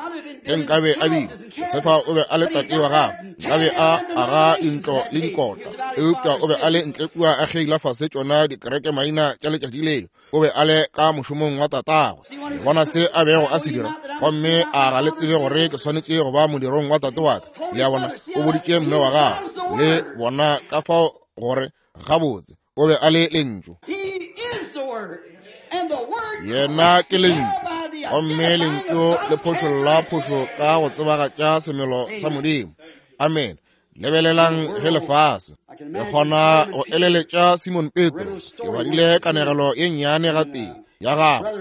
ge nkabe a bile Josefa o be a le tate wa gagwe, nkabe a aga dintlo le dikota, eupša o be a le ntle kua a kgeila fase tšona dikereke maina tša letšatši leo. O be a le ka mošomong wa tatagwe. Le bona se a bego a se dira, gomme a ga le tsebe gore ke swanetše go ba modirong wa tate wa ka? Le a bona, o boditše mme wa gagwe. Le bona ka fao gore gabotse o be a le lentšu. Yena ke lentšu, gomme lentšu le phošolla phošo ka go tsebagatša semelo sa Modimo. Amen. Lebelelang ge lefase le kgona go eleletša Simon Petro. Ke badile kanegelo ye nnyane gatee ya gagwe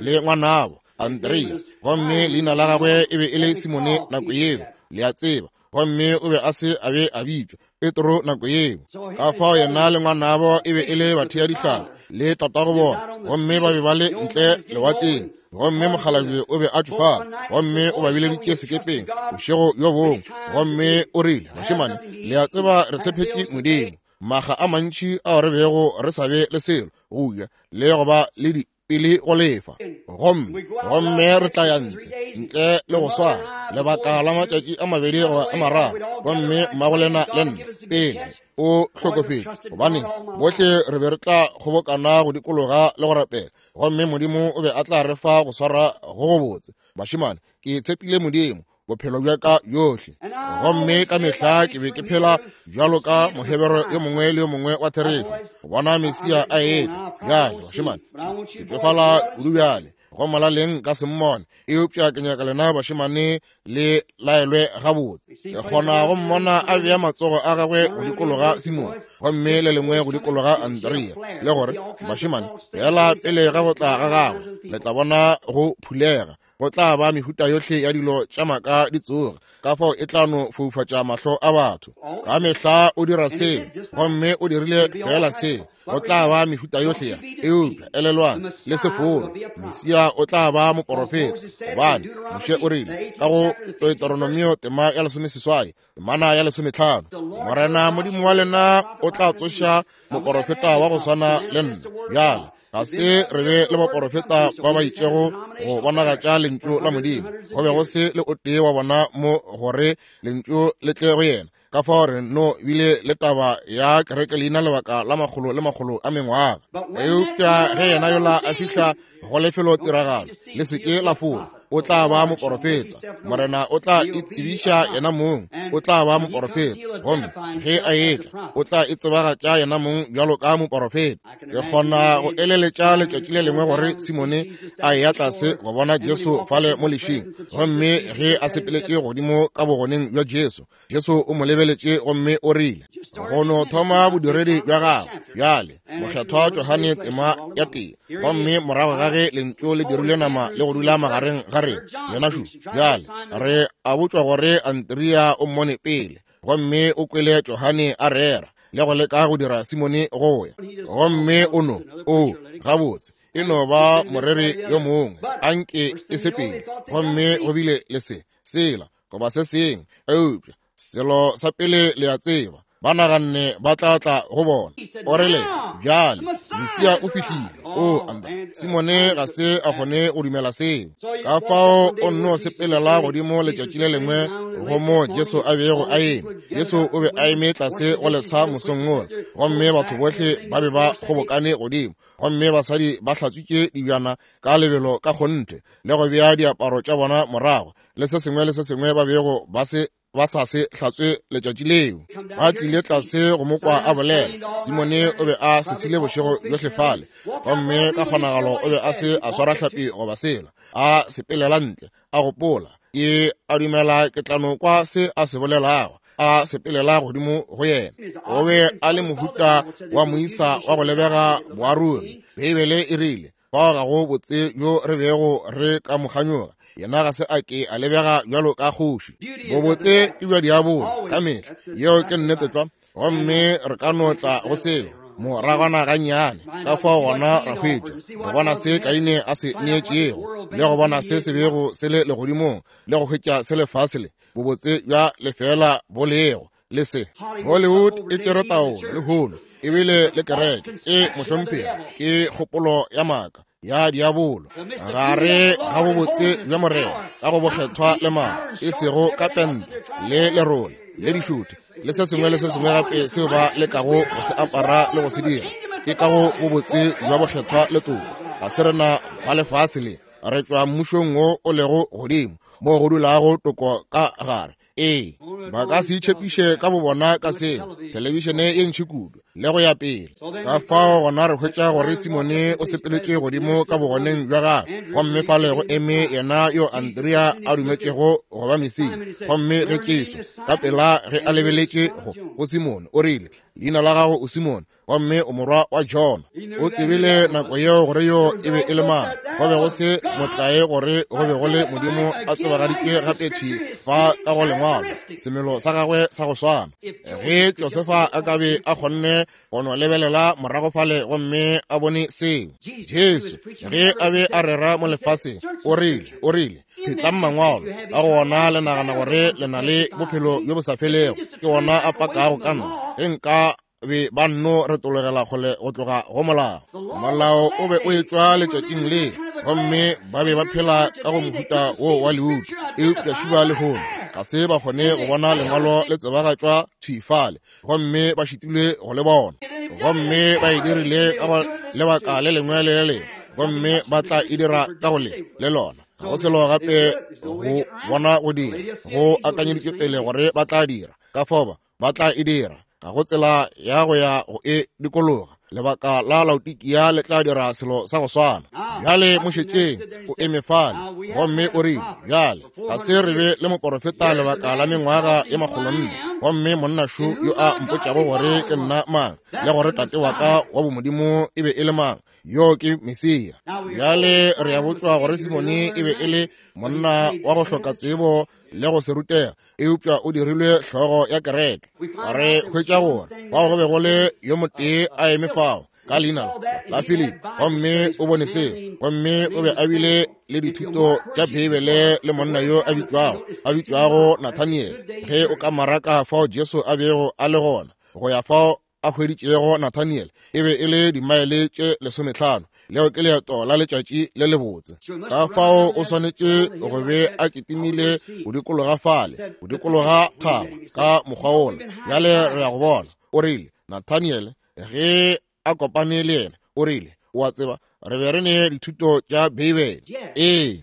le ngwanabo Andrea, gomme leina la gagwe e be e le Simone nako yeo, le a tseba, gomme o be a se a be a bitšwa Petro nako yeo. Ka fao yena le ngwanabo e be e le bathea dihlapi le tatago bona, gomme ba be ba le ntle lewatleng, gomme mokgalabje o be a tšofala, gomme o ba bileditše sekepeng bošego bjo bongwe, gomme o rile, bašemane, le a tseba re tshepetše Modimo maga a mantši ao re bego re sa be le selo go ja le go ba le di pele go lefa, gomme gomme re tla ya ntle ntle le go swara lebaka la matšatši a mabedi goba a mararo, gomme mmagolena le nna pele o hlokofetše, gobane bohle re be re tla kgobokana go dikologa le go rapela, gomme Modimo o be a tla re fa go swara go gobotse. Bašemane, ke tshepile Modimo bophelo bja ka bjohle, gomme ka mehla ke be ke phela bjalo ka Mohebere yo mongwe le yo mongwe wa therešo go bona Mesia a etla. Bjale bašemane, ke tšofala kudu bjale, Go molaleng ka se mmone, eupša ke nyaka lena bašemane le laelwe gabotse. Ke kgona go mmona a bea matsogo a gagwe go dikologa Simone gomme le lengwe go dikologa Andrea, le gore bašemane fela pele ga go tla ga gagwe le tla bona go phulega. Go tla ba mehuta yohle ya dilo tša maka di tsoga, ka fao e tla no foufatša mahlo a batho. Ka mehla o dira seo, gomme o dirile fela seo. Go tla ba mehuta yohle ya, eupša elelwang le se fore, Mesia o tla ba moporofeta, gobane Moshe o rile ka go Deuteronomio tema ya lesomeseswai temana ya lesometlhano, Morena Modimo wa lena o tla tsoša moporofeta wa go swana le nna. Bjale ga se re be le baporofeta ba ba itšego go bonagatša lentšu la Modimo, go be go se le o tee wa bona mo gore lentšu le tle go yena. Ka fao re no bile le taba ya kereke leina lebaka la makgolo le makgolo a mengwaga. Eupša ge yena yola a fihla go lefelo tiragalo, le se ke la fola, o tla ba moporofeta. Morena o tla itsebiša yena mong, o tla ba moporofeta, gomme ge a etla o tla itsebagatša yena mong bjalo ka moporofeta. Ke kgona go eleletša letšatši le lengwe gore Simone a eya tlase go bona Jesu fale mo lešing, gomme ge a sepeletše godimo ka bogoneng bja Jesu, Jesu o mo lebeletše gomme o rile, go no thoma bodiredi bja gagwe bjale, Mokgethwa Johane tema ya tee, gomme morago ga ge lentšu le dirile nama le go dula magareng ga rena, yena šo. Bjale re a botšwa gore Andrea o mmone pele, gomme o kwele Johane a rera le go leka go dira Simone go ya, gomme o no o gabotse e no ba moreri yo mongwe, anke e sepele, gomme go bile le se sela goba se sengwe. Eupša selo sa pele le a tseba, ba naganne ba tla tla go bona. O rile, bjale Mesia o fihlile. O anda Simone ga se a kgone go dumela seo, ka fao o nno sepelela godimo letšatši le lengwe go mo Jesu a bego a eme. Jesu o be a eme tlase go letsha mosong wola, gomme batho bohle ba be ba kgobokane godimo, gomme basadi ba hlatswitše dibjana ka lebelo ka kgonthe le go bea diaparo tša bona morago, le se sengwe le se sengwe ba bego ba se ba sa se hlatswe letšatši leo. Ba tlile tlase go mo kwa a bolela. Simone o be a sesile bošego bjohle fale, gomme ka kgonagalo o be a se a swara hlapi goba sela. A sepelela ntle, a gopola, ke a dumela ke tla no kwa se a se bolelago. A sepelela godimo go yena. O be a le mohuta wa moisa wa go lebega boaruri. Beibele e rile, fao ga go botse bjo re bego re ka mo kganyoga, yena ga se a ke a lebega bjalo ka kgoši. Bobotse ke bja diabolo ka mehla, yeo ke nnete tlwa, gomme re ka no tla go seo moragwana gannyane. Ka fao gona ra hwetša go bona se Kaine a se neetšego, le go bona se se bego se le legodimong, le go hwetša se lefase le bobotse bja lefela bo lego le se. Hollywood e tšere taolo lehono, ebile le kereke e mohlomphegi ke kgopolo ya maaka ya diabolo gare ga bobotse bja Morena ka go bokgethwa le maaka, e sego ka pente le lerole le dišuthe le se sengwe le se sengwe gape seo ba lekago go se apara le go se dira, ke ka go bobotse bja bokgethwa le toko. Ga se rena ba lefase le, re tšwa mmušong wo o lego godimo mo go dulago toko ka gare. Ee, ba ka se itšhepiše ka bobona ka seo, thelebišene ye ntši kudu le go ya pele. Ka fao gona re hwetša gore Simone o sepeletše godimo ka bogoneng bja gagwe, gomme fale go eme yena yo Andrea a dumetšego go ba Mesia. Gomme ge Jesu ka pela ge a lebeletše go go Simone, o rile, leina la gago o Simone, gomme o morwa wa Jona. O tsebile nako yeo gore yo e be e le mang. Go be go se motlae gore go be go le Modimo a tsebagaditšwe gape thwi fa ka go lengwalo, semelo sa gagwe sa go swana. Ge Josefa a ka be a kgonne go no lebelela morago fale gomme a bone seo, Jesu ge a be a rera mo lefaseng, o rile, o rile, phetlang mangwalo, ka go ona le nagana gore le na le bophelo bjo bo sa felego, ke ona a pakago ka nna. Ge nka be ba nno retologela kgole go tloga go molao. Molao o be o etšwa letšatšing le, gomme ba be ba phela ka go mohuta wo wa leutu. Eupša šiba lehono ga se ba kgone go bona lengwalo le tsebagatšwa thwi fale, gomme ba šitilwe go le bona, gomme ba e dirile ka go lebaka le lengwe le le lengwe, gomme ba tla e dira ka go le le lona. Ga go selo gape go bona go dira, go akanyeditšwe pele gore ba tla dira, ka fao ba ba tla e dira. Ga go tsela ya go ya go e dikologa. Lebaka la Laodikia le tla dira selo sa go swana. Bjale mo šetšeng, o eme fale, gomme o rile, bjale ga se re be le moporofeta lebaka la mengwaga ye makgolonne, gomme monna šo yo a mpotšago gore ke nna mang, le gore tate wa ka wa bomodimo e be e le mang, yo ke Mesia. Bjale re a botšwa gore Simone e be e le monna wa go hloka tsebo le go se rutega, eupša o dirilwe hlogo ya kereke. Re hwetša gore fao go be go le yo motee a eme fao ka leina la Philip, gomme o bone seo, gomme o be a bile le dithuto tša Beibele le monna yo a bitšwago a bitšwago Nathaniel. Ge o ka maraka fao Jesu a bego a le gona go ya fao a hweditšego Nathaniel, e be e le dimaele tše lesometlhano. Leo ke leeto la letšatši le lebotse. Ka fao o swanetše go be a kitimile go dikologa fale, go dikologa thaba ka mokgwa wola. Bjale re ya go bona. O rile, Nathaniel, ge a kopane le yena, o rile, o a tseba, re be re ne dithuto tša Beibele. Ee,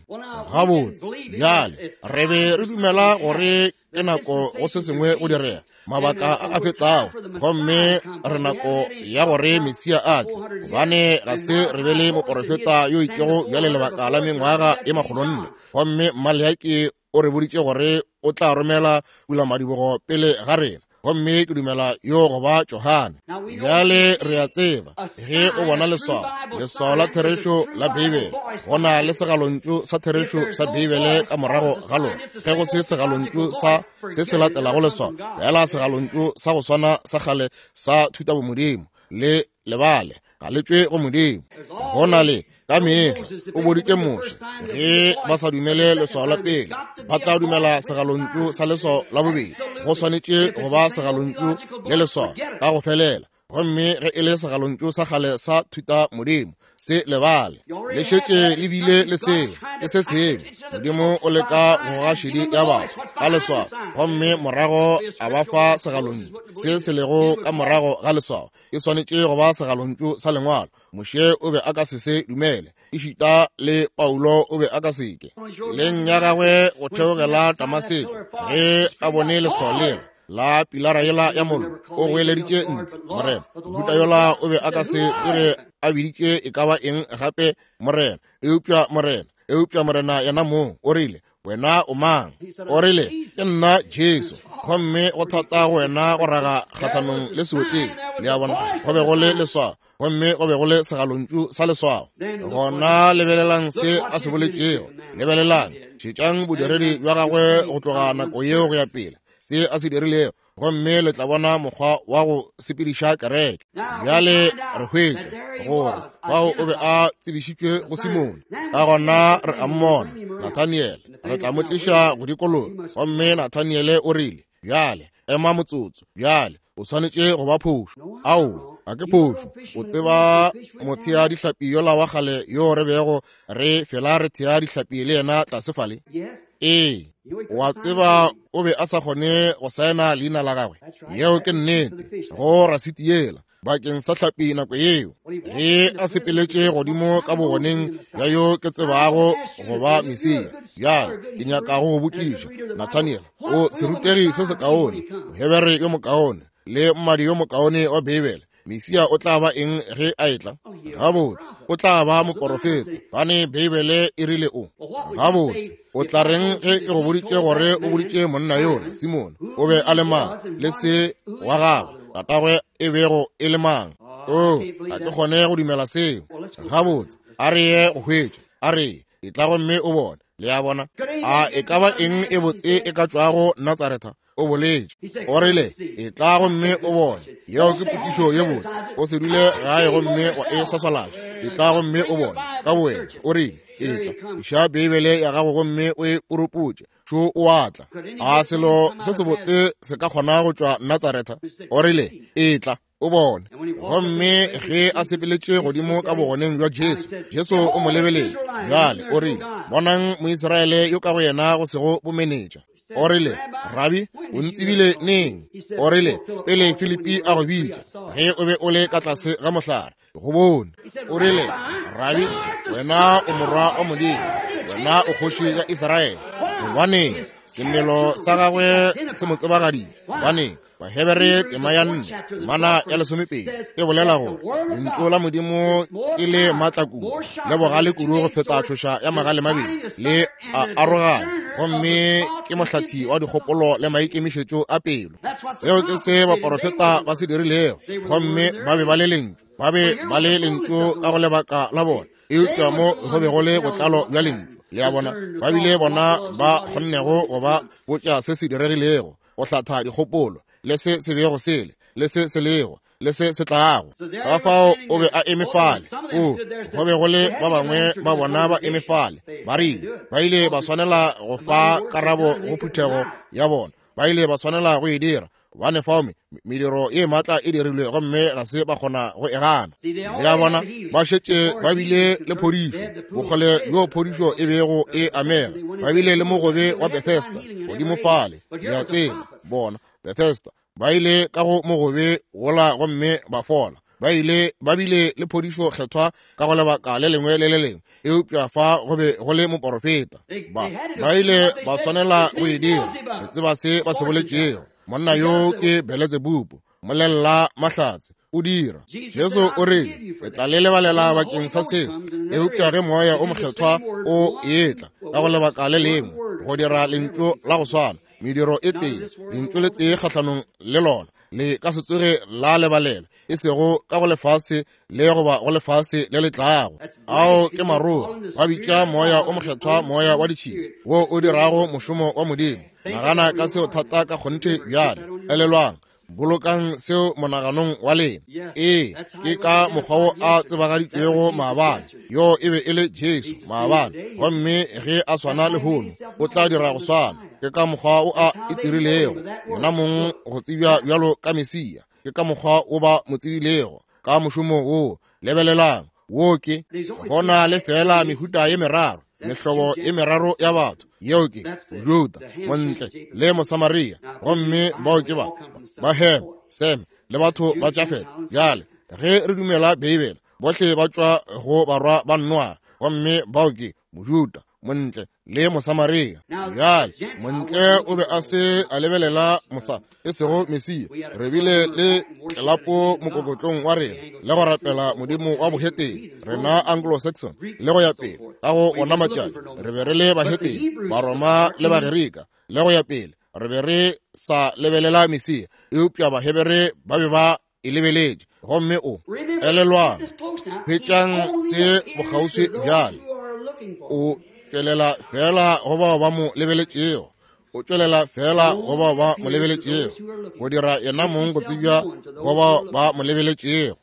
gabotse. Bjale re be re dumela gore ke nako go se sengwe go direga, mabaka a a fetago, gomme re nako ya gore Mesia a tle, gobane ga se re be le moporofeta yo itšego bjale lebaka la mengwaga e makgolonne, gomme Maleaki o re boditše gore o tla romela pulamadibogo pele ga rena, gomme ke dumela yo go ba Johane. Bjale re a tseba ge o bona leswao, leswao la therešo la Beibele, go na le segalontšu sa therešo sa Beibele ka morago ga lona. Ge go se segalontšu sa se se latelago leswao, fela segalontšu sa go swana sa kgale sa thutabomodimo, le lebale ga le tšwe go Modimo. Go na le ka mehla o boditše Moshe, ge ba sa dumele leswao la pele, ba tla dumela segalontšu sa leswao la bobedi. Go swanetše go ba segalontšu le leswao ka go felela, gomme ge e le segalontšu sa kgale sa thuta modimo, se lebale. Le šetše le bile le seo, ke se sengwe. Modimo o leka go goga šedi ya batho ka leswao, gomme morago a ba fa segalontšu se se lego ka morago ga leswao. E swanetše go ba segalontšu sa lengwalo. Moshe o be a ka se se dumele, ešita le Paulo o be a ka se ke. Tseleng ya gagwe go theogela Damaseko, ge a bone leswao leo la pilara yela ya mollo, o goeleditše ntle, Morena. Mohuta yola o be a ka se tsoge a biditše e ka ba eng gape Morena, eupša Morena, eupša Morena yena mong o rile, wena o mang? O rile, ke nna Jesu, gomme go thata go wena go raga kgahlanong le seotleng. Le a bona, go be go le leswao, gomme go be go le segalontšu sa leswao. Gona lebelelang se a se boletšego, lebelelang, šetšang bodiredi bja gagwe go tloga nako yeo go ya pele, se a se dirilego, gomme le tla bona mokgwa wa go sepediša kereke. Bjale re hwetša gore fao o be a tsebišitšwe go Simone. Ka gona re a mmona Nathaniel, re tla mo tliša go dikologa, gomme Nathaniel o rile, bjale ema motsotso, bjale o swanetše go ba phošo. Ao, ga ke phošo. O tseba mothea dihlapi yola wa kgale yo re bego re fela re thea dihlapi le yena tlase fale? Ee, wa tseba o be a sa kgone go saena leina la gagwe. Yeo ke nnete, go rasiti yela bakeng sa hlapi nako yeo. Ge a sepeletše godimo ka bogoneng bja yo ke tsebago go ba Mesia. Bjale ke nyaka go go botšiša, Nathaniel, o serutegi se sekaone, Mohebere yo mokaone, le mmadi yo mokaone wa Beibele, Mesia o tla ba eng ge a etla? Gabotse, o tla ba moporofeta, gobane Beibele e rile o. Gabotse, o tla reng ge ke go boditše gore o boditše monna yola Simone o be a le mang, le se wa gagwe tatagwe e bego e le mang? O, ga ke kgone go dumela seo. Gabotse, a re ye go hwetša, a re e tla gomme o bone. Le a bona, a e ka ba eng e botse e ka tšwago Natsaretha? O boletše, o rile, e tla gomme o bone. Yeo ke potšišo ye botse. O se dule gae gomme wa e swaswalatša. E tla gomme o bone ka bowena. O rile, e tla, iša Beibele ya gago gomme o e puruputše. Šo o a tla. A selo se sebotse se ka kgona go tšwa Natsaretha? O rile, e tla, o bone. Gomme ge a sepeletše godimo ka bogoneng bja Jesu, Jesu o mo lebeletše. Bjale o rile, bonang Moisraele yo ka go yena go sego bomenetša. O rile, Rabi, o ntsebile neng? O rile, pele Filipi a go bitša, ge o be o le ka tlase ga mohlare, go bone. O rile, Rabi, wena o morwa wa Modimo, wena o kgoši ya Israele. Gobaneng? Semelo sa gagwe se mo tsebagaditše. Gobaneng? Bahebere tema ya nne mana ya lesomepedi e bolela gore lentšu la Modimo ke le maatla kudu le bogale kudu go feta tšhoša ya magale mabedi, le a arogana, gomme ke mohlathi wa dikgopolo le maikemišetšo a pelo. Seo ke se baporofeta ba se dirilego, gomme ba be ba le lentšu, ba be ba le lentšu ka go lebaka la bona, eupša mo go be go le botlalo bja lentšu. Le a bona, ba bile bona ba kgonnego go ba botša se se diregilego, go hlatha dikgopolo, le se se bego sele, le se se lego, le se se tlago. Ka fao o be a eme fale. O go be go le ba bangwe ba bona ba eme fale, ba rile ba ile ba swanela go fa karabo go phuthego ya bona, ba ile ba swanela go e dira, gobane fao mediro ye maatla e dirilwe gomme ga se ba kgona go e gana. Le a bona, ba šetše ba bile le phodišo, bokgole bjo phodišo e bego e amega. Ba bile le mogobe wa Bethesda godimo fale, le a tseba, bona Bethesda ba ile ka go mogobe wola gomme ba fola. Ba ile ba bile le phodišo kgethwa ka go lebaka le lengwe le le lengwe, eupša fa go be go le moporofeta. Ba ba ile ba swanela go e dira. Le tseba se ba se boletšego. Monna yo ke Beletsebubu, molella mahlatse, o dira. Jesu o rile, ke tla le lebalela bakeng sa seo, eupša ge moya o mokgethwa o etla ka go lebaka le lengwe go dira lentšu la go swana, mediro e tee, lentšu le tee kgahlanong le lona, le ka se tsoge la lebalela, e sego ka go lefase le goba go lefase le le tlago. Ao ke maroga, ba bitša moya o mokgethwa moya wa ditšhila, wo o dirago mošomo wa Modimo. Nagana ka seo thata ka kgonthe bjale. Elelwang, bolokang seo monaganong wa lena. Ee, ke ka mokgwa wo a tsebagaditšwego maabane. Yo e be e le Jesu maabane, gomme ge a swana lehono o tla dira go swana. Ke ka mokgwa o a itirilego yena mong go tsebja bjalo ka Mesia. Ke ka mokgwa o ba mo tsebilego ka mošomo wo. Lebelelang, wo ke gona le fela mehuta ye meraro, mehlobo ye meraro ya batho. Yeo ke Juda, Montle le Mosamaria, gomme bao ke ba ba Hem, Sem le batho ba Jafet. Bjale ge re dumela Beibele, bohle ba tšwa go barwa ba Noa, gomme bao ke Mojuda, Montle le Mosamaria. Bjale Montle o be a se a lebelela mosa, e sego Mesia. Re bile le tlelapo mokokotlong wa rena le go rapela modimo wa bohetene, rena Anglo-Saxon le go ya pele. Ka go ona matšatši re be re le bahetene, Baroma le Bagerika le go ya pele. Re be re sa lebelela Mesia, eupša Bahebere ba be ba e lebeletše. Gomme o elelwang, hwetšang se bokgauswi bjale. O tšwelela fela go bao ba mo lebeletšego, o tšwelela fela go bao ba mo lebeletšego, go dira yena mong go tsebja go bao ba mo lebeletšego.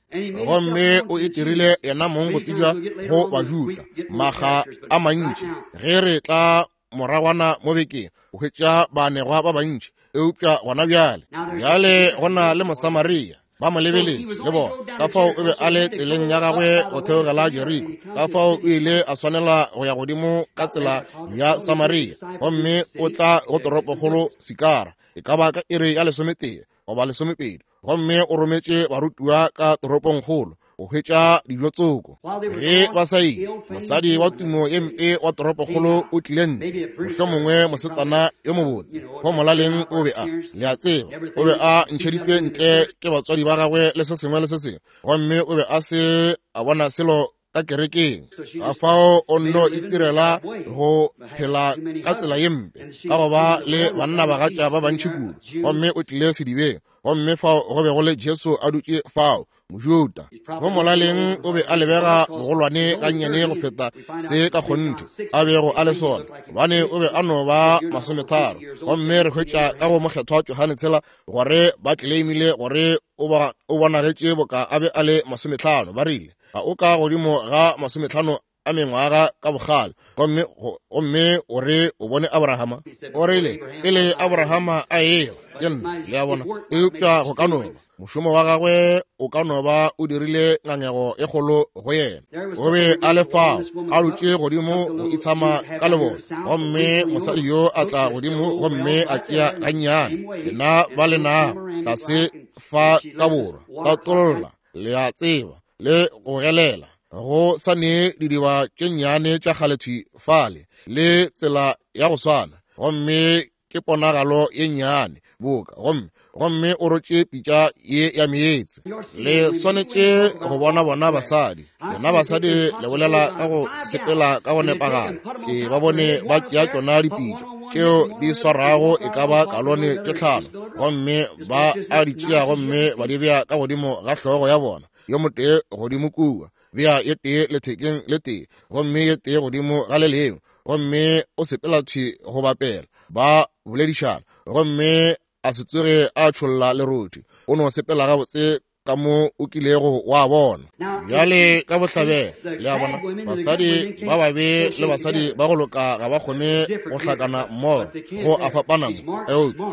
Gomme o itirile yena mong go tsebja go Bajuda makga a mantši. Ge re tla moragwana mo bekeng o hwetša baanegwa ba bantši, eupša gona bjale bjale go na le Mosamaria, ba mo lebeletše le bona. Ka fao o be a le tseleng ya gagwe go theogela Jeriko, ka fao o ile a swanela go ya godimo ka tsela ya Samaria, gomme o tla go toropokgolo Sikara, e ka ba ka iri ya lesometee goba lesomepedi, gomme o rometše barutiwa ka toropongkgolo go hwetša dijo tsoko. Ge ba sa ile, mosadi wa tumo ye mpe wa toropokgolo o tlile ntle, mohlomongwe mosetsana yo mobotse, go molaleng o be a, le a tseba, o be a ntšheditšwe ntle ke batswadi ba gagwe le se sengwe le se sengwe, gomme o be a se a bona selo ka kerekeng. Ka fao o nno itirela go phela ka tsela ye mpe ka go ba le banna bagatša ba bantši kudu, gomme o tlile sedibeng, gomme fao go be go le Jesu a dutše fao, Mojuda. Go molaleng o be a lebega bogolwane gannyane go feta se ka kgonthe a bego a le sona, gobane o be a no ba masometharo. Gomme re hwetša ka go mokgethwa Johane tshela gore ba tleleimile gore o bonagetše boka a be a le masometlhano. Ba rile ga o ka godimo ga masometlhano a mengwaga ka bogale, gomme gomme o re o bone Abrahama. O rile pele Abrahama a ewa ke nna, le a bona. Eupša go ka no ba mošomo wa gagwe o ka no ba o dirile ngangego e kgolo go yena. O be a le fao a dutše godimo go itshama ka lebone, gomme mosadi yo a tla godimo gomme a tšea gannyane. Lena ba le nago tlase fa ka borwa ka tolla, le a tseba, le go gelela go sa ne didiba tše nnyane tša kgalethwi fale, le tsela ya go swana. Gomme ke ponagalo ye nnyane boka, gomme gomme o rotše pitša ye ya meetse. Le swanetše go bona bona basadi. Lena basadi le bolela ka go sepela ka go nepagala. Ke ba bone ba tšea tšona dipitša tšeo di swarago e ka ba kalone tše tlhano, gomme ba a di tšea gomme ba di bea ka godimo ga hlogo ya bona, yo motee godimo kua, bea ye tee lethekeng le tee, gomme ye tee godimo ga le lengwe, gomme o sepela thwi go bapela, ba boledišana, gomme a se tsoge a tšholla lerothi, o no sepela gabotse ka mo o kilego wa bona. Bjale ka bohlabela, le a bona, basadi ba babe le basadi ba go loka ga ba kgone go hlakana mmogo, go a fapana mo,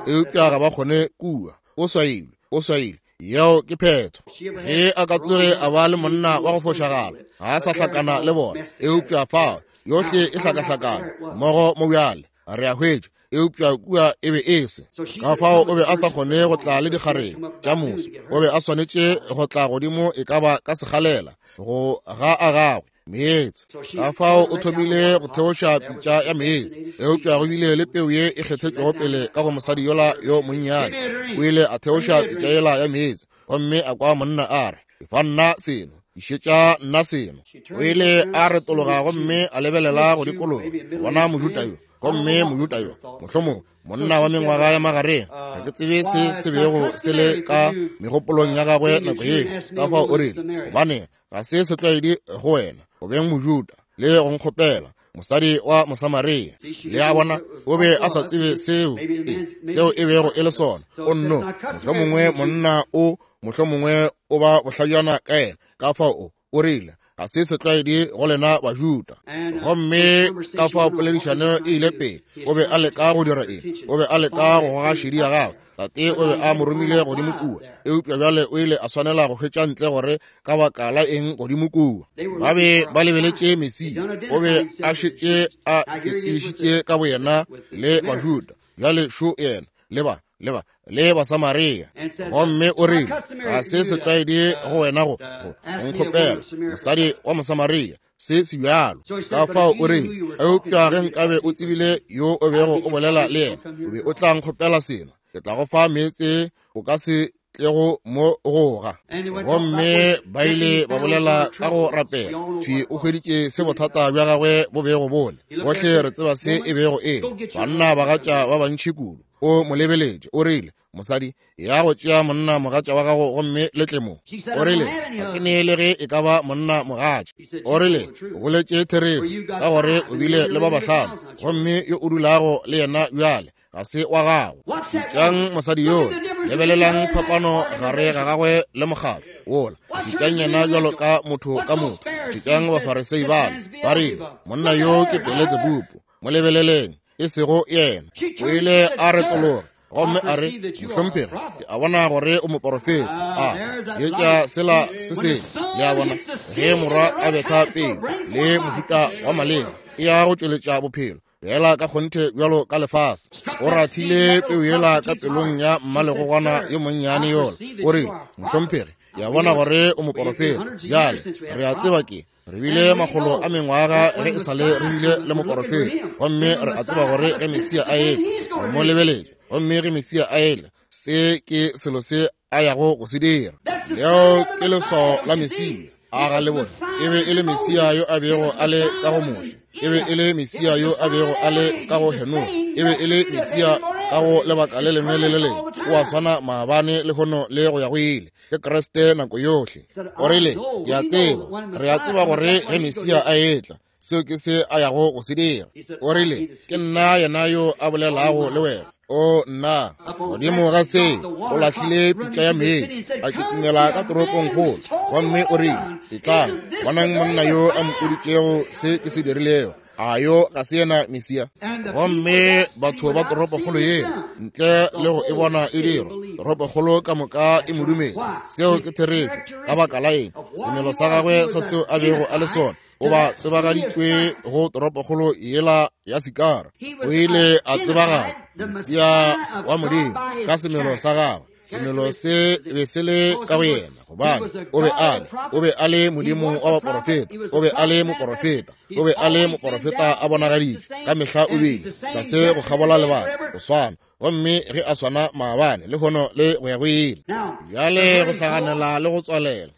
eupša ga ba kgone kua. O swailwe, o swailwe. Yeo ke phetho. Ge a ka tsoge a ba le monna wa go fošagala, ga a sa hlakana le bona, eupša fao yohle e hlakahlakana mmogo mo bjale, re a hwetša, eupša kua e be e se. Ka fao o be a sa kgone go tla le dikgarebe tša moso, o be a swanetše go tla godimo e ka ba ka sekgalela go ga a gagwe meetse. Ka fao o thomile go theoša pitša ya meetse, eupša go bile le peu ye e kgethetšwego pele ka go mosadi yola yo monnyane. O ile a theoša pitša yela ya meetse, gomme a kwa monna a re, "Efa nna seno, išetša nna seno." O ile a retologa gomme a lebelela go dikologa, bona Mojuda yo, gomme Mojuda yo, mohlomong monna wa mengwaga ya magareng, ga ke tsebe se se bego se le ka megopolong ya gagwe nako yeo. Ka fao o rile, "Gobane ga se setlwaedi go wena go beng Mojuda le go nkgopela mosadi wa Mosamaria." Le a bona, o be a sa tsebe seo e, seo e bego e le sona. O nno, mohlomongwe monna o, mohlomongwe o ba bohlajana ka yena. Ka fao o, o rile, ga se setlwaedi go lena Bajuda. Gomme ka fao poledišano e ile pele. O be a leka go dira eng? O be a leka go goga šedi ya gagwe. Tate o be a mo romile godimo kua, eupša bjale o ile a swanela go hwetša ntle gore ka baka la eng godimo kua. Ba be ba lebeletše Mesia. O be a šetše a itsebišitše ka boyena le Bajuda. Bjale šo yena le ba le ba le Basamaria. Gomme o rile, ga se setlwaedi go wena go go nkgopela mosadi wa Mosamaria, se se bjalo. Ka fao o rile, eupša ge nkabe o tsebile yo o bego o bolela le yena, o be o tla nkgopela seno, ke tla go fa meetse o ka se tlego mo goga. Gomme ba ile ba bolela ka go rapela. Thwi o hweditše se bothata bja gagwe bo bego bole. Bohle re tseba se e bego e le. Banna bagatša ba bantši kudu. O mo lebeletše, o rile, "Mosadi, ya go tšea monna mogatša wa gago gomme le tle mo." O rile, ga ke nee le ge e ka ba monna mogatša. O rile, o boletše therešo, ka gore o bile le ba bahlano, gomme yo o dulago le yena bjale ga se wa gago. Šetšang mosadi yola, lebelelang phapano gare ga gagwe le mokgatlo wola. Šetšang yena bjalo ka motho ka motho. Šetšang Bafarisei bale, ba rile, monna yo ke Beletsebubu, mo lebeleleng, e sego yena. O ile a retologa gomme a re, mohlomphegi, ke a bona gore o moporofeta. A seetša sela se sengwe, le a bona, ge morwa a betha peu le mohuta wa maleba, e ya go tšweletša bophelo fela ka kgonthe bjalo ka lefase. O rathile peu yela ka pelong ya mmalegogwana yo monnyane yola. O rile, mohlomphegi, ke a bona gore o moporofeta. Bjale re a tseba ke re bile makgolo a mengwaga ge e sale re bile le moporofeta, gomme re a tseba gore ge Mesia a etla, re mo lebeletše, gomme ge Mesia a etla, se ke selo se a yago go se dira. Leo ke leswao la Mesia. A ga le bone? E be e le Mesia yo a bego a le ka go Moshe, e be e le Mesia yo a bego a le ka go Henoge, e be e le Mesia ka go lebaka le lengwe le le lengwe. O a swana maabane, lehono le go ya go ile. Ke Kriste nako yohle. O rile, ke a tseba, re a tseba gore ge Mesia a etla, seo ke se a yago go se dira. O rile, ke nna yena yo a bolelago le wena. O nna, godimo ga seo o lahlile pitša ya meetse, a kitimela ka toropongkgolo, gomme o rile, etlang, bonang monna yo a mpoditšego se ke se dirilego. A yo ga se yena Mesia? Gomme batho ba toropokgolo yeo, ntle le go e bona e dirwa, toropokgolo ka moka e mo dumela. Seo ke therešo. Ka baka la eng? Semelo sa gagwe sa seo a bego a le sona, o ba tsebagaditšwe go toropokgolo yela ya Sikara. O ile a tsebagatšwa Mesia wa Modimo ka semelo sa gagwe. Semelo se be se le ka go yena, gobane o be a le o be a le Modimo wa baporofeta, o be a le moporofeta, o be a le moporofeta a bonagaditšwe ka mehla, o bile tlase go kgabola lebaka go swana, gomme ge a swana maabane le hono le go ya go ile. Bjale go hlaganela le go tswalela,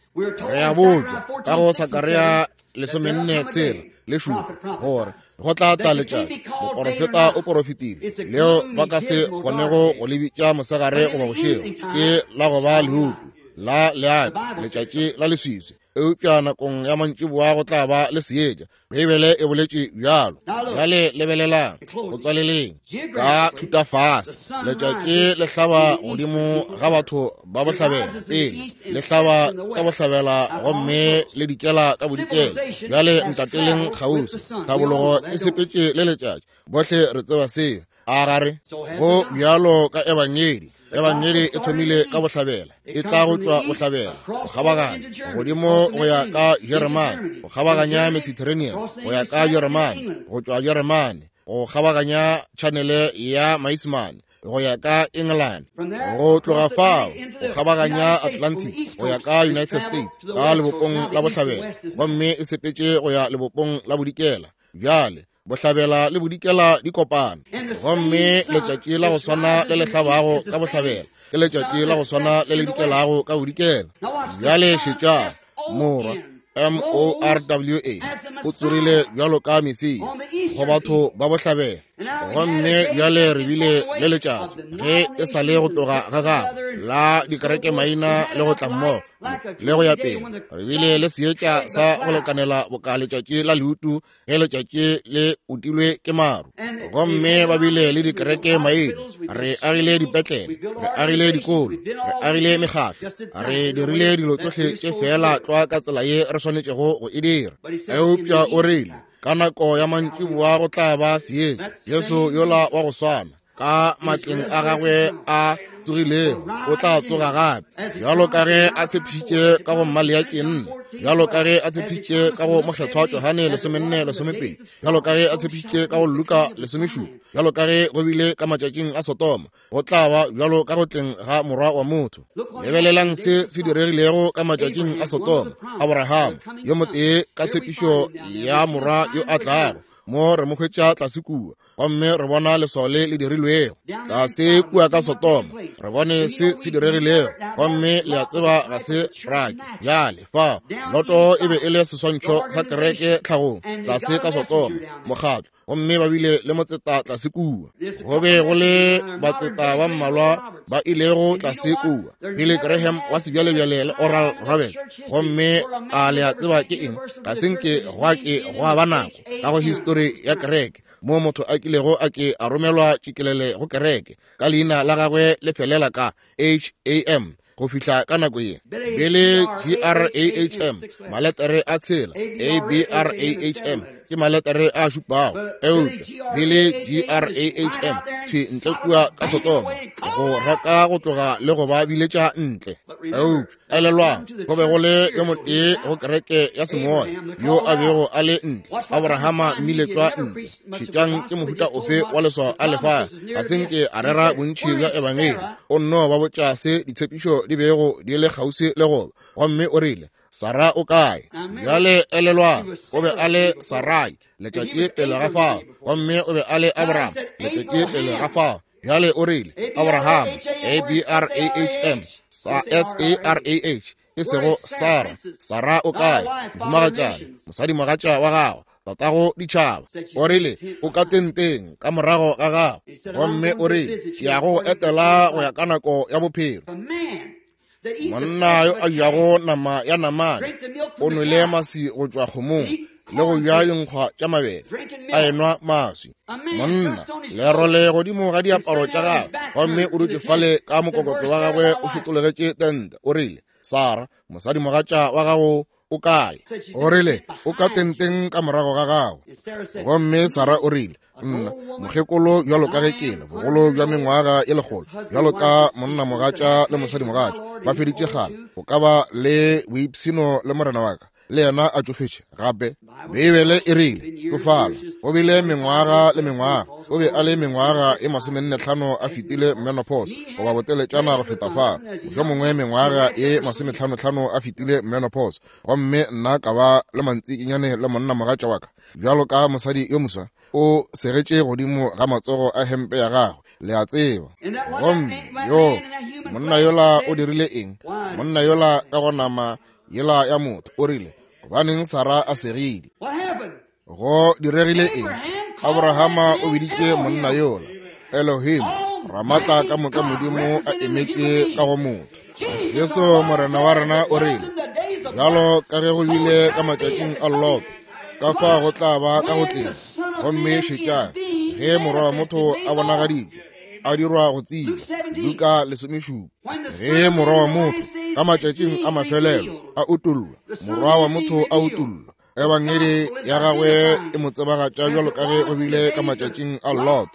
re a botšwa ka go Sakaria lesomenne tshela le šupa gore go tla tla letšatši, moporofeta o porofetile, leo ba ka se kgonego go le bitša mosegare goba bošego, ke la go ba leutu la leapi, letšatši la leswiswi, eupša nakong ya mantšiboa go tla ba le seetša. Beibele e boletše bjalo. Bjale lebelelang go tswaleleng ka thutafase, letšatši le hlaba godimo ga batho ba bohlabela pele, le hlaba ka bohlabela gomme le dikela ka bodikela. Bjale ntateleng kgauswi, tlhabologo e sepetše le letšatši, bohle re tseba seo. A gare go bjalo ka ebangedi, ebangedi e thomile ka bohlabela, e tla go tšwa bohlabela go kgabaganya godimo go ya ka Jeremane, go kgabaganya Mediterranean go ya ka Jeremane, go tšwa Jeremane go kgabaganya tšhanele ya Maisemane go ya ka England, go tloga fao go kgabaganya Atlantic go ya ka United States ka lebopong la bohlabela, gomme e sepetše go ya lebopong la bodikela. Bjale bohlabela le bodikela di kopana, gomme letšatši la go swana le le hlabago ka bohlabela ke letšatši la go swana le le dikelago ka bodikela. Bjale šetša, morwa M O R W A o tsorile bjalo ka Mesia go batho ba bohlabela, gomme bjale re bile le letšatši ge e sa le go tloga ga gagwe la dikereke maina le go tla mmogo le go ya pele. Re bile le seetša sa go lekanela boka letšatši la leutu ge letšatši le utilwe ke maru, gomme ba bile le dikereke maina. Re agile dipetlele, re agile dikolo, re agile mekgahlo, re dirile dilo tsohle tše feela tlwa ka tsela ye re swanetšego go e dira. Eupša o rile ka nako ya mantšiboa go tla ba seetša. Jesu yola wa go swana ka matleng a gagwe a tsogilego o tla tsoga gape, bjalo ka ge a tshepišitše ka go Maleaki nne, bjalo ka ge a tshepišitše ka go Mokgethwa Johane lesomenne lesomepedi, bjalo ka ge a tshepišitše ka go Luka lesomešupa, bjalo ka ge go bile ka matšatšing a Sodoma, go tla ba bjalo ka go tleng ga morwa wa motho. Lebelelang se se diregilego ka matšatšing a Sodoma. Abraham yo motee ka tshepišo ya morwa yo a tlago, mo re mo hwetša tlase kua, gomme re bona leswao le le dirilwego tlase kua ka Sodoma. Re bone se se diregilego, gomme le a tseba ga se rake. Bjale fao Loto e be e le seswantšho sa kereke tlhagong tlase ka Sodoma, mokgatlo, gomme ba bile le motseta tlase kua. Go be go le batseta ba mmalwa ba ilego tlase kua, Billy Graham wa sebjalebjale le Oral Roberts. Gomme a le a tseba ke eng? Ga se nke gwa ke gwa ba nako ka go histori ya kereke mo motho a kilego a ke a romelwa tšikelele go kereke ka leina la gagwe le felela ka H A M go fihla ka nako ye. Billy G R A H M, maletere a tshela, A B R A H M ke maletere a šupago, eupša Billy G R A H M thwi ntle kua ka Sodoma go raka go tloga le go ba biletša ntle. Eupša elelwang, go be go le yo motee go kereke ya semoya yo a bego a le ntle, Abrahama mmiletšwa ntle. Šetšang ke mohuta ofe wa leswao a lefa. Ga se nke a rera bontši bja ebangedi, o nno ba botša se ditshepišo di bego di le kgauswi le goba, gomme o rile, Sara o kae? Bjale elelwang, o be a le Sarai letšatši pele ga fao, gomme o be a le Abraham letšatši pele ga fao. Bjale o rile Abraham, A B R A H M, S A R A H, e sego Sara. Sara o kae? Mohumagatšana, mosadimogatša wa gago, tatago ditšhaba. O rile o ka tenteng ka morago ga gago, gomme o rile ke ya go etela go ya ka nako ya bophelo. Monna yo a jago nama ya namane o nwele maswi go tšwa kgomong le go ja dinkgwa tša mabele a enwa maswi. Monna lerole godimo ga diaparo tša gagwe, gomme o dutše fale ka mokokotlo wa gagwe o šotologetše tente. O rile, Sara, mosadimogatša wa gago o kae? O rile, o ka tenteng ka morago ga gago. Gomme Sara o rile, nna mokgekolo bjalo ka ge ke le bogolo bja mengwaga e lekgolo, bjalo ka monnamogatša le mosadimogatša ba feditše kgale, o ka ba le boipshino le morena wa ka le yena a tšofetše gape? Beibele e rile tšofala go bile mengwaga le mengwaga, o be a le mengwaga e masomennetlhano a fetile menopause, goba boteletšana go feta fa, mohlomongwe mengwaga e masometlhanotlhano a fetile menopause. Gomme nna ka ba le mantsikinyane le monna mogatša wa ka bjalo ka mosadi yo moswa, o segetše godimo ga matsogo a hempe ya gagwe, le a tseba. Gomme yo monna yola o dirile eng? Monna yola ka go nama yela ya motho o rile, gobaneng Sara a segile? Go diregile eng? Abrahama o biditše monna yola Elohim, Ramatla ka moka Modimo a emetše ka go motho. Jesu Morena wa rena o rile, bjalo ka ge go bile ka matšatšing a Lot, ka fa go tla ba ka go tleng. Gomme šetšang, ge morwa wa motho a bonagaditšwe, a dirwa go tsebja, Luka lesomešupa. Ge morwa wa motho ka matšatšing a mafelelo a utollwa, morwa wa motho a utollwa, ebangedi ya gagwe e mo tsebagatša bjalo ka ge go bile ka matšatšing a Lot.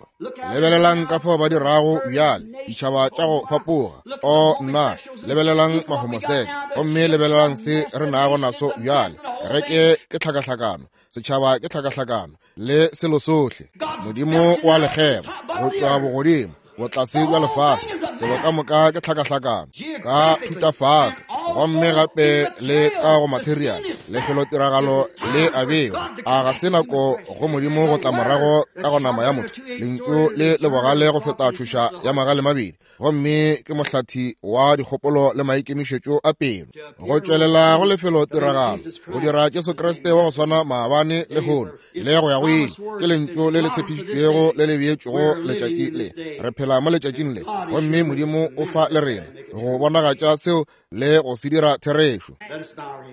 Lebelelang ka fao ba dirago bjale, ditšhaba tša go fapoga. O nna, lebelelang mahomoseke, gomme lebelelang se re nago naso bjale. Kereke ke tlhakahlakano, setšhaba ke tlhakahlakano, le selo sohle. Modimo wa lekgeba go tšwa bogodimo botlase bja lefase, selo ka moka ke tlhakahlakano ka thutafase, gomme gape le ka go material lefelotiragalo le a bewa. A ga se nako go Modimo go tla morago ka go nama ya motho, lentšu le le bogale go feta tšhoša ya magale mabedi, gomme ke mohlathi wa dikgopolo le maikemišetšo a pelo, go tšwelela go lefelotiragalo go dira Jesu Kriste wa go swana maabane le lehono le go ya go ile. Ke lentšu le le tshepišitšwego le le beetšwego letšatši le. Re phela mo letšatšing le, gomme Modimo o fa le rena go bonagatša seo le go se dira therešo.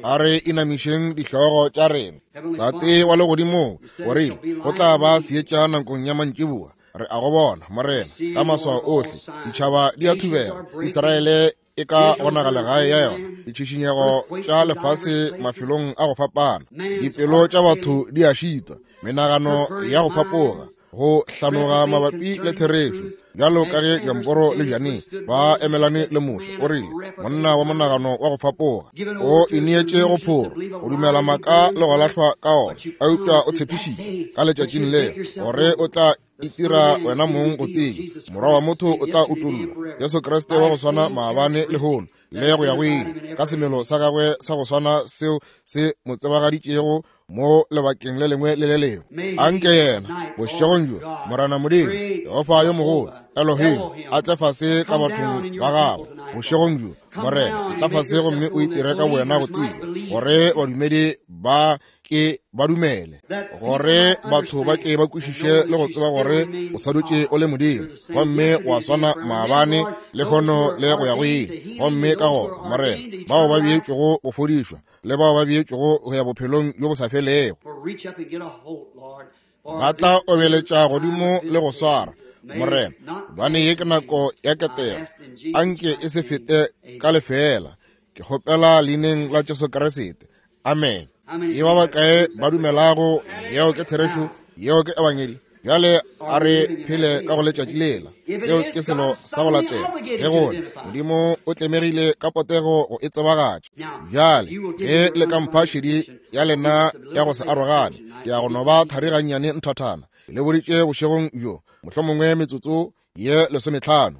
A re inamišeng dihlogo tša rena. Tate wa legodimo, o rile go tla ba seetša nakong ya mantšiboa. Re a go bona, Morena, ka maswao ohle. Ditšhaba di a thubega, Israele e ka gonagala gae ya yona, ditšhišinyego tša lefase mafelong a go fapana, dipelo tša batho di a šitwa, menagano ya go fapoga, go hlanoga mabapi le therešo, bjalo ka ge Jamporo le Jane ba emelane le Moshe. O rile monna wa monagano wa go fapoga o ineetše go phoro, go dumela maaka le go lahlwa ka ona, eupša o tshepišitše ka letšatšing leo gore o tla itira wena mong go tseba, morwa wa motho o tla utollwa, Jesu Kriste wa go swana maabane lehono le go ya go ile, ka semelo sa gagwe sa go swana seo se mo tsebagaditšego mo lebakeng le lengwe le le lengwe. Anke yena bošegong bjo, Morena Modimo, Jehofa yo mogolo, Elohim, a tle fase ka bathong ba gagwe bošegong bjo. Morena, e tla fase gomme o itire ka wena go tseba, gore badumedi ba ke ba dumele, gore batho ba ke ba kwešiše le go tseba gore o sa dutše o le Modimo, gomme wa swana maabane lehono le go ya go ile. Gomme ka gona, Morena, bao ba beetšwego go fodišwa le bao ba beetšwego go ya bophelong bjo bo sa felego ba tla obeletša godimo le go swara, Morena, gobane ye ke nako ya ketelo, anke e se fete ka lefeela. Ke kgopela leineng la Jesu Kriste, amen. E ba bakae ba dumelago yeo ke therešo, yeo ke ebangedi? Bjale a re phele ka go letšatši lela. Seo ke selo sa go latela. Ge gole Modimo o tlemegile ka potego go e tsebagatša. Bjale ge le ka mpha šedi ya lena ya go se arogane, ke ya go no ba thari gannyane nthathana. Le boditše bošegong bjo, mohlomongwe metsotso ye lesometlhano.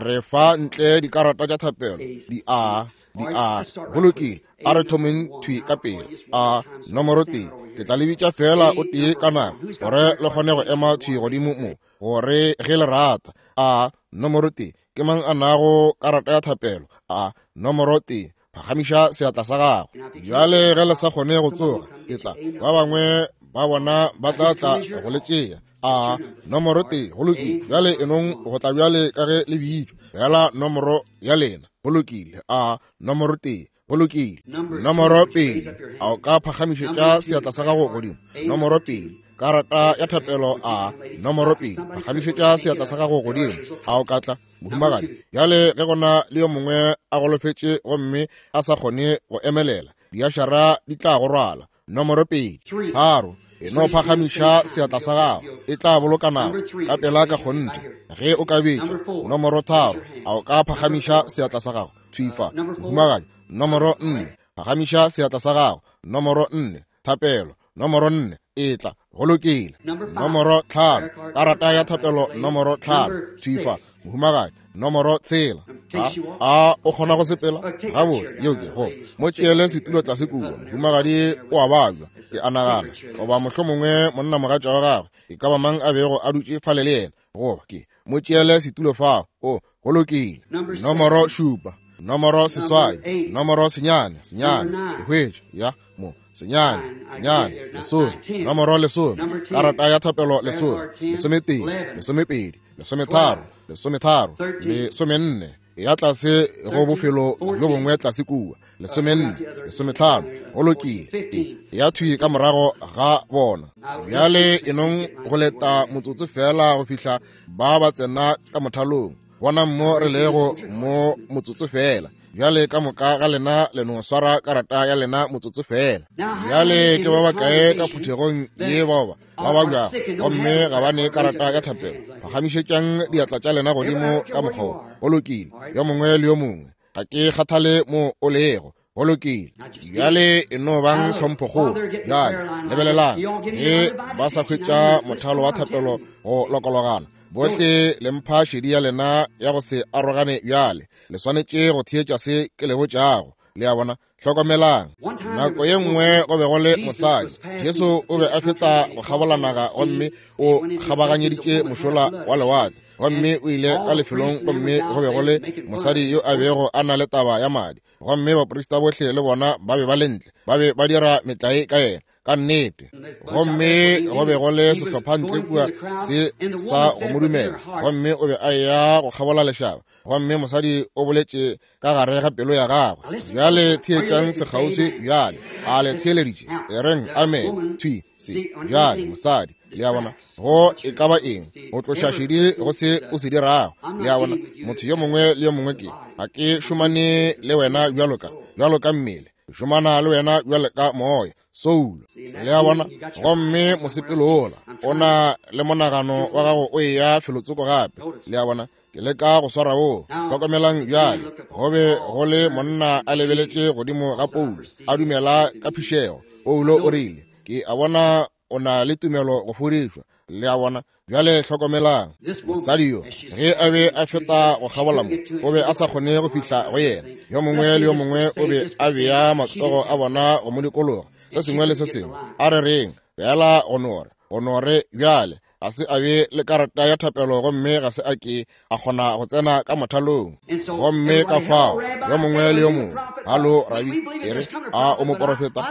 Re fa ntle dikarata tša thapelo, di a di a. Go lokile, a re thomeng thwi ka pele. A nomoro tee, ke tla le bitša fela o tee ka nako, gore le kgone go ema thwi godimo mo, gore ge le rata. A nomoro tee, ke mang a nago karata ya thapelo? A nomoro tee, phagamiša seatla sa gago. Bjale ge le sa kgone go tsoga, ke tla ba bangwe ba bona ba tla tla go le tšea. A nomoro tee, go lokile. Bjale enong go tla bjale ka ge le bitšwa, bjala nomoro ya lena. Go lokile. A nomoro tee, go lokile. Nomoro pedi, a o ka phagamišetša seatla sa gago godimo? Nomoro pedi, karata ya thapelo. A nomoro pedi, phagamišetša seatla sa gago godimo. A o ka tla, mohumagadi? Bjale ge gona le yo mongwe a golofetše gomme a sa kgone go emelela, diašara di tla go rwala. Nomoro pedi, tharo, e no phagamiša seatla sa gago, e tla boloka nako ka pela ka kgonthe ge o ka betšwa. Nomoro tharo, a o ka phagamiša seatla sa gago? Thwifa, mohumagadi. Nomoro nne, phagamiša seatla sa gago. Nomoro nne, thapelo, nomoro nne, etla, go lokile. Nomoro tlhano, karata ya thapelo nomoro tlhano, thifa, mohumagadi, nomoro tshela. A, a o kgona go sepela? Gabotse, yeo ke go mo tšeele setulo tlase kua. Mohumagadi o a babja, ke a nagana, goba mohlomongwe monnamogatša wa gagwe, e ka ba mang a bego a dutše fale le yena, goba ke mo tšeele setulo fao. O, go lokile. Nomoro šupa, nomoro seswai, nomoro senyane, senyane, ke hwetša, ya, mo, senyane, senyane, lesome, nomoro lesome, karata ya thapelo lesome, lesometee, lesomepedi, lesometharo, lesometharo, lesomenne, ya tlase go bofelo bjo bongwe tlase kua, lesomenne, lesometlhano, go lokile, e ya thwi ka morago ga bona. Bjale e nong go leta motsotso fela go fihla ba ba tsena ka mothalong. Bonang mo re lego mo motsotso fela. Bjale ka moka ga lena le no swara karata ya lena motsotso fela. Bjale ke ba bakae ka phuthegong ye bao ba ba babjago gomme ga ba ne karata ya thapelo? Phagamišetšang diatla tša lena godimo ka mokgwa wo. Go lokile, yo mongwe le yo mongwe, ga ke kgathale mo o lego. Go lokile. Bjale e no bang tlhomphokgolo. Bjale lebelelang, ge ba sa hwetša mothalo wa thapelo go lokologana, bohle le mpha šedi ya lena ya go se arogane. Bjale le swanetše go theetša se ke le botšago. Le a bona? Hlokomelang. Nako ye nngwe go be go le mosadi. Jesu o be a feta go kgabola naga gomme o kgabaganyeditše mošola wa lewatle, gomme o ile ka lefelong gomme go be go le mosadi yo a bego a na le taba ya madi, gomme baprista bohle le bona ba be ba le ntle, ba be ba dira metlae ka yena, ka nnete. Gomme go be go le sehlopha ntle kua se sa go mo dumela, gomme o be a eya go kgabola lešaba, gomme mosadi o boletše ka gare ga pelo ya gagwe. Bjale theetšang sekgauswi bjale. A le theeleditše? E reng amen. Thwi se bjale mosadi, le a bona, go e ka ba eng go tloša šedi go se o se dirago. Le a bona, motho yo mongwe le yo mongwe ke ga ke šomane le wena bjalo ka bjalo ka mmele, ke šomana le wena bjalo ka moya, soulo. Le a bona? Gomme mosepelo ola o na le monagano wa gago o eya felotsoko gape. Le a bona, ke leka go swara wo. Hlokomelang bjale, go be go le monna a lebeletše godimo ga Paulo, a dumela ka phišego. Paulo o rile, ke a bona o na le tumelo go fodišwa. Le a bona? Bjale hlokomelang, mosadi yo ge a be a feta go kgabola mo, o be a sa kgone go fihla go yena. Yo mongwe le yo mongwe o be a bea matsogo a bona go mo dikologa, se sengwe le se sengwe. A re reng fela go nore, go nore bjale ga se a be le karata ya thapelo, gomme ga se a ke a kgona go tsena ka mothalong. Gomme ka fao yo mongwe le yo mongwe, halo rabi, e re a o moporofeta?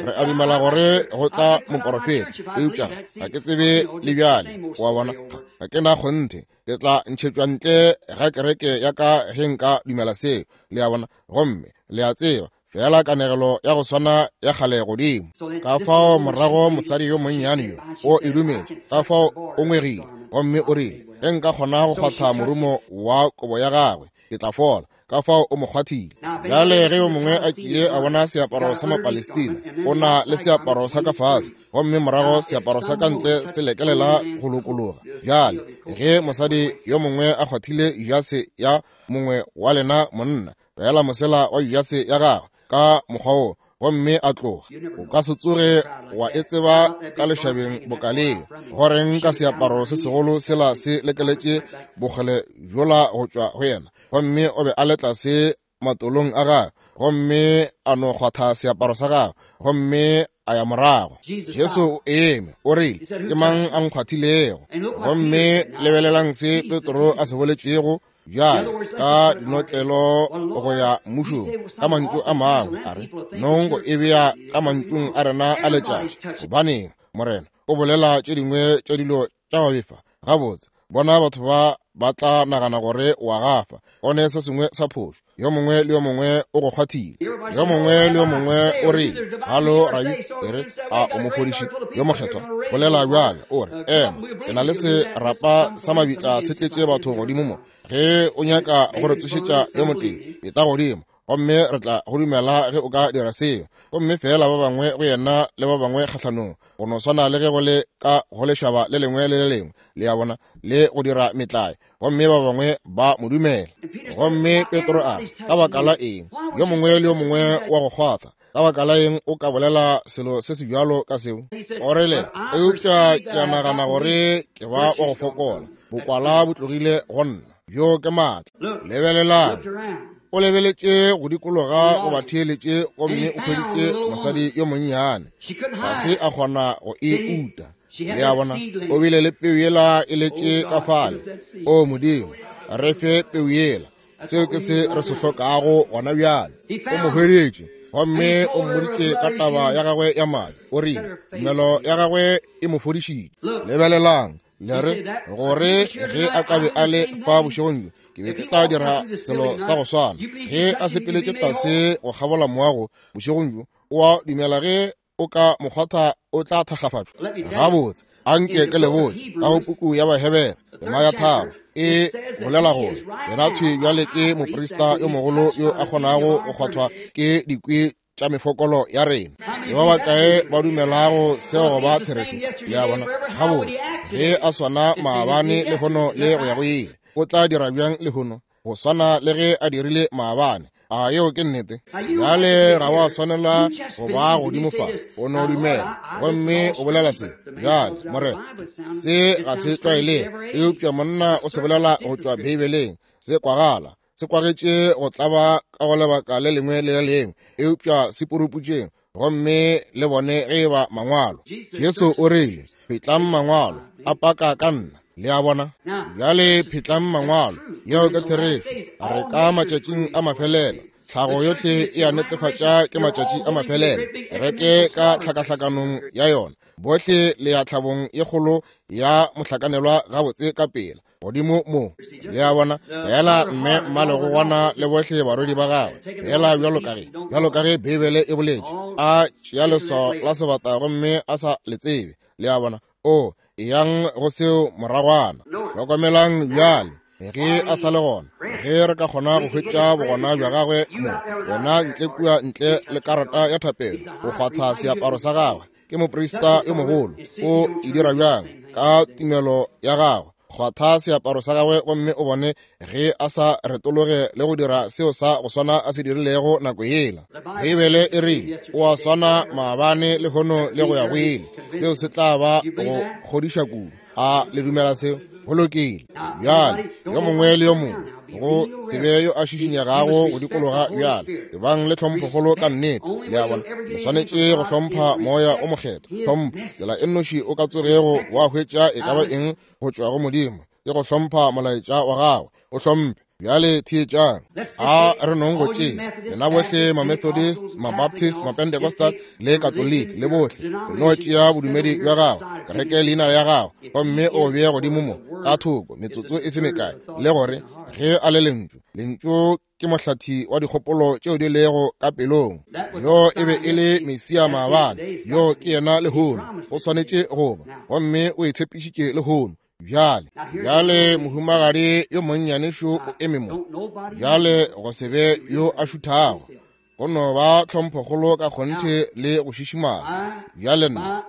Re a dumela gore go tla moporofeta, eupša ga ke tsebe le bjale. Wa bona, ga ke na kgonthe, ke tla ntšhetšwa ntle ga kereke ya ka ge nka dumela seo. Le a bona? Gomme le a tseba fela kanegelo ya go swana ya kgale godimo. Ka fao morago mosadi yo monnyane yo o e dumetše, ka fao o ngwegile, gomme o rile, ge nka kgona go kgwatha morumo wa kobo ya gagwe, ke tla fola. Ka fao o mo kgwathile. Bjale ge yo mongwe a kile a bona seaparo sa Mapalestina, o na le seaparo sa ka fase, gomme morago seaparo sa ka ntle se lekelela go lokologa. Bjale ge mosadi yo mongwe a kgwathile jase ya mongwe wa lena monna, fela mosela wa jase ya gagwe ka mokgwa wo, gomme a tloga, o ka se tsoge wa e tseba ka lešabeng bokaleo. Goreng ka seaparo se segolo sela se lekeletše bokgole bjola go tšwa go yena, gomme o be a le tlase matolong a gagwe, gomme a no kgwatha seaparo sa gagwe, gomme a ya morago. Jesu o eme, o rile, ke mang a nkgwathilego? Gomme lebelelang se Petro a se boletšego bjale ka dinotlelo go ya mmušong. Ka mantšu a mangwe a re, nong go e bea ka mantšung a rena a letšatši, gobaneng Morena o bolela tše dingwe tša dilo tša go befa? Gabotse, bona batho ba ba tla nagana gore wa gafa, go ne se sengwe sa phošo. Yo mongwe le yo mongwe o go kgwathile, yo mongwe le yo mongwe o rile, halo rabi, e re a o mofodiši yo mokgethwa, bolela bjale, o re, ema, ke na le serapa sa mabitla se tletše batho godimo mo, ge o nyaka go re tsošetša yo motee, etla godimo, gomme re tla go dumela ge o ka dira seo. Gomme fela ba bangwe go yena le ba bangwe kgahlanong, go no swana le ge go le ka go lešaba le lengwe le le lengwe, le a bona, le go dira metlae, gomme ba bangwe ba mo dumela. Gomme Petro a re, ka baka la eng yo mongwe le yo mongwe wa go kgwatha? Ka baka la eng o ka bolela selo se se bjalo ka seo? O rile, eupša ke a nagana gore ke ba wa go fokola. Bokwala bo tlogile go nna. Bjo ke maatla. Lebelelang. O lebeletše go dikologa go ba theeletše gomme o hweditše mosadi yo monnyane. Ga se a kgona go e uta. Le a bona, o bile le peu yela e letše ka fale. O Modimo, re fe peu yela. Seo ke se re se hlokago gona bjale. O mo hweditše gomme o mmoditše ka taba ya gagwe ya madi. O rile tumelo ya gagwe e mo fodišitše. Lebelelang, le re gore ge a ka be a le fa bošegong bjo, ke be ke tla dira selo sa go swana. Ge a sepeletše tlase go kgabola moago bošegong bjo, o a dumela ge o ka mokgwatha o tla thakgafatšwa. Gabotse, anke ke le botše ka go puku ya Bahebere tema ya tharo e bolela gore yena thwi bjale ke moprista yo mogolo yo a kgonago go kgwathwa ke dikwi tša mefokolo ya rena. Ke ba bakae ba dumelago seo go ba therešo? Le a bona? Gabotse, ge a swana maabane lehono le go ya go ile, o tla dira bjang lehono go swana le ge a dirile maabane? A yeo ke nnete. Bjale ga wa swanela go ba godimo fa, o no dumela gomme o bolela se. Bjale Morena, se ga se tlwaelege, eupša monna o se bolela go tšwa Beibeleng. Se kwagala se kwagetše go tlaba ka go lebaka le lengwe le le lengwe, eupša se puruputšeng gomme le bone ge e ba mangwalo. Jesu o rile, phetlang mangwalo a paka ka nna. Le a bona? Bjale phetlang mangwalo. Yeo ke therešo. Re ka matšatšing a mafelelo. Tlhago yohle e a netefatša ke matšatši a mafelelo. Kereke ka tlhakahlakanong ya yona. Bohle le ya tlhabong ye kgolo ya mohlakanelwa gabotse ka pela godimo mo. Le a bona? Fela mme mmalegogwana le bohle barwedi ba gagwe, fela bjalo ka ge bjalo ka ge Beibele e boletše, a tšea leswao la sebata gomme a sa le tsebe. Le a bona? O eyang go seo moragwana. Hlokomelang bjale, ge a sa le gona, ge re ka kgona go hwetša bogona bja gagwe mo, wena ntle kua ntle le karata ya thapelo, o kgwatha seaparo sa gagwe. Ke moprista yo mogolo. O e dira bjang? Ka tumelo ya gagwe. Kgwatha seaparo sa gagwe gomme o bone ge a sa retologe le go dira seo sa go swana a se dirilego nako yela. Beibele e rile o a swana maabane lehono le go ya go ile. Seo se tla ba go kgodiša kudu. A le dumela seo? Go lokile. Bjale yo mongwe le yo mongwe go se be yo a šišinyegago go dikologa bjale. Ebang le tlhomphokgolo ka nnete. Le a bona? Le swanetše go hlompha moya o mokgethwa. Hlompho, tsela e nnoši o ka tsogego wa hwetša e ka ba eng go tšwa go Modimo ke go hlompha molaetša wa gagwe. O hlomphe. Bjale theetšang. A re nong go tšea lena bohle ma-Methodist, ma-Baptist, ma-Pentecostal le Catholic le bohle, re no tšea bodumedi bja gago, kereke leina ya gago, gomme o bee godimo mo ka thoko metsotso e se mekae, le gore ge a le lentšu, lentšu ke mohlathi wa dikgopolo tšeo di lego ka pelong. Yo e be e le Mesia maabane, yo ke yena lehono. O swanetše go ba, gomme o e tshepišitše lehono. Bjale, bjale mohumagadi yo monnyane šo o eme mo. Bjale go se be yo a šuthago, go no ba tlhomphokgolo ka kgonthe le go šišimala. Bjale nna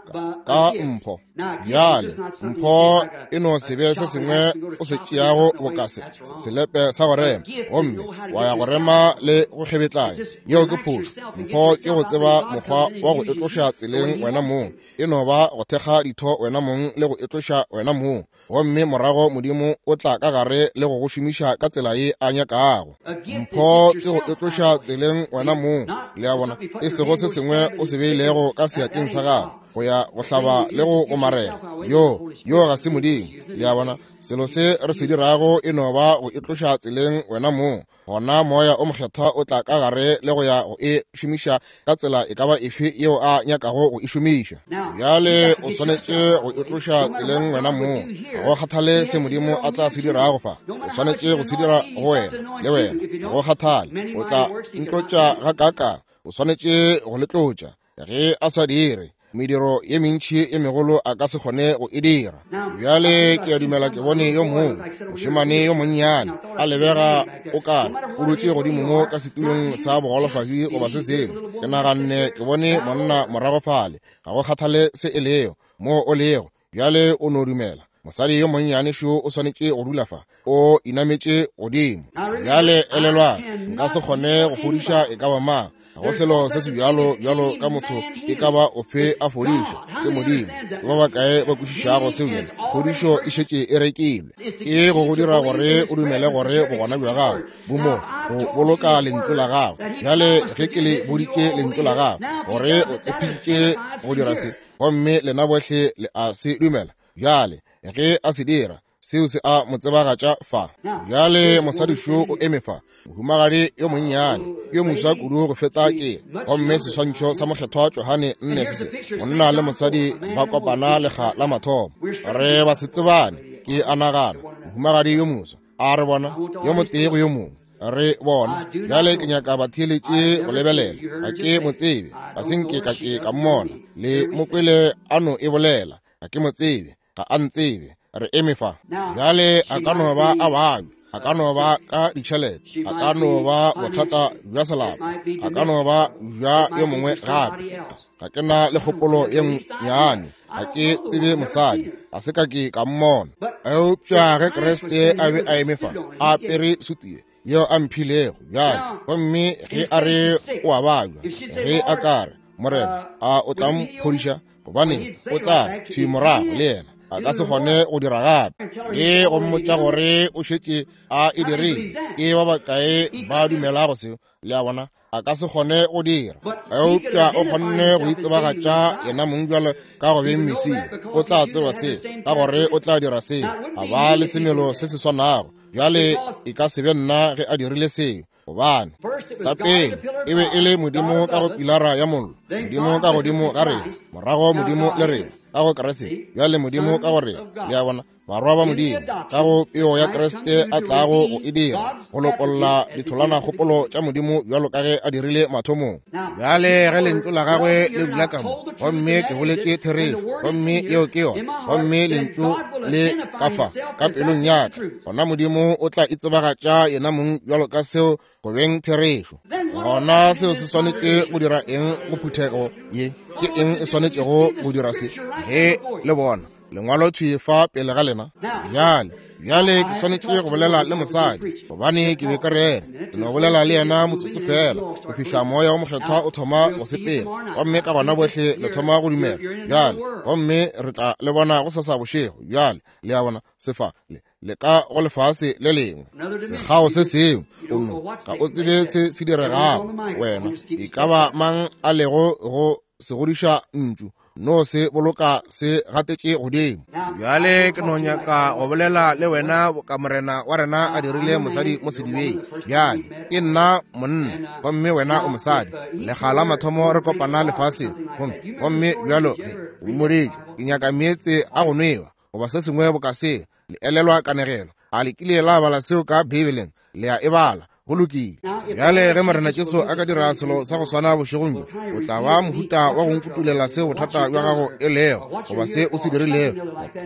ka mpho. Bjale mpho e no se be se sengwe o se tšeago boka se selepe sa go rema, gomme wa ya go rema le go kgebetlanya. Yeo ke phošo. Mpho ke go tseba mokgwa wa go etloša tseleng wena mong. E no ba go thekga ditho wena mong le go etloša wena mong, gomme morago Modimo o tla ka gare le go go šomiša ka tsela ye a nyakago. Mpho ke go etloša tseleng wena mong. Le a bona? E sego se sengwe o se beilego ka seatleng sa gago go ya go hlaba le go gomarela. Yo yo ga se Modimo. Le a bona? Selo se re se dirago e no ba go etloša tseleng wena mong. Gona moya o mokgethwa o tla ka gare le go ya go e šomiša ka tsela e ka ba efe yeo a nyakago go e šomiša. Bjale o swanetše go etloša tseleng wena mong. Ga go kgathale se Modimo a tla se dirago fa, o swanetše go se dira go wena le wena. Ga go kgathale o tla ntlotša ga kaka, o swanetše go le tlotša. Ge a sa dire, mediro ye mentši ye megolo a ka se kgone go e dira. Bjale ke a dumela ke bone yo mongwe mošemane yo monnyane a lebega o kare o dutše godimo mo ka setulong sa bogolofadi goba se sengwe. Ke naganne ke bone monna morago fale. Ga go kgathale se e lego mo o lego, bjale o no dumela. Mosadi yo monnyane šo o swanetše go dula fa, o inametše godimo. Bjale elelwang, nka se kgone go fodiša e ka ba mang. Ga go selo se se bjalo bjalo ka motho e ka ba ofe a fodišwa ke Modimo. Ke ba bakae ba kwešišago seo bjale? Phodišo e šetše e rekilwe. Ke go go dira gore o dumele gore bogona bja gago bo mo go boloka lentšu la gago. Bjale ge ke le boditše lentšu la gago gore o tshepišitše go dira se, gomme lena bohle le a se dumela. Bjale ge a se dira, seo se a mo tsebagatša fa. Bjale mosadi šo o eme fa, mohumagadi yo monnyane, yo moswa kudu go feta ke, gomme seswantšho sa mokgethwa Johane nne se se, monna le mosadi ba kopana lekga la mathomo. Re ba se tsebane, ke a nagana, mohumagadi yo moswa, a re bona yo motee go yo mongwe. Re bona. Bjale ke nyaka batheeletše go lebelela. Ga ke mo tsebe, ga se nke ka ke ka mmona. Le mo kwele a no e bolela. Ga ke mo tsebe, ga a ntsebe. Re eme fa. Bjale a ka no ba a babja, a ka no ba ka ditšhelete, a ka no ba bothata bja selapa, a ka no ba bja yo mongwe gape. Ga ke na le kgopolo ye nnyane, ga ke tsebe mosadi, ga se ka ke ka mmona. Eupša ge Kriste a be a eme fa, a apere sutu ye yeo a mphilego bjale, gomme ge a re o a babja, ge a ka re, Morena, a o tla mphodiša? Gobane o tla thwi morago le yena, a ka se kgone go dira gape. Le go mmotša gore o šetše a e dirile. Ke ba bakae ba dumelago seo? Le a bona, a ka se kgone go dira. Eupša o kgonne go itsebagatša yena mong bjalo ka go beng Mesia. O tla tseba seo, ka gore o tla dira seo. A ba le semelo se se swanago. Bjale e ka se be nna ge a dirile seo, gobane sa pele e be e le Modimo ka go pilara ya mollo, Modimo ka godimo ga rena, morago Modimo le rena ka go Kriste, bjale Modimo ka go rena. Le a bona, barwa ba Modimo ka go peo ya Kriste a tlago go e dira, go lopolla ditholwana kgopolo tša Modimo bjalo ka ge a dirile mathomong. Bjale ge lentšu la gagwe le dula ka mo, gomme ke boletše therešo, gomme yeo ke yona, gomme lentšu le ka fa ka pelong ya ka, gona Modimo o tla itsebagatša yena mong bjalo ka seo go beng therešo. Gona seo se swanetše go dira eng go phuthego ye? Ke eng e swanetšego go dira se? Ge le bona lengwalo thwi fa pele ga lena. Bjale, bjale ke swanetše go bolela le mosadi, gobane ke be ka rera ke no bolela le yena motsotso fela go fihla moya o mokgethwa o thoma go sepela, gomme ka gona bohle le thoma go dumela. Bjale, gomme re tla le bona go sasa bošego. Bjale, le a bona, sefa le le ka go lefase le lengwe, sekgao se sengwe, o no ga o tsebe se se diregago. Wena e ka ba mang a lego go se godiša ntšu, no se boloka se gatetše godimo. Bjale ke no nyaka go bolela le wena boka Morena wa rena a dirile mosadi mo sedibeng. Bjale ke nna monna gomme wena o mosadi. Lekga la mathomo re kopana lefaseng, gomme gomme bjalo ge o mmoditše ke nyaka meetse a go nwewa goba se sengwe boka se. Le elelwa kanegelo? A le kile la bala seo ka Beibeleng? Le a e bala. Go lokile. Bjale ge Morena Jesu a ka dira selo sa go swana bošegong bjo, o tla ba mohuta wa go nkutulela seo bothata bja gago e lego, goba se o se dirilego,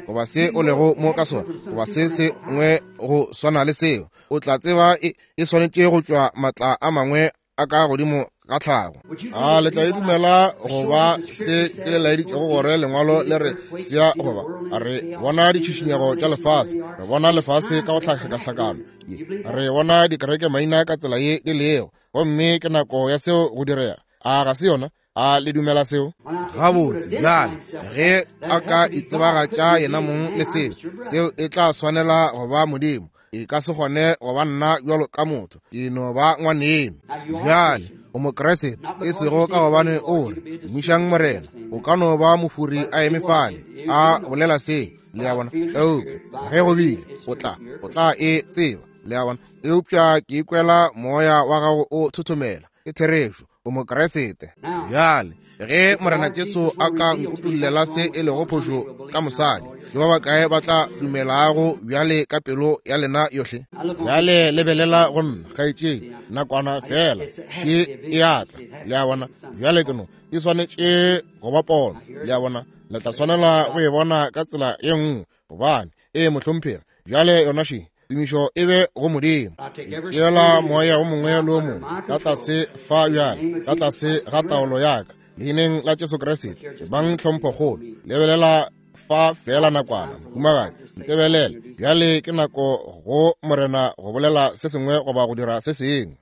goba se o lego mo ka sona, goba se sengwe go swana le seo. O tla tseba e, e swanetše go tšwa matla a mangwe a ka godimo ga tlhago. A le tla e dumela go ba se ke le laeditšego gore lengwalo le re se a goba? Re bona ditšhišinyego tša lefase, re bona lefase ka go hlakahlakano ye, re bona dikereke maina ka tsela ye di lego, gomme ke nako ya seo go direga. A ga se yona? A le dumela seo? Gabotse. Bjale ge a ka itsebagatša yena mong le seo, seo e tla swanela go ba Modimo. E ka se kgone go ba nna bjalo ka motho, ke no ba ngwaneno. Bjale o Mokriste, e sego ka gobane o re tumišang Morena. O ka no ba mofuri a eme fale a bolela seo, le a bona, eupša ge go bile o tla o tla e tseba, le a bona. Eupša ke ikwela moya wa gago o thothomela. Ke therešo, o Mokriste. Bjale ge Morena Jesu a ka nkutullela se e lego phošo ka mosadi, ke ba bakae ba tla dumelago bjale ka pelo ya lena yohle? Bjale lebelela go nna, kgaetšedi, nakwana fela, še e a tla. Le a bona? Bjale ke no e swanetše go ba pono. Le a bona? Le tla swanela go e bona ka tsela ye nngwe, gobane e mohlomphegi. Bjale yona še, tumišo e be go Modimo. Ke tšeela moya o mongwe le o mongwe ka tlase fa bjale, ka tlase ga taolo ya ka, leineng la Jesu Kriste. Bang tlhomphokgolo. Lebelela fa feela nakwana, mohumagadi, ntebelele. Bjale ke nako go Morena go bolela se sengwe goba go dira se sengwe.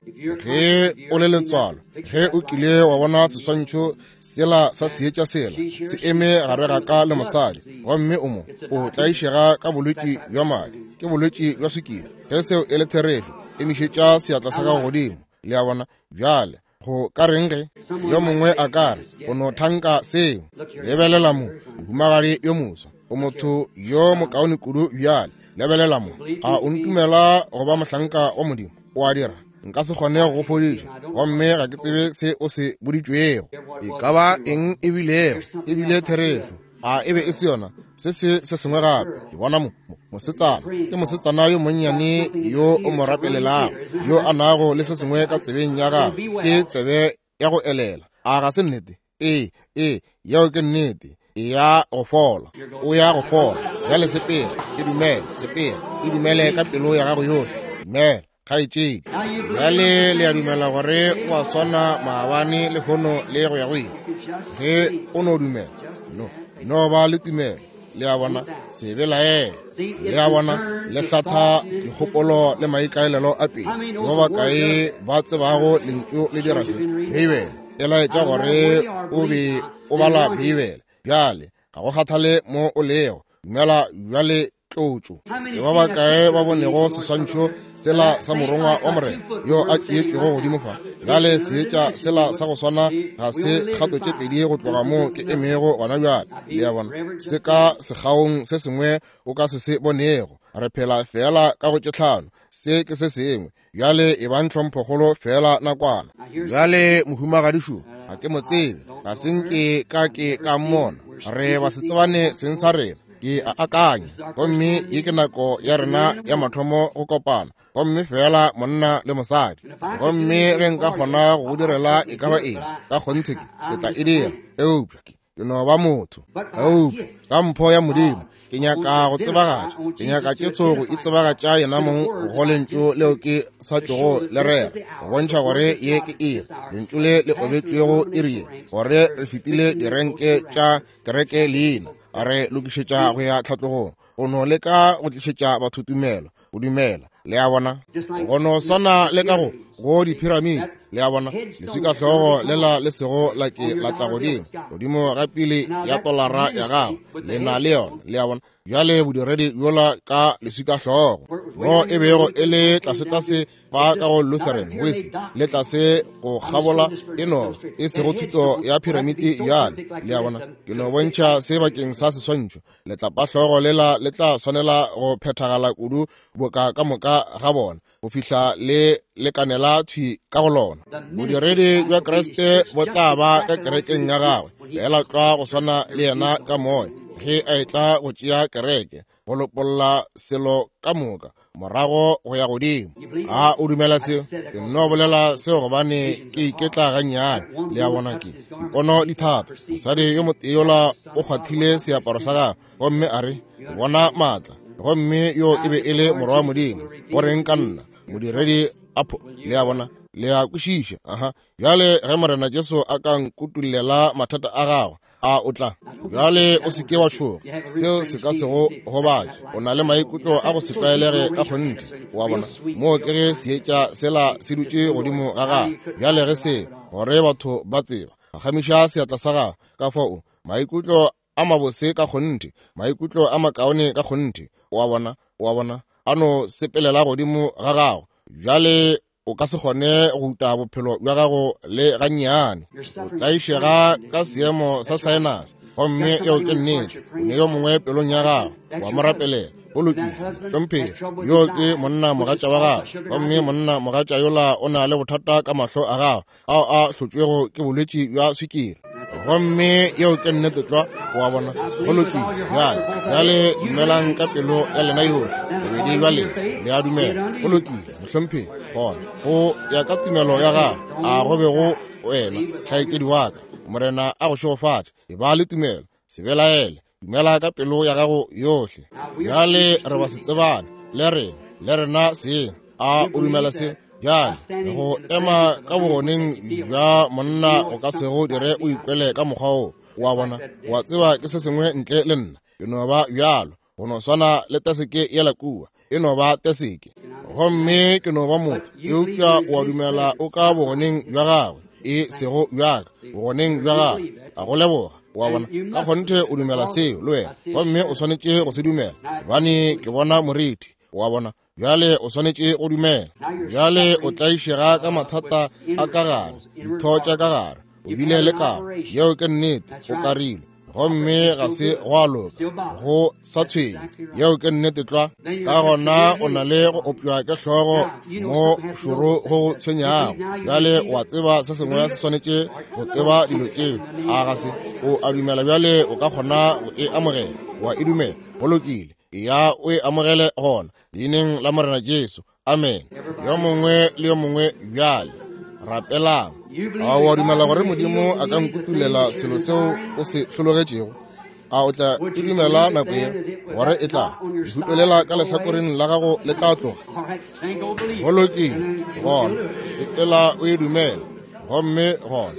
Ge o le letswalo, ge o kile wa bona seswantšho sela sa seetša sela se eme gare ga ka le mosadi, gomme o mo o tlaišega ka bolwetši bja madi, ke bolwetši bja sukiri. Ge seo e le therešo, emišetša seatla sa gago godimo. Le a bona? Bjale go ka reng ge yo mongwe a ka re o no thanka seo? Lebelela mo, mohumagadi yo moswa, o motho yo mokaone kudu bjale. Lebelela mo, a o ntumela go ba mohlanka wa Modimo? O a dira? Nka se kgone go go fodiša, gomme ga ke tsebe se o se boditšwego. E ka ba eng e bilego, e bile therešo. A e be e se yona? Se se se sengwe gape. Ke bona mo mosetsana, ke mosetsana yo monnyane yo o mo rapelelago, yo a nago le se sengwe ka tsebeng ya gagwe, ke tsebe ya go elela. A ga se nnete? Ee, ee, yeo ke nnete. E ya go fola, o ya go fola. Bjale sepela, e dumele, sepela, e dumele ka pelo ya gago yohle. Dumela, kgaetšedi. Bjale le a dumela gore o a swana maabane, lehono le go ya go ile? Ge o no dumela, no no ba le tumelo. Le a bona? Se belaele. Le a bona? Le hlatha dikgopolo le maikaelelo a pele. Ba bakae ba tsebago lentšu le dira se? Beibele e laetša gore o be o bala Beibele. Bjale ga go kgathale mo o lego, dumela bjale tlotšo. Ke ba bakae ba bonego seswantšho sela sa morongwa wa Morena yo a tšeetšwego godimo fa? Bjale seetša sela sa go swana ga se kgato tše pedi go tloga moo ke emego gona bjale. Le a bona? Se ka sekgaong se sengwe o ka se se bonego. Re phela feela ka go tše tlhano. Se ke se sengwe. Bjale e bang tlhomphokgolo feela nakwana. Bjale mohumagadi šo, ga ke mo tsebe, ga se nke ka ke ka mmona. Re ba se tsebane seng sa rena. Ke a akanya, gomme ye ke nako ya rena ya mathomo go kopana, gomme feela monna le mosadi. Gomme ge nka kgona go direla e ka ba eng, ka kgonthe ke ke tla e dira. Eupša ke ke no ba motho. Eupša ka mpho ya Modimo ke nyaka go tsebagatša, ke nyaka Jesu go itsebagatša yena mong go lentšu leo ke sa tšogo le rera, go bontšha gore ye ke iri, lentšu le le obetšwego iri ye, gore re fetile direnke tša kereke leina, re lokišetša go ya tlhatlogong, go no leka go tlišetša batho tumelo, go dumela. Le a bona? Go no swana le ka go go diphiramiti. Le a bona? Leswikahlogo lela le sego la ke la tla godimo, godimo ga pele ya tolara ya gago, le na le yona. Le a bona? Bjale bodiredi bjola ka leswikahlogo mo e bego e le tlasetlase fa ka go Lutheran, Wesley, le tlase go kgabola e no e sego thuto ya phiramiti bjale. Le a bona? Ke no bontšha se bakeng sa seswantšho. Letlapahlogo lela le tla swanela go phethagala kudu boka ka moka ga bona, go fihla le lekanela thwi ka go lona. Bodiredi bja Kriste bo tla ba ka kerekeng ya gagwe, fela tlwa go swana le yena ka moya, ge a etla go tšea kereke, go lopolla selo ka moka morago go ya godimo. A o dumela seo? Ke nno bolela seo gobane ke iketla gannyane. Le a bona? Ke dipono di thata. Mosadi yo motee yola o kgwathile seaparo sa gagwe, gomme a re, ke bona maatla, gomme yo e be e le morwa wa Modimo. Go reng ka nna, modiredi a pho? Le a bona? Le a kwešiša? Aha. Bjale ge Morena Jesu a ka nkutullela mathata a gagwe, a o tla? Bjale o se ke wa tšhoga, seo se ka se go gobatše. O na le maikutlo a go se tlwaelege ka kgonthe. Wa bona? Moo ke ge seetša sela se dutše godimo ga gagwe. Bjale ge se gore batho ba tseba, phagamiša seatla sa gago. Ka fao maikutlo a mabose ka kgonthe, maikutlo a makaone ka kgonthe. Wa bona? Wa bona? A no sepelela godimo ga gago. Bjale o ka se kgone go uta bophelo bja gago le gannyane. O tlaišega ka seemo sa sinus, gomme eo ke nnete. O ne yo mongwe pelong ya gago, wa mo rapelela. Go lokile, hlomphegi. Yo ke monna mogatša wa gago, gomme monna mogatša yola o na le bothata ka mahlo a gago ao a hlotšwego ke bolwetši bja swikiri, gomme yeo ke nnete tlwa. Wa bona? Go lokile. Bjale, bjale dumelang ka pelo ya lena yohle, bobedi bja lena. Le a dumela? Go lokile, mohlomphegi. Gona go ya ka tumelo ya gago, a go be go wena, kgaetšedi wa ka. Morena a go šegofatše. E ba le tumelo, se belaele, dumela ka pelo ya gago yohle. Bjale re ba se tsebane le rena, le rena seng. A o dumela se? Bjale go ema ka bogoneng bja monna o ka sego dire o ikwele ka mokgwa wo. Wa bona? Wa tseba ke se sengwe ntle le nna. Ke no ba bjalo, go no swana le teseke yela kua, e no ba teseke. Gomme ke no ba motho, eupša o a dumela o ka bogoneng bja gagwe, e sego bjaka, bogoneng bja gagwe. A go leboga. Wa bona, ka kgonthe o dumela seo le wena, gomme o swanetše go se dumela, gobane ke bona morithi. Wa bona, bjale o swanetše go dumela. Bjale o tlaišega ka mathata a ka gare, ditho tša ka gare, o bile le karo, yeo ke nnete, o karilwe, gomme ga se gwa loka, go sa tshwenye, yeo ke nnete tlwa. Ka gona o na le go opšwa ke hlogo mo šoro go go tshwenyago. Bjale o a tseba se sengwe se swanetše go tseba dilo tšeo, a ga se? O a dumela bjale o ka kgona go e amogela, wa e dumela, go lokile, ya o e amogele gona, leineng la Morena Jesu. Amen. Yo mongwe le yo mongwe bjale rapelang. A o a dumela gore Modimo a ka nkutulela selo seo o se hlologetšego? A o tla e dumela nako ye gore e tla lehuto ka lehlakoreng la gago le tla tloga? Go lokile, gona sepela o e dumela, gomme gona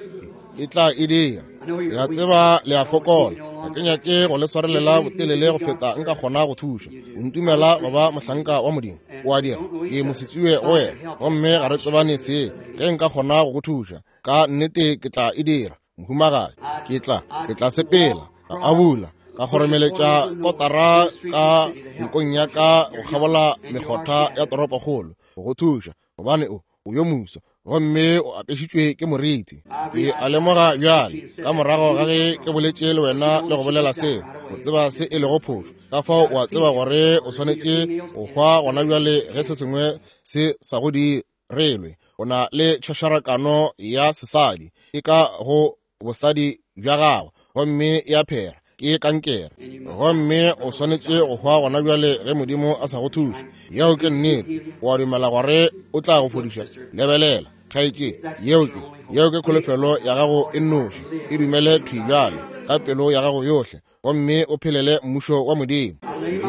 e tla e dira. Ke a tseba le a fokola, ga ke nyake go le swarelela botelele go feta nka kgona go thuša. O ntumela go ba mohlanka wa Modimo, o a dira, ke mosetswe go wena, gomme ga re tsebane se. Ge nka kgona go go thuša, ka nnete ke tla e dira, mohumagadi. Ke tla, ke tla sepela, ka abula, ka kgoromeletša kotara ka nkong ya ka go kgabola mekgotha ya toropokgolo go go thuša, gobane o o yo moswa gomme o apešitšwe ke morithi. Ke a lemoga bjale, ka morago ga ge ke boletše le wena le go bolela seo, o tseba se e lego phošo. Ka fao o a tseba gore o swanetše go hwa gona bjale ge se sengwe se sa go direlwe. O na le tšhošarakano ya sesadi, e ka go bosadi bja gago, gomme ya phera, ke kankere, gomme o swanetše go hwa gona bjale ge Modimo a sa go thuše. Yeo ke nnete. O a dumela gore o tla go fodiša? Lebelela, kgaetšedi, yeo ke yeo ke kholofelo ya gago e nnoši. E dumele thwi bjale ka pelo ya gago yohle, gomme o phelele mmušo wa Modimo.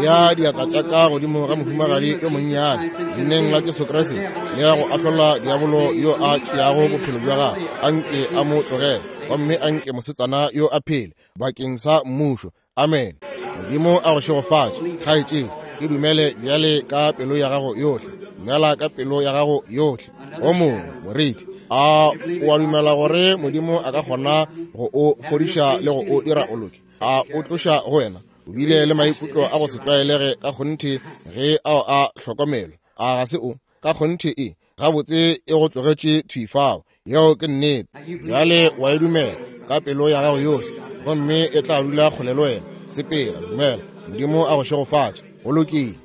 Ya diatla tša ka godimo ga mohumagadi yo monnyane, leineng la Jesu Kriste, le ya go ahlola diabolo yo a tšeago bophelo bja gagwe, anke a mo tlogele, gomme anke mosetsana yo a phele bakeng sa mmušo. Amen. Modimo a go šegofatše, kgaetšedi. E dumele bjale ka pelo ya gago yohle, dumela ka pelo ya gago yohle. O mongwe morithi, a o a dumela gore Modimo a ka kgona go o fodiša le go o dira o loke? A o tloša go wena? O bile le maikutlo a go se tlwaelege ka kgonthe ge ao a hlokomelwa, a ga se o? Ka kgonthe e gabotse e go tlogetše thwi fao. Yeo ke nnete. Bjale wa e dumela ka pelo ya gago yohle, gomme e tla dula kgole le wena. Sepela, dumela. Modimo a go šegofatše. Go lokile.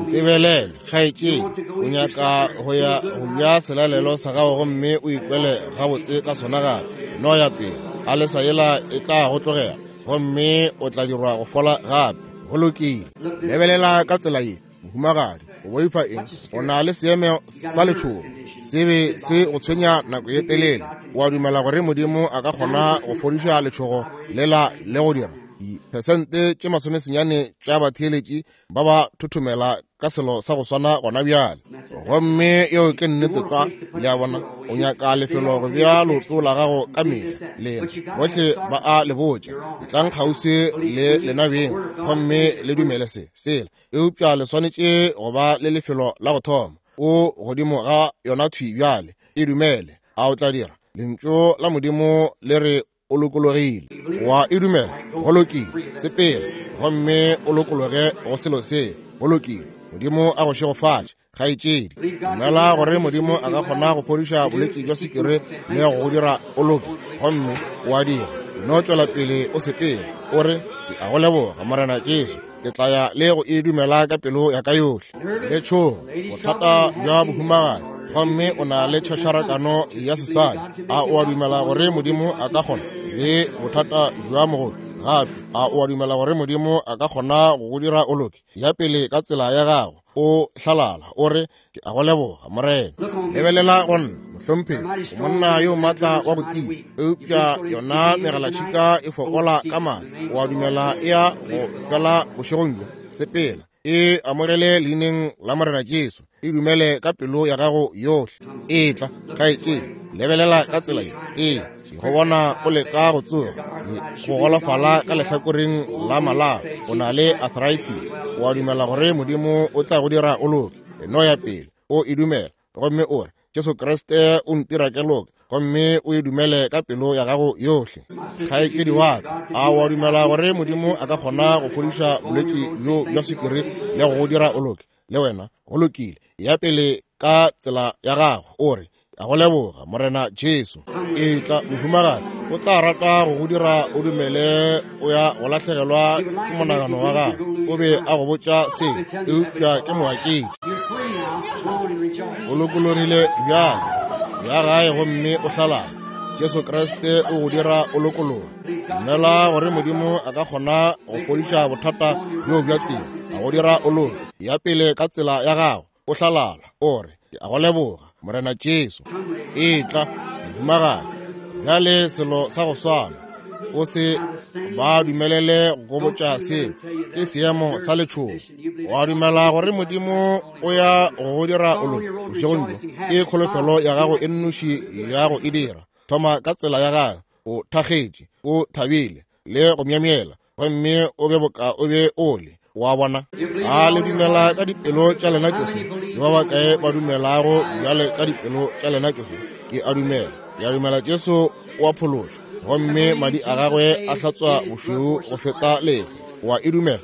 Ntebelele, kgaetšedi. O nyaka go ya go ja selalelo sa gago gomme o ikwele gabotse ka sona gape. No ya pele, a lesa yela e tla go tlogela, gomme o tla dirwa go fola gape. Go lokile. Lebelela ka tsela ye, mohumagadi. O boifa eng? O na le seemo sa letšhogo, se be se go tshwenya nako ye telele. O a dumela gore Modimo a ka kgona go fodiša letšhogo lela le go dira diphesente tše masomesenyane tša batheeletši ba ba thothomela ka selo sa go swana gona bjale. Gomme yeo ke nnete tlwa. Le a bona, o nyaka lefelo go bea leoto la gago ka mehla. Lena bohle ba a le botša, etlang kgauswi le lena beng gomme le dumele se sela, eupša le swanetše go ba le lefelo la go thoma. O godimo ga yona thwi bjale. E dumele. A o tla dira? Lentšu la Modimo le re o lokologile. Wa e dumela? Go lokile. Sepela gomme o lokologe go selo se. Go lokile. Modimo a go šegofatše, kgaetšedi. Dumela gore Modimo a ka kgona go fodiša bolwetši bja sukiri le go go dira o loke, gomme o a dira. No tšwela pele o sepela, o re, ke a go leboga, Morena Jesu. Ke tla ya le go e dumela ka pelo ya ka yohle. Letšhogo, bothata bja bohumagadi, gomme o na le tšhošarakano ya sesadi. A o a dumela gore Modimo a ka kgona? Le bothata bja mogodu gape. A o a dumela gore Modimo a ka kgona go go dira o loke? Ya pele ka tsela ya gago, o hlalala, o re, ke a go leboga, Morena. Lebelela go nna, mohlomphegi, o monna yo maatla wa go tia, eupša yona megalatšhika e fokola ka maatla. O a dumela e ya go fela bošegong bjo? Sepela, e amogele leineng la Morena Jesu. E dumele ka pelo ya gago yohle. Etla, kgaetšedi, lebelela ka tsela ye. Ee, ke go bona o leka go tsoga. Go golofala ka lehlakoreng la malao, o na le arthritis. O a dumela gore Modimo o tla go dira o loke? No ya pele, o e dumela, gomme o re, Jesu Kriste o ntira ke loke, gomme o e dumele ka pelo ya gago yohle. Kgaetšedi wa ka, a wa dumela gore Modimo a ka kgona go fodiša bolwetši bjo bja sukiri le go go dira o loke? Le wena, go lokile. Ya pele ka tsela ya gago, o re, a go leboga Morena Jesu. Etla, mohumagadi, o tla rata go go dira o dumele o ya go lahlegelwa ke monagano wa gago. O be a go botša seo, eupša ke moaketši. O lokologile bjale, ya gae gomme o hlalala. Jesu Kriste o go dira o lokologe. Dumela gore Modimo a ka kgona go fodiša bothata bjo bja teng, a go dira o loke. Ya pele ka tsela ya gago, o hlalala, o re, ke a go leboga Morena Jesu. Etla, mohumagadi, bjale selo sa go swana. O se ba dumelele go botša seo, ke seemo sa letšhogo. Wa dumela gore Modimo o ya go go dira o loke bošegong bjo? Ke kholofelo ya gago e nnoši ya go e dira. Thoma ka tsela ya gago, o thakgetše, o thabile le go myemyela, gomme o be boka o be o le. Wa bona? A le dumela ka dipelo tša lena tšohle? Ke ba bakae ba dumelago bjale ka dipelo tša lena tšohle? Ke a dumela, ke a dumela Jesu o a phološa, gomme madi a gagwe a hlatswa bošweu go feta lehlwa. Wa e dumela?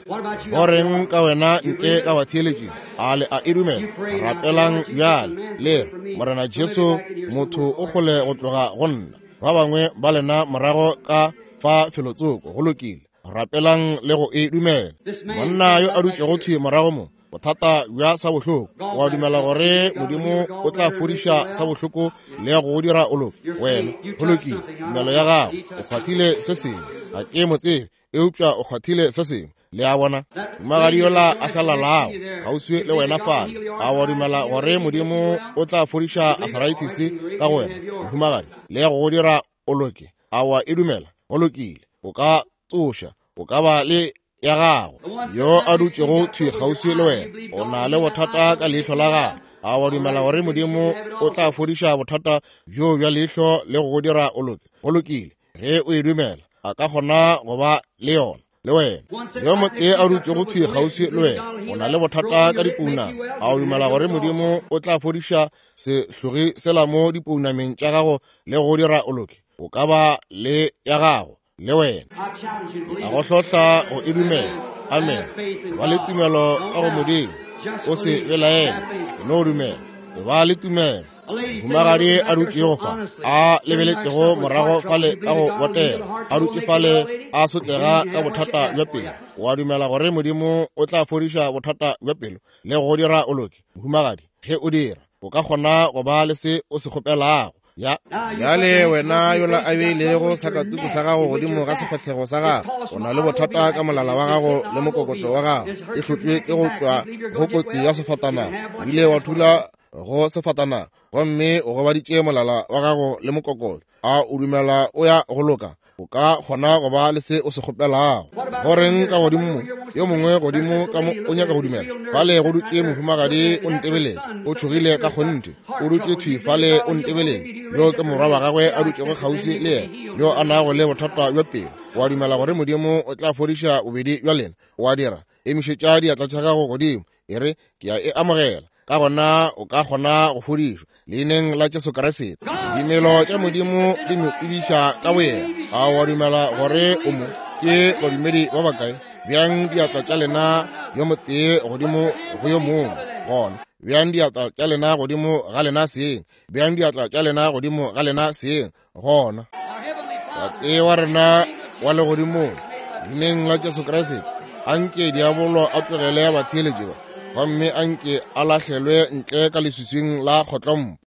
Go reng ka wena ntle ka batheeletšing? A le a e dumela? Rapelang bjale, le re, Morena Jesu, motho o kgole go tloga go nna. Ba bangwe ba lena morago ka fa felotsoko. Go lokile. Rapelang le go e dumela. Monna yo a dutšego thwi morago mo, bothata bja sa bohloko, wa dumela gore Modimo o tla fodiša sa bohloko le go go dira o loke? Wena, go lokile. Tumelo ya gago, o kgwathile se sengwe. Ga ke mo tsebe, eupša o kgwathile se sengwe. Le a bona? Mohumagadi yola a hlalalago kgauswi le wena fale, a wa dumela gore Modimo o tla fodiša arthritis ka go wena, mohumagadi, le go go dira o loke? A wa e dumela? Go lokile. O ka tsoša, o ka ba le ya gago. Yo a dutšego thwi kgauswi le wena, o na le bothata ka leihlo la gago. A wa dumela gore Modimo o tla fodiša bothata bjo bja leihlo le go go dira o loke? Go lokile. Ge o e dumela, a ka kgona go ba le yona le wena. Yo motee a dutšego thwi kgauswi le wena, o na le bothata ka dipounama. A o dumela gore Modimo o tla fodiša sehlogi sela mo dipounameng tša gago le go dira o loke? O ka ba le ya gago le wena. A go hlohla go e dumela. Amen. Ba le tumelo ka go Modimo, o se belaele, no dumela. Ba le tumelo. Mohumagadi a dutšego fa, a lebeletšego morago fale ka go botela, a dutše fale a sotlega ka bothata bja pelo. Wa dumela gore Modimo o tla fodiša bothata bja pelo le go dira o loke? Mohumagadi, ge o dira, o ka kgona go ba le se o se kgopelago. Ya bjale wena yola a beilego sakatuku sa gago godimo ga sefahlego sa gago, o na le bothata ka molala wa gago le mokokotlo wa gago, e hlotšwe ke go tšwa go kotsi ya sefatanaga. O ile wa thula go sefatanaga gomme o gobaditše molala wa gago le mokokotlo. A o dumela o ya go loka? O ka kgona go ba le se o se kgopelago. Go reng ka godimo mo? Yo mongwe godimo ka mo o nyaka go dumela. Fale go dutše mohumagadi o ntebeletše, o tšhogile ka kgonthe. O dutše thwi fale o ntebeletše. Yo ke morwa wa gagwe a dutšego kgauswi le yena, yo a nago le bothata bja pelo. Wa dumela gore Modimo o tla fodiša bobedi bja lena? Wa dira? Emišetša diatla tša gago godimo, e re, ke a e amogela. Ka gona o ka kgona go fodišwa leineng la Jesu Kriste. Dimelo tša Modimo di mo tsebiša ka boyena. A wa dumela gore o mo? Ke badumedi ba bakae? Bjang diatla tša lena yo motee godimo go yo mongwe. Gona bjang diatla tša lena godimo ga lena seng. Bjang diatla tša lena godimo ga lena seng. Gona Tate wa rena wa legodimong, leineng la Jesu Kriste, anke diabolo a tlogele batheeletši ba, gomme anke a lahlelwe ntle ka leswiswing la kgotlompo.